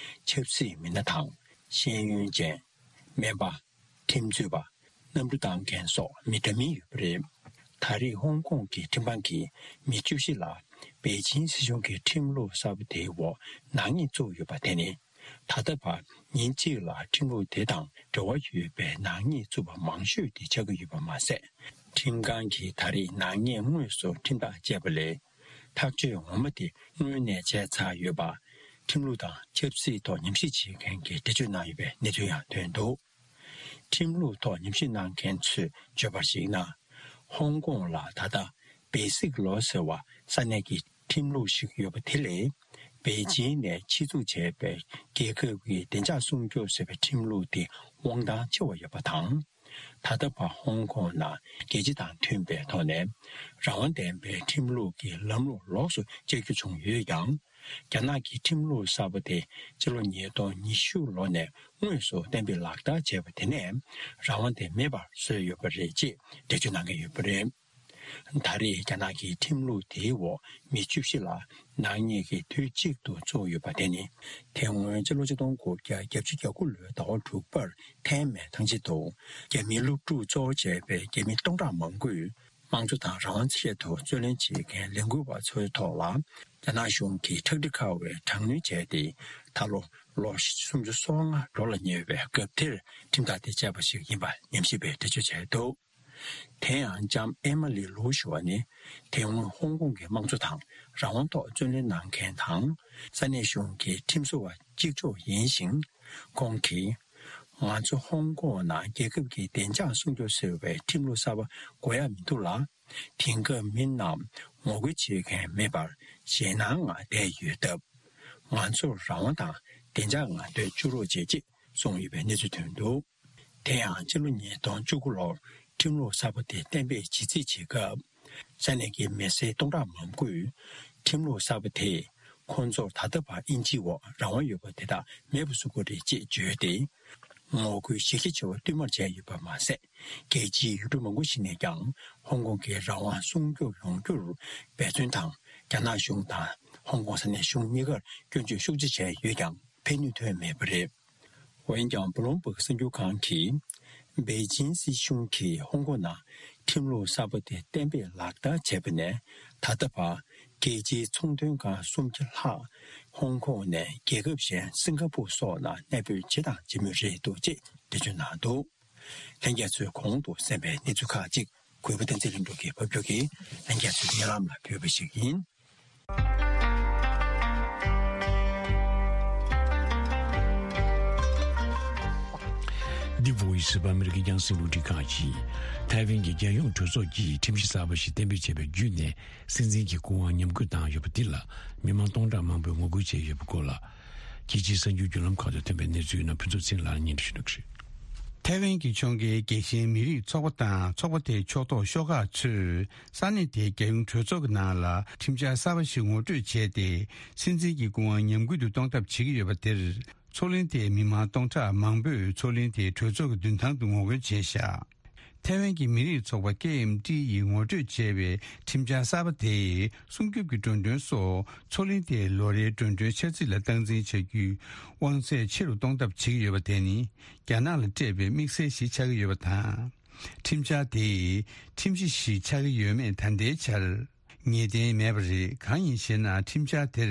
ཆབ་སྲིད་མི་སྣ་དང་། ཤེས་ཡོན་ཅན། སྨན་པ། ཁྲིམས་རྩོད་པ། གནམ་གྲུ་བཏང་མཁན་སོགས་མི་འདྲ་མིན་ཡོད་པ་རེད། ད་རེས་ཧོང་ཀོང་གི་ཁྲིམས་ཁང་གིས་མི་བཅུ་བཞི་ལ་པེ་ཅིང་སྲིད་གཞུང་གི་ཁྲིམས་ལུགས་གསར་པ་དེའི་འོག་ནག་ཉེས་བཙུགས་ཡོད་པ་དེ་ནི། ད་ལྟ་བར་ཉིན་གཅིག་ལ་ཁྲིམས་ལུགས་དེ་དང་འབྲེལ་བ་ཡོད་པའི་ནག་ཉེས་བཙུགས་པ་མང་ཤོས་དེ་ཆགས་ཀྱི་ཡོད་པ་མ་ཟད། ཁྲིམས་ཁང་གིས་ད་རེས་ནག་ཉེས་དངོས་སུ་ཁྲིམས་ཐག་བཅད་པ་ལས། ཐག་གཅོད་ངོ་མ་དེ་སྔོན་ནས་བྱས་ཚར་ཡོད་པ། ཁྲིམས་ལུགས་དང་ཆབ་སྲིད་ཐོག་ཉམས་ཞིབ་བྱེད་མཁན་གྱིས་འགྲེལ་བརྗོད་གནང་ཡོད་པའི་གནས་ཚུལ་ཡང་ཐོན་འདུག་ཁྲིམས་ལུགས་ཐོག་ཉམས་ཞིབ་གནང་མཁན་ཚོས་བརྗོད་པར་གཞིགས་ན། ཧོང་ཀོང་ལ་ད་ལྟ་བེ་སིག་ལོ་ཟེར་བ་ས་གནས་ཀྱི་ཁྲིམས་ལུགས་ཤིག་ཡོད་པ་དེ་ལས། པེ་ཅིང་ནས་ཆེད་འཛུགས་བྱས་པའི་རྒྱལ་ཁབ་ཀྱི་བདེ་འཇགས་སྲུང་སྐྱོབ་ཟེར་བའི་ཁྲིམས་ལུགས་དེ་དབང་ཐང་ཆེ་བ་ཡོད་པ་དང་། ད་ལྟ་བར་ཧོང་ཀོང་ནང་རྒྱལ་སྤྱི་དང་མཐུན་པའི་ཐོག་ནས་རང་དབང་ལྡན་པའི་ཁྲིམས་ལུགས་ཀྱི་ལམ་ལུགས་ལོགས་སུ་བཅད་རྒྱུ་བྱུང་ཡོད་ཀྱང་། རྒྱ་ནག་གི་ཁྲིམས་ལུགས་གསར་པ་དེ་སྤྱི་ལོ་ཉིས་སྟོང་ཉི་ཤུ་ལོ་ནས་དངོས་སུ་གཏན་འབེབས་ལག་བསྟར་བྱས་པ་དེ་ནས་རང་དབང་དེ་མེད་པར་བཟོས་ཡོད་པ་རེད་ཅེས་འགྲེལ་བརྗོད་གནང་གི་ཡོད་པ་རེད། ད་རེས་རྒྱ་ནག་གི་ཁྲིམས་ལུགས་དེའི་འོག་མི་བཅུ་བཞི་ལ་ནག་ཉེས་ཀྱིས་དུས་གཅིག་ཏུ་བཙུགས་ཡོད་པ་དེ་ནི། དེ་སྔོན་སྤྱི་ལོ་ཆིག་སྟོང་དགུ་བརྒྱ་བརྒྱད་ཅུ་གྱ་དགུ་ལོའི་ཟླ་བ་དྲུག་པར་ཐའེ་མེན་ཐང་ཆེན་དུ་རྒྱ་མིའི་སློབ་ཕྲུག་གཙོ་བོ་བྱས་པའི་རྒྱ་མི་སྟོང་ཕྲག་མང་པོས། དམངས་གཙོ་དང་རང་དབང་ཆེད་དུ་རྩོད་ལེན་བྱེད་མཁན་ལས་འགུལ་བ་ཚོའི་ཐོག་ལ། རྒྱ་ནག་གཞུང་གིས་ཁྲག་དྲི་ཁ་བའི་དྲག་གནོན་བྱས་ཏེ། ད་ལོ་ལོ་སུམ་ཅུ་སོ་ལྔ་འགྲོ་ལ་ཉེ་བའི་སྐབས་དེར་ཁྲིམས་ཐག་དེ་བཅད་པ་ཞིག་ཡིན་པ་ཉམས་ཞིབ་པས་འགྲེལ་བརྗོད་བྱས་འདུག་དེ་ཡང་ལྕམ་ཨེ་མ་ལི་ལུའུ་ཞུ་བ་ནི། དེ་སྔོན་ཧོང་ཀོང་གི་དམངས་གཙོ་དང་རང་དབང་ཐོག་རྩོད་ལེན་གནང་མཁན་དང་། ས་གནས་གཞུང་གི་ཁྲིམས་བཟོ་བ་གཅིག་ལྕོགས་ཡིན་ཞིང་། ཁོང་གིས། ང་ཚོ་ཧོང་ཀོང་ནང་རྒྱལ་ཁབ་ཀྱི་བདེ་འཇགས་སྲུང་སྐྱོབ་ཟེར་བའི་ཁྲིམས་ལུགས་གསར་པ་དགོས་ཡ་མི་འདུག་ལ། དེང་སྐབས་མི་རྣམས་ངོ་རྒོལ་བྱེད་མཁན་མེད་པར་ཞེད་སྣང་ངང་བསྡད་ཡོད་སྟབས། ང་ཚོར་རང་དབང་དང་བདེ་འཇགས་ངང་སྡོད་བཅུག་རོགས་བྱེད་ཅེས་གསུངས་ཡོད་པའི་གནས་ཚུལ་ཐོན་འདུག་དེ་ཡང་ཕྱི་ལོ་ཉིས་སྟོང་བཅུ་དགུ་ལོར་ཁྲིམས་ལུགས་གསར་པ་དེ་གཏན་འབེབས་བྱེད་རྩིས་བྱེད་སྐབས། ས་གནས་ཀྱི་མི་སེར་སྟོང་ཕྲག་མང་པོས་ཁྲིམས་ལུགས་གསར་པ་དེས་ཁོང་ཚོར་ད་ལྟ་བར་དབྱིན་ཇིའི་འོག་རང་དབང་ཡོད་པ་དེ་དག་མེད་པ་བཟོ་དགོས་རེད་ཅེས་བརྗོད་དེ། ངོ་རྒོལ་གཞི་རྒྱ་ཆེ་བ་བསྟུད་མར་བྱས་ཡོད་པ་མ་ཟད། རྒྱལ་སྤྱིའི་ཡུལ་གྲུ་མང་པོ་ཞིག་ནས་ཀྱང་ཧོང་ཀོང་གི་རང་དབང་སྲུང་སྐྱོབ་ཡོང་རྒྱུར་འབད་བརྩོན་དང་། རྒྱ་ནག་གཞུང་དང་ཧོང་ཀོང་ས་གནས་གཞུང་གཉིས་ཀར་སྐྱོན་བརྗོད་ཤུགས་ཆེ་བྱས་ཡོད་ཀྱང་ཕན་ནུས་ཐོན་མེད་པ་རེད། འོན་ཀྱང་། བྷུ་ལུམ་བྷག་གསར་འགྱུར་ཁང་གིས། པེ་ཅིང་སྲིད་གཞུང་གིས་ཧོང་ཀོང་ནང་ཁྲིམས་ལུགས་གསར་པ་དེ་གཏན་འབེབས་ལག་བསྟར་བྱས་པ་ནས་ད་ལྟ་བར་རྒྱལ་སྤྱིའི་ཚོང་དོན་ཁང་སུམ་བརྒྱ་ལྷག་ཧོང་ཀོང་ནས་རྒྱལ་ཁབ་གཞན་སིང་ག་པུར་སོགས་ནང་གནས་སྤོས་བྱས་དང་བྱེད་མུས་རེད་འདུག་ཅེས་འགྲེལ་བརྗོད་གནང་འདུག་ལྷན་རྒྱས་ཚོས་གོང་དུ་གསན་པའི་གནས་ཚུལ་ཁག་ཅིག་གུས་པ་བསྟན་འཛིན་ལྷུན་གྲུབ་ཀྱིས་ཕབ་སྒྱུར་གྱིས་ལྷན་རྒྱས་ཚོའི་སྙན་ལམ་ལ་ཕུལ་བ་ཞིག་ཡིན། The Voice of America རྒྱང་སྲིང་རླུང་འཕྲིན་ཁང་གིས་ཐའེ་ཝན་གྱི་རྒྱལ་ཡོངས་གྲོས་ཚོགས་ཀྱིས་ཁྲིམས་གཞི་གསར་པ་ཞིག་གཏན་འབེབས་བྱས་པ་བརྒྱུད་ནས། སྲིད་འཛིན་གྱི་སྐུ་དབང་ཉམས་རྒུད་བཏང་ཡོད་པ་འདི་ལ་མི་མང་སྟོང་ཕྲག་མང་པོས་ངོ་རྒོལ་བྱས་ཡོད་པའི་སྐོར་ལ། རྒྱལ་སྤྱིའི་གསར་འགྱུར་བརྒྱུད་ལམ་ཁག་ཏུ་ཐོན་པའི་གནས་ཚུལ་ཡིན་ན། ཕུན་ཚོགས་ཚེ་རིང་ལགས་ལ་སྙན་སྒྲོན་ཞུ་གནང་གི་རེད། ཐའེ་ཝན་གྱི་ཕྱོགས་འགལ་རྒྱལ་ཞེན་མི་རིགས་ཚོགས་པ་དང་ཚོགས་པ་དེའི་ཕྱོགས་གཏོགས་ཤོག་ཁག་ཚོས་ས་གནས་དེའི་རྒྱལ་ཡོངས་གྲོས་ཚོགས་ཀྱི་ནང་ལ་ཁྲིམས་འཆར་གསར་པ་ཞིག་ངོ་སྤྲོད་བྱས་ཏེ། སྲིད་འཛིན་གྱི་སྐུ་དབང་ཉམས་རྒུད་དུ་གཏོང་ཐབས་བྱེད་ཀྱི་ཡོད་པ་དེར། མཚོ་གླིང་དེའི་མི་མང་སྟོང་ཕྲག་མང་པོས་མཚོ་གླིང་དེའི་གྲོས་ཚོགས་ཀྱི་མདུན་ཐང་དུ་ངོ་རྒོལ་བྱས་བཞག་ཐའེ་ཝན་གྱི་མི་རིགས་ཚོགས་པ་ཀེ་ཨེམ་ཏི་ཡིས་ངོ་སྤྲོད་བྱས་པའི་ཁྲིམས་འཆར་གསར་པ་དེས་སྲུང་སྐྱོབ་ཀྱི་འགྲོ་གྲོན་སོགས་མཚོ་གླིང་དེའི་ལོ་རེའི་འགྲོ་གྲོན་འཆར་རྩིས་ལ་སྟངས་འཛིན་བྱ་རྒྱུའི་དབང་ཚད་ཆེ་རུ་གཏོང་ཐབས་བྱེད་ཀྱི་ཡོད་པ་དེ་ནི། རྒྱ་ནག་ལ་སྤྲད་པའི་དམིགས་བསལ་ཞིག་ཆགས་ཀྱི་ཡོད་པ་དང་། ཁྲིམས་འཆར་དེས་ཁྲིམས་གཞི་ཞིག་ཆགས་ཀྱི་ཡོད་མེད་ད་ལྟའི་ཆར་ངེས་གཏན་མེད་པ་རེད། གང་ཡིན་ཞེ་ན། ཁྲིམས་འཆར་དེར་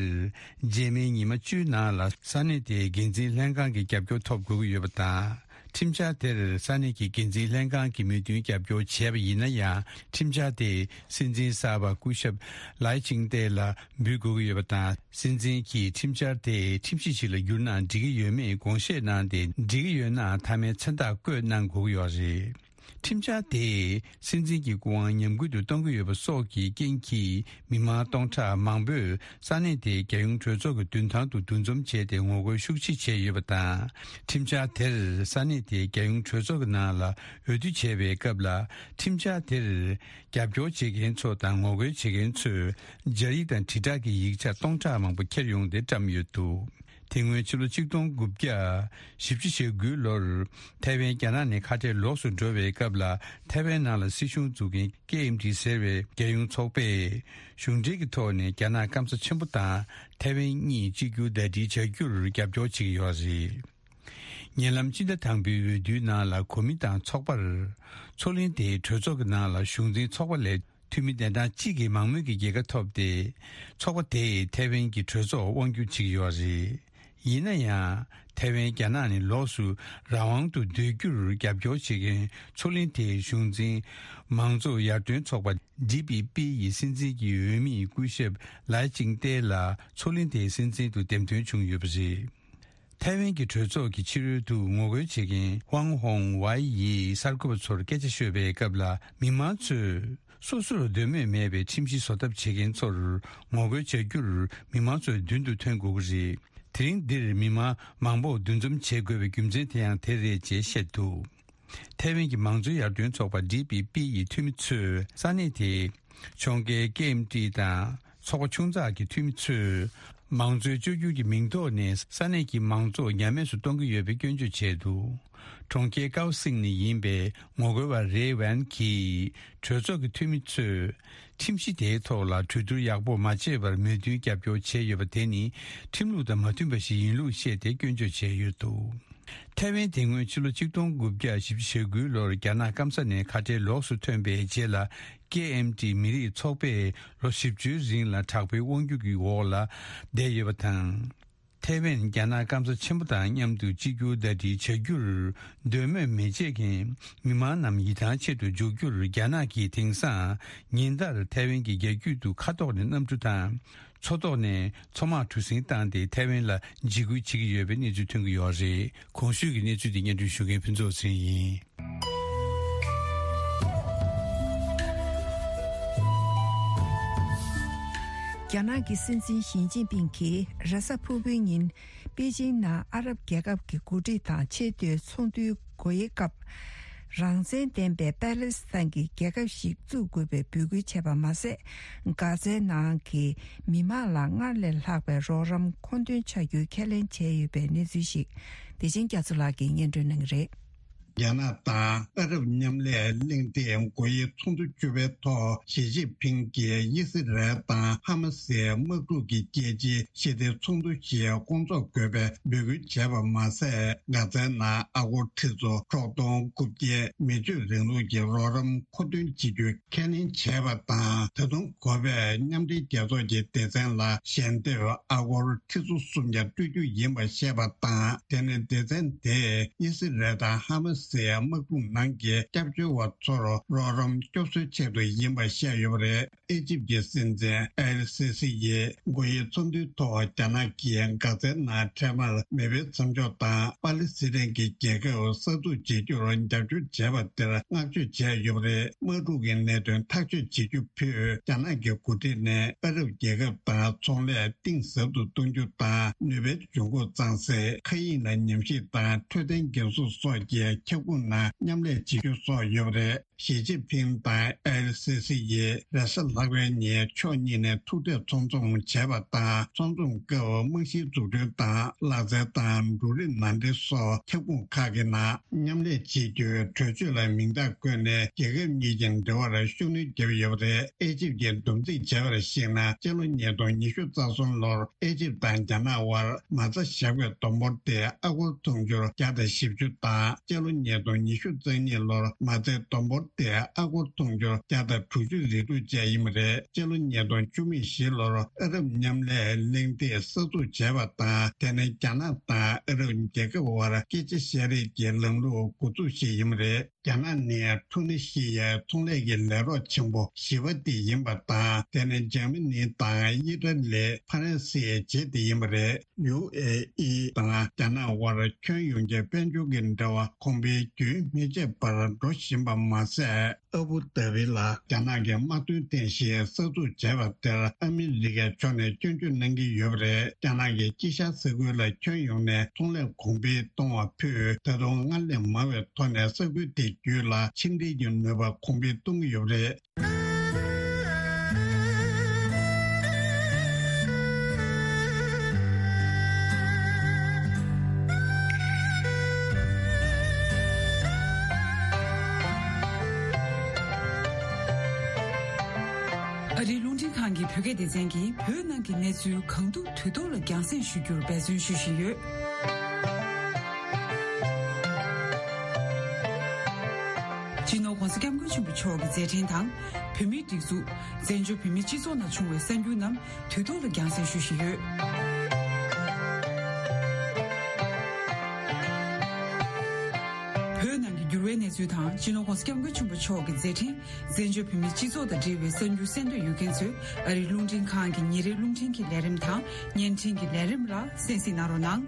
རྗེས་མའི་ཉི་མ་བཅུའི་ནང་ལ་ས་གནས་དེའི་འགན་འཛིན་ལྷན་ཁང་གི་རྒྱབ་སྐྱོར་ཐོབ་དགོས་ཀྱི་ཡོད་པ་དང་། ཁྲིམས་འཆར་དེར་ས་གནས་ཀྱི་འགན་འཛིན་ལྷན་ཁང་གིས་མོས་མཐུན་རྒྱབ་སྐྱོར་བྱས་པ་ཡིན་ན་ཡང་། ཁྲིམས་འཆར་དེ་སྲིད་འཛིན་གསར་པ་སྐུ་ཞབས་ལའེ་ཅིང་ཏེ་ལ་འབུལ་དགོས་ཀྱི་ཡོད་པ་དང་། སྲིད་འཛིན་གྱིས་ཁྲིམས་འཆར་དེ་ཁྲིམས་གཞི་ཞིག་ལ་བསྒྱུར་ན་འགྲིག་གི་ཡོད་མེད་དགོངས་བཞེས་གནང་སྟེ། འགྲིག་གི་ཡོད་ན་མཐའ་མའི་མཚན་རྟགས་བཀོད་གནང་དགོས་ཀྱི་ཡོད་རེད། ཁྲིམས་འཆར་དེས་སྲིད་འཛིན་གྱི་སྐུ་དབང་ཉམས་རྒུད་དུ་གཏོང་གི་ཡོད་པ་སོགས་ཀྱི་རྐྱེན་གྱིས། མི་མང་སྟོང་ཕྲག་མང་པོས་ས་གནས་དེའི་རྒྱལ་ཡོངས་གྲོས་ཚོགས་ཀྱི་མདུན་ཐང་དུ་འདུ་འཛོམས་བྱས་ཏེ་ངོ་རྒོལ་ཤུགས་ཆེ་བྱས་ཡོད་པ་དང་། ཁྲིམས་འཆར་དེར་ས་གནས་དེའི་རྒྱལ་ཡོངས་གྲོས་ཚོགས་ཀྱི་ནང་ལ་འོས་བསྡུ་བྱས་པའི་སྐབས་ལ། ཁྲིམས་འཆར་དེར་རྒྱབ་སྐྱོར་བྱེད་མཁན་ཚོ་དང་ངོ་རྒོལ་བྱེད་མཁན་ཚོས་སྦྱར་ཡིག་དང་དྲིལ་བསྒྲགས་ཀྱི་ཡིག་ཆ་སྟོང་ཕྲག་མང་པོ་འཁྱེར་ཡོང་སྟེ་བཀྲམ་ཡོད་འདུག་དེ་སྔོན་ཕྱི་ལོ་ཆིག་སྟོང་དགུ་བརྒྱ་བཞི་བཅུ་ཞེ་དགུའི་ལོར་ཐའེ་ཝན་རྒྱ་ནག་ནས་ཁ་བྲལ་ལོགས་སུ་འགྲོ་བའི་སྐབས་ལ། ཐའེ་ཝན་ནང་ལ་སྲིད་གཞུང་འཛུགས་མཁན་ཀེ་ཨེམ་ཏི་ཟེར་བའི་རྒྱལ་ཡོངས་ཚོགས་པས་གཞུང་འབྲེལ་གྱི་ཐོག་ནས་རྒྱ་ནག་སྐམ་ས་ཆེན་པོ་དང་ཐའེ་ཝན་གཉིས་གཅིག་གྱུར་ཟླ་སྒྲིལ་བྱ་རྒྱུར་རྒྱབ་སྐྱོར་བྱེད་ཀྱི་ཡོད་རེད། ཉེ་ལམ་སྤྱི་ཟླ་དང་པོའི་འོས་བསྡུའི་ནང་ལ་གོ་མིན་ཏང་ཚོགས་པར་མཚོ་གླིང་དེའི་གྲོས་ཚོགས་ཀྱི་ནང་ལ་གཞུང་འཛིན་ཚོགས་པ་ལས། འཐུས་མི་གདན་གྲངས་གཅིག་གི་མང་མོས་ཀྱི་རྒྱལ་ཁ་ཐོབ་སྟེ། ཚོགས་པ་དེས་ཐའེ་ཝན་གྱི་གྲོས་ཚོགས་དབང་སྒྱུར་བྱེད་ཀྱི་ཡོད་རེད། ཡིན་ན་ཡང་། ཐའེ་ཝན་རྒྱ་ནག་ནས་ལོགས་སུ་རང་དབང་དུ་སྡོད་རྒྱུར་རྒྱབ་སྐྱོར་བྱེད་མཁན་མཚོ་གླིང་དེའི་གཞུང་འཛིན་མང་གཙོ་ཡར་ཐོན་ཚོགས་པ་ཌི་པི་པི་ཡི་སྲིད་འཛིན་གྱི་འོས་མི་སྐུ་ཞབས་ལའེ་ཅིང་ཏེ་ལ་མཚོ་གླིང་དེའི་སྲིད་འཛིན་དུ་འདེམས་ཐོན་བྱུང་ཡོད་པ་རེད། ཐའེ་ཝན་གྱི་གྲོས་ཚོགས་ཀྱི་ཕྱི་རོལ་དུ་ངོ་རྒོལ་བྱེད་མཁན་ཝང་ཧོང་ཝའེ་ཡིས་གསར་འགོད་པ་ཚོར་སྐད་ཆ་ཤོད་པའི་སྐབས་ལ། མི་མང་ཚོས་སོ་སོར་འདོད་མོས་མེད་པའི་ཁྲིམས་གཞི་བཟོ་ཐབས་བྱེད་མཁན་ཚོར་ངོ་རྒོལ་བྱ་རྒྱུར་མི་མང་ཚོས་མདུན་དུ་ཐོན་དགོས་ཀྱི་རེད། དེ་རིང་འདིར་མི་མང་མང་པོ་འདུ་འཛོམས་བྱེད་དགོས་པའི་རྒྱུ་མཚན་དེ་ཡང་དེ་རེད་ཅེས་བཤད་འདུག་ཐའེ་ཝན་གྱི་མང་གཙོའི་ཡར་ཐོན་ཚོགས་པ་ཌི་པི་པི་ཡི་འཐུས་མི་ཚོས་ས་གནས་དེའི་ཕྱོགས་འགལ་ཀེ་ཨེམ་ཏི་དང་ཚོགས་པ་ཆུང་ཙག་གི་འཐུས་མི་ཚོས་མང་གཙོའི་བཅོས་བསྒྱུར་གྱི་མིང་ཐོག་ནས་ས་གནས་ཀྱི་མང་གཙོ་ཉམས་དམས་སུ་གཏོང་གི་ཡོད་པའི་སྐྱོན་བརྗོད་བྱས་འདུག་གྲོང་ཁྱེར་ཀའོ་སིང་ནས་ཡིན་པའི་ངོ་རྒོལ་བ་རེ་ཝན་གྱིས་གྲོས་ཚོགས་ཀྱི་འཐུས་མི་ཚོས་ཁྲིམས་གཞི་དེའི་ཐོག་ལ་གྲོས་བསྡུར་ཡག་པོ་མ་བྱས་པར་མོས་མཐུན་རྒྱབ་སྐྱོར་བྱས་ཡོད་པ་དེ་ནི་ཁྲིམས་ལུགས་དང་མ་མཐུན་པ་ཞིག་ཡིན་ལུགས་བཤད་དེ་སྐྱོན་བརྗོད་བྱས་ཡོད་འདུག་ཐའེ་ཝན་དེ་སྔོན་ཕྱི་ལོ་ཆིག་སྟོང་དགུ་བརྒྱ་བཞི་བཅུ་ཞེ་དགུའི་ལོར་རྒྱ་ནག་སྐམ་ས་ནས་ཁ་བྲལ་ལོགས་སུ་ཐོན་པའི་རྗེས་ལ། ཀེ་ཨེམ་ཏི་མི་རིགས་ཚོགས་པས་ལོ་བཞི་བཅུའི་རིང་ལ་དྲག་པོའི་དབང་སྒྱུར་གྱི་འོག་ལ་བསྡད་ཡོད་པ་དང་། ཐའེ་ཝན་རྒྱ་ནག་སྐམ་ས་ཆེན་པོ་དང་མཉམ་དུ་གཅིག་གྱུར་ཟླ་སྒྲིལ་བྱ་རྒྱུར་འདོད་མོས་མི་བྱེད་མཁན་མི་མང་རྣམས་ཡིད་ཐང་ཆད་དུ་འཇུག་རྒྱུར་རྒྱ་ནག་གིས་དེང་སང་ཉིན་ལྟར་ཐའེ་ཝན་གྱི་རྒྱ་རྒྱུད་དུ་མཁའ་ཐོག་ནས་གནམ་གྲུ་དང་། མཚོ་ཐོག་ནས་མཚོ་དམག་གྲུ་གཟིངས་བཏང་སྟེ་ཐའེ་ཝན་ལ་འཇིགས་སྐུལ་བྱེད་ཀྱི་ཡོད་པའི་གནས་ཚུལ་ཐོན་གྱི་ཡོད་རེད། གོང་ཞུས་ཀྱི་གནས་ཚུལ་དེ་སྙན་སྒྲོན་ཞུ་མཁན་ཕུན་ཚོགས་ཚེ་རིང་ཡིན། རྒྱ་ནག་གི་སྲིད་འཛིན་ཞི་ཅིན་ཕིང་གིས་རེས་གཟའ་ཕུར་བུའི་ཉིན་པེ་ཅིང་ནང་ཨ་རབ་རྒྱལ་ཁབ་ཀྱི་འགོ་ཁྲིད་དང་ཆེས་མཐོའི་ཚོགས་འདུའི་སྒོ་དབྱེའི་སྐབས། རང་བཙན་ལྡན་པའི་པ་ལེ་སི་ཐན་གྱི་རྒྱལ་ཁབ་ཞིག་བཙུགས་དགོས་པའི་འབོད་སྐུལ་བྱས་པ་མ་ཟད། གྷ་ཛའི་ནང་གི་མི་མང་ལ་སྔར་ལས་ལྷག་པའི་རོགས་རམ་མཁོ་འདོན་བྱ་རྒྱུའི་ཁས་ལེན་བྱས་ཡོད་པའི་གནས་ཚུལ་ཞིག་བདེ་ཆེན་རྒྱ་མཚོ་ལགས་ཀྱིས་སྙན་སྒྲོན་གནང་གི་རེད། རྒྱ་ནག་དང་ཨ་རབ་མཉམ་ལས་གླེང་སྟེགས་སྒོ་དབྱེའི་ཚོགས་འདུ་བཅུ་པའི་ཐོག་ཞི་ཅིན་ཕིང་གིས་དབྱི་སི་རལ་དང་ཧ་མ་སིའི་དམག་འཁྲུག་གི་རྒྱལ་སྤྱིའི་ཞི་བདེའི་ཚོགས་འདུ་ཞིག་སྐོང་ཚོགས་དགོས་པའི་འབོད་སྐུལ་བྱས་པ་མ་ཟད། གྷ་ཛའི་ནང་ཨ་སྒོར་ཁྲི་ཚོ་ཁྲག་སྟོང་དགུ་བརྒྱ་མི་སྤྱོད་རིང་ལུགས་ཀྱི་རོགས་རམ་མཁོ་འདོན་བྱེད་རྒྱུའི་ཁས་ལེན་བྱས་པ་དང་། ད་དུང་འགོ་པས་མཉམ་འབྲེལ་རྒྱལ་ཚོགས་ཀྱི་སྡེ་ཚན་ལ་ཞལ་འདེབས་ཨ་སྒོར་ཁྲི་ཚོ་སུམ་བརྒྱ་སྤྲོད་རྒྱུ་ཡིན་པ་བཤད་པ་དང་། དེ་ནི་སྡེ་ཚན་དེས་དབྱི་སི་རལ་དང་ཧ་མ་ སི་ཡ་དམག་དཔུང་ནང་གི་སྐྱབས་བཅོལ་བ་ཚོར་རོགས་རམ་སྐྱོབ་གསོའི་ཆེད་དུ་ཡིན་པ་བཤད་ཡོད་པ་རེད། ཨེ་ཇིབ་ཀྱི་སྲིད་འཛིན་ཨེལ་སི་སི་ཡིས་དགོས་ཡའི་ཚོགས་འདུའི་ཐོག་རྒྱ་ནག་གིས་གྷ་ཛའི་ནང་འཕྲལ་མར་མེ་འཕེན་མཚམས་འཇོག་དང་པ་ལི་སི་ཐན་གྱི་རྒྱལ་ཁབ་གསར་འཛུགས་བྱེད་རྒྱུར་རྒྱབ་སྐྱོར་བྱས་པ་དེར་བསྔགས་བརྗོད་བྱས་ཡོད་པ་རེད། དམག་འཁྲུག་གི་གནད་དོན་ཐག་གཅོད་བྱེད་རྒྱུ་ཕུད་རྒྱ་ནག་གི་འགོ་ཁྲིད་ནས་ཨ་རབ་རྒྱལ་ཁབ་དང་ཚོང་ལས་གཏིང་ཟབ་ཏུ་གཏོང་རྒྱུ་དང་ནུས་པའི་འབྱུང་ཁུངས་གཙང་སེལ། མཁའ་དབྱིངས་ལ་ཉམས་ཞིབ་དང་འཕྲོད་བསྟེན་འགན་སྲུང་སོགས་ཀྱི་ཁྱབ་ཁོངས་ནང་མཉམ་ལས་བྱེད་རྒྱུ་སོགས་ཡོད་པ་རེད། ཞི་ཅིན་ཕིང་དང་ཨེལ་སི་སི་ཡིས་རེས་གཟའ་ལྷག་པའི་ཉིན་ཕྱོགས་གཉིས་ནས་ཐུག་འཕྲད་ཚོགས་འཛོམས་བྱས་པ་དང་། ཚོགས་འཛོམས་སྐབས་རྨང་གཞིའི་འཛུགས་སྐྲུན་དང་ལག་རྩལ་དང་འབྲུ་རིགས་ནང་འདྲེན་སོགས་ཁྱབ་ཁོངས་ཁག་གི་ནང་མཉམ་ལས་བྱེད་རྒྱུའི་གྲོས་ཆོད་ལ་མིང་རྟགས་བཀོད་ནས་རྒྱལ་ཁབ་གཉིས་ཀྱི་འབྲེལ་བར་ཤུགས་སྣོན་བརྒྱབ་ཡོད་པ་རེད། ཨེ་ཇིབ་ཀྱིས་བསྡོམས་རྩིས་བྱས་པར་གཞིགས་ན། སྤྱི་ལོ་ཉིས་སྟོང་ཉི་ཤུ་རྩ་གསུམ་ལོར་ཨེ་ཇིབ་དང་རྒྱ་ནག་དབར་མ་རྩ་བཞག་པའི་བསྡོམས་འབོར་དེ་ཨ་སྒོར་ཐོན་འབྱོར་བརྒྱ་དང་བཞི་བཅུ་དང་། སྤྱི་ལོ་ཉིས་སྟོང་ཉི་ཤུ་རྩ་གཉིས་ལོར་མ་རྩའི་བསྡོམས་འབོར་དེ་ཨ་སྒོར་ཐོན་འབྱོར་བརྒྱ་དང་དྲུག་ཅུ་རེ་དྲུག་བཅས་ཡིན་པ་རེད། སྤྱི་ལོ་ཉིས་སྟོང་བཅུ་གཅིག་ལོར་ཨ་རབ་མཉམ་ལས་གླེང་སྟེགས་གསར་འཛུགས་བྱས་པ་དང་། དེ་ནི་རྒྱ་ནག་དང་ཨ་རབ་རྒྱལ་ཁབ་དབར་སྐད་ཆ་བཤད་རེས་ཀྱི་ལམ་ལུགས་འགོ་འཛུགས་ཤིག་ཡིན་པ་རེད། རྒྱ་ནག་ནི་ཐུ་ནི་ཤི་ཡའི་ཚོང་ལས་ཀྱི་ལས་རོགས་ཆེན་པོ་བཞི་པ་དེ་ཡིན་པ་དང་། དེ་ནི་འཇར་མ་ནི་དང་ཨི་ཏྲ་ལི། ཕ་རན་སིའི་རྗེས་དེ་ཡིན་པ་རེད། ཡུ་ཨེ་ཨི་དང་རྒྱ་ནག་དབར་ཁྱོན་ཡོངས་ཀྱི་དཔལ་འབྱོར་གྱི་འབྲེལ་བ་གོང་འཕེལ་རྒྱུན་མི་ཆད་པར་འགྲོ་བཞིན་པ་མ་ཟད། ཨ་བུ་དྷ་བི་ལ་རྒྱ་ནག་གི་དམག་དོན་རྟེན་གཞི་གསར་འཛུགས་བྱས་པ་དེར་ཨ་མི་རི་ཀའི་ཕྱོགས་ནས་སྐྱོན་བརྗོད་གནང་གི་ཡོད་པ་རེད། རྒྱ་ནག་གིས་དཀྱིལ་ཤར་ས་ཁུལ་ལ་ཁྱོན་ཡོངས་ནས་ཚོང་ལས་གོང་འཕེལ་གཏོང་བ་ཕུད་ད་དུང་སྔར་ལས་མང་བའི་ཐོག་ནས་ས་ཁུལ་དེ་བརྒྱུད་ལ་ཕྱི་འབྲེལ་གྱི་ནུས་པ་གོང་འཕེལ་གཏོང་གི་ཡོད་པ་རེད། ཨ་རིའི་རླུང་འཕྲིན་ཁང་གི་བོད་སྐད་སྡེ་ཚན་གྱིས་བོད་ནང་གི་གནས་ཚུལ་གང་ཐུབ་དུས་ཐོག་ལ་རྒྱང་སྲིང་ཞུ་རྒྱུར་འབད་བརྩོན་ཞུ་བཞིན་ཡོད། སྤྱི་ནོར་༧གོང་ས་༧སྐྱབས་མགོན་ཆེན་པོ་མཆོག་གི་མཛད་འཕྲིན་དང་། བོད་མིའི་སྒྲིག་འཛུགས། བཙན་བྱོལ་བོད་མིའི་སྤྱི་ཚོགས་ནང་བྱུང་བའི་གསར་འགྱུར་རྣམས་དུས་ཐོག་ལ་རྒྱང་སྲིང་ཞུ་བཞིན་ཡོད། བོད་ནང་གི་འགྱུར་བའི་གནས་ཚུལ་དང་། སྤྱི་ནོར་༧གོང་ས་༧སྐྱབས་མགོན་ཆེན་པོ་མཆོག་གི་མཛད་འཕྲིན། བཙན་བྱོལ་བོད་མིའི་སྤྱི་ཚོགས་དང་འབྲེལ་བའི་གསར་འགྱུར་གསན་འདོད་ཡོད་མཁན་ཚོས་ཨ་རིའི་རླུང་འཕྲིན་ཁང་གི་ཉིན་རེའི་རླུང་འཕྲིན་གྱི་ལས་རིམ་དང་བརྙན་འཕྲིན་གྱི་ལས་རིམ་ལ་གསན་གཟིགས་གནང་རོགས་གནང་།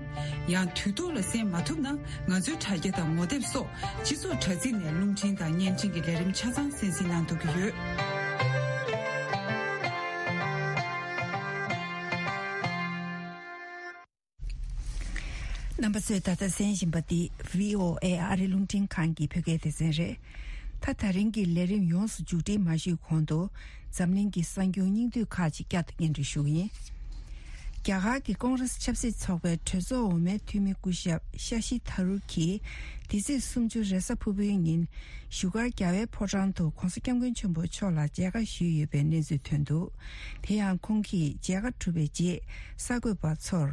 ཡང་དུས་ཐོག་ལ་གསན་མ་ཐུབ་ན། ང་ཚོའི་དྲ་རྒྱ་དང་ངོ་དེབ་སོགས་སྤྱི་ཚོགས་དྲ་ཚིགས་ནས་རླུང་འཕྲིན་དང་བརྙན་འཕྲིན་གྱི་ལས་རིམ་ཆ་ཚང་གསན་གཟིགས་གནང་ཐུབ་ཀྱི་ཡོད། རྣམ་པ་ཚོས་ད་ལྟ་གསན་བཞིན་པ་འདི་བྷི་ཨོ་ཨེ་ཨ་རི་རླུང་འཕྲིན་ཁང་གི་བོད་སྐད་སྡེ་ཚན་རེད། ད་ད་རིང་གི་ལས་རིམ་ཡོངས་སུ་མཇུག་སྒྲིལ་མ་ཞུས་གོང་དུ། འཛམ་གླིང་གི་གསར་འགྱུར་སྙིང་བསྡུས་ཁག་ཅིག་བསྐྱར་དུ་སྙན་སྒྲོན་ཞུ་གི་ཡིན། རྒྱ་གར་གྱི་ཀོང་རེས་ཆབ་སྲིད་ཚོགས་པའི་གྲོས་ཚོགས་འོག་མའི་འཐུས་མི་སྐུ་ཞབས་ཤ་ཤི་ཐ་རུར་གྱིས། འདི་ཚེས་སུམ་ཅུ་རེས་གཟའ་ཕུར་བུའི་ཉིན། བཞུགས་སྒར་རྒྱལ་བའི་ཕོ་བྲང་དུ་༧གོང་ས་༧སྐྱབས་མགོན་ཆེན་པོ་མཆོག་ལ་མཇལ་ཁ་ཞུས་ཡོད་པའི་གནས་ཚུལ་ཐོན་འདུག་དེ་ཡང་ཁོང་གིས་མཇལ་ཁ་གྲུབ་པའི་རྗེས། གསར་འགོད་པ་ཚོར།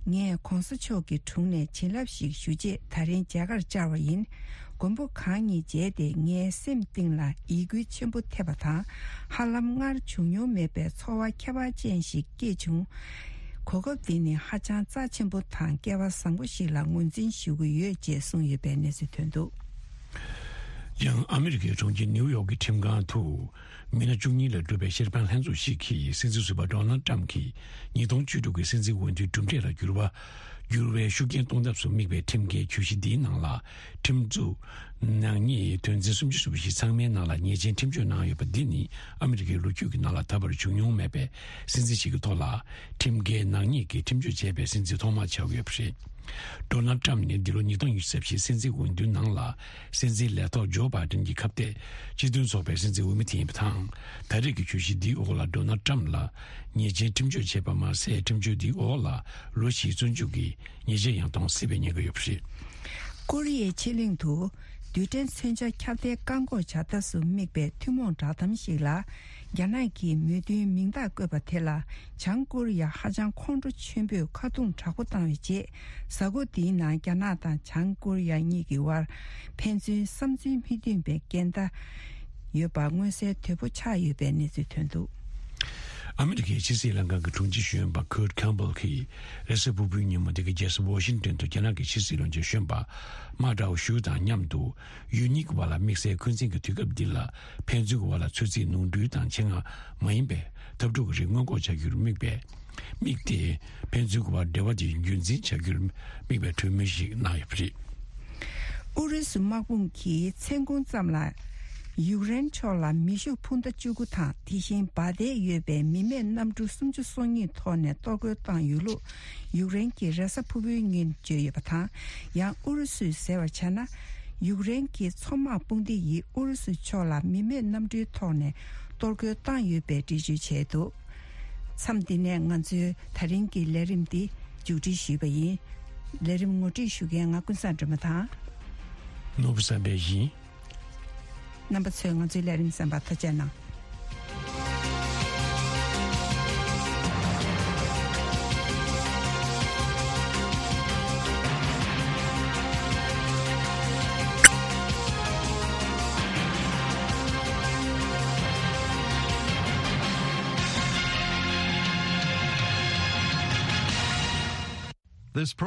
ངས་༧གོང་ས་མཆོག་གི་དྲུང་ནས་བྱིན་རླབས་ཤིག་ཞུ་ཆེད་ད་རིང་མཇལ་ཁར་བཅར་བ་ཡིན། མགོན་པོ་གང་ཉིད་མཇལ་ཏེ་ངའི་སེམས་གཏིང་ལ་ཡིད་འགུལ་ཆེན་པོ་ཐེབས་པ་དང་། ཧ་ལམ་སྔར་བྱུང་མྱོང་མེད་པའི་ཚོར་བ་ཁྱད་པར་ཅན་ཞིག་སྐྱེས་བྱུང་། གོ་སྐབས་འདི་ནི་ཧ་ཅང་རྩ་ཆེན་པོ་དང་སྐལ་བ་བཟང་པོ་ཞིག་ལ་ངོས་འཛིན་ཞུ་གི་ཡོད་ཅེས་གསུངས་ཡོད་པའི་གནས་ཚུལ་ཐོན་འདུག་ཡང་ཨ་མི་རི་ཀའི་གྲོང་ཁྱེར་ནིའུ་ཡོག་གི་ཁྲིམས་ཁང་དུ། མི་སྣ་བཅུ་གཉིས་ལས་གྲུབ་པའི་ཤེས་དཔལ་ལྷན་ཚོགས་ཤིག་གིས་སྲིད་འཛིན་ཟུར་པ་ཌོ་ནལ་ཊམ་གྱི་ཉིས་སྟོང་བཅུ་དྲུག་གི་སྲིད་འཛིན་འོས་བསྡུའི་གྲུབ་འབྲས་ལ་འགྱུར་བ། འགྱུར་བའི་ཤུགས་རྐྱེན་གཏོང་ཐབས་སུ་དམིགས་པའི་ཁྲིམས་འགལ་གྱོད་གཞི་འདིའི་ནང་ལ། ཁྲིམས་འཛུགས་ནག་ཉེས་དོན་ཚན་སུམ་ཅུ་སོ་བཞི་ཚང་མའི་ནང་ལ་ཉེས་ཅན་ཁྲིམས་གཅོད་གནང་ཡོད་པ་འདི་ནི་ཨ་མི་རི་ཀའི་ལོ་རྒྱུས་ཀྱི་ནང་ལ་ད་བར་བྱུང་མྱོང་མེད་པའི་སྲིད་འཛིན་ཞིག་གི་ཐོག་ལ། ཁྲིམས་འགལ་ནག་ཉེས་ཀྱི་ཁྲིམས་གཅོད་བྱས་པའི་སྲིད་འཛིན་ཐོག་མ་ཆགས་ཡོད་པ་རེད། ཌོ་ནལ་ཊམ་ནི་འདི་ལོ་ཉིས་སྟོང་ཉི་ཤུ་རྩ་བཞིའི་སྲིད་འཛིན་འོས་བསྡུའི་ནང་ལ། སྲིད་འཛིན་ལས་ཐོག་ཇོ་བྷའི་ཌེན་གྱི་ཁ་གཏད་སྤྱི་མཐུན་ཚོགས་པའི་སྲིད་འཛིན་འོས་མི་དེ་ཡིན་པ་དང་། ད་རེས་ཀྱི་གྱོད་གཞི་འདིའི་འོག་ལ་ཌོ་ནལ་ཊམ་ལ་ཉེས་ཅན་ཁྲིམས་གཅོད་བྱས་པ་མ་ཟད། ཁྲིམས་གཅོད་འདིའི་འོག་ལ་ལོ་བཞིའི་བཙོན་འཇུག་གི་ཉེས་ཆད་ཡང་གཏོང་སྲིད་པའི་ཉེན་ཁ་ཡོད་པ་རེད། ཀོ་རི་ཡའི་ཕྱེད་གླིང་དུ་རྡུལ་ཕྲན་མཚོན་ཆ་ཁྱབ་གདལ་བཀག་འགོག་བྱ་ཐབས་སུ་དམིགས་པའི་ཐུན་མོང་བསྒྲགས་གཏམ་ཞིག་ལ། རྒྱ་ནག་གིས་མོས་མཐུན་མིང་རྟགས་བཀོད་པ་དེ་ལ། བྱང་ཀོ་རི་ཡ་ཧ་ཅང་ཁོང་ཁྲོ་ཆེན་པོས་ཁ་རྡུང་དྲག་པོ་བཏང་བའི་རྗེས། གཟའ་འཁོར་འདིའི་ནང་རྒྱ་ནག་དང་བྱང་ཀོ་རི་ཡ་གཉིས་ཀྱི་དབར་ཕན་ཚུན་བསམ་ཚུལ་མི་མཐུན་པའི་འགལ་ཟླ་ཡོད་པ་མངོན་གསལ་དོད་པོ་ཆགས་ཡོད་པའི་གནས་ཚུལ་ཐོན་འདུག་ཨ་མི་རི་ཀའི་ཕྱི་སྲིད་ལྷན་ཁང་གི་དྲུང་ཆེ་གཞོན་པ་ཁུར་ཁེམ་བྷལ་གྱིས་རེས་གཟའ་ཕུར་བུའི་ཉིན་མོ་འདི་གའི་རྒྱལ་ས་ཝ་ཤིང་ཏོན་དུ་རྒྱ་ནག་གི་ཕྱི་སྲིད་བློན་ཆེན་གཞོན་པ་མ་ཀྲའོ་ཞུ་དང་མཉམ་དུ་ཡུལ་གཉིས་ཀྱི་བར་ལ་དམིགས་བསལ་འཁོན་འཛིན་གྱི་དུས་སྐབས་འདི་ལ་ཕན་ཚུན་གྱི་བར་ལ་ཚོད་རྩིས་ནོར་འཁྲུལ་དང་ཆེད་མངགས་མ་ཡིན་པའི་འཐབ་འཁྲུག་གི་རིགས་སྔོན་འགོག་བྱ་རྒྱུར་དམིགས་པའི་དམིགས་ཏེ་ཕན་ཚུན་གྱི་བར་འབྲེལ་བ་དེ་རྒྱུན་འཛིན་བྱ་རྒྱུར་དམིགས་པའི་གྲོས་མོལ་ཞིག་གནང་ཡོད་པ་རེད། ཨུ་རུ་སུ་དམག་དཔུང་གིས་མཚན་གུང་ཙམ་ལ་ཡུཀ་རེན་ཕྱོགས་ལ་མེ་ཤུགས་འཕུར་མདའ་བཅུ་དགུ་དང་དེ་བཞིན་འབར་མདེལ་ཡོད་པའི་མི་མེད་གནམ་གྲུ་སུམ་ཅུ་སོ་གཉིས་ཐོག་ནས་གཏོར་རྒོལ་བཏང་ཡོད་ལུགས་ཡུཀ་རེན་གྱིས་རེས་གཟའ་ཕུར་བུའི་ཉིན་བརྗོད་ཡོད་པ་དང་། ཡང་ཨུ་རུ་སུས་ཟེར་བར་བྱས་ན། ཡུཀ་རེན་གྱི་མཚོ་དམག་དཔུང་སྡེ་ཡིས་ཨུ་རུ་སུ་ཕྱོགས་ལ་མི་མེད་གནམ་གྲུའི་ཐོག་ནས་གཏོར་རྒོལ་བཏང་ཡོད་པའི་འགྲེལ་བརྗོད་བྱས་འདུག་མཚམས་འདི་ནས་ང་ཚོའི་ད་རིང་གི་ལས་རིམ་འདི་མཇུག་སྒྲིལ་ཞུས་པ་ཡིན། ལས་རིམ་ངོ་སྤྲོད་ཞུ་མཁན་ང་ཀུན་བཟང་སྒྲོལ་མ་དང་། ནོར་བུ་བསམ་འཕེལ་ཡིན། རྣམ་པ་ཚོས་ང་ཚོའི་ལས་རིམ་གསན་པར་ཐུགས་རྗེ་གནང་། This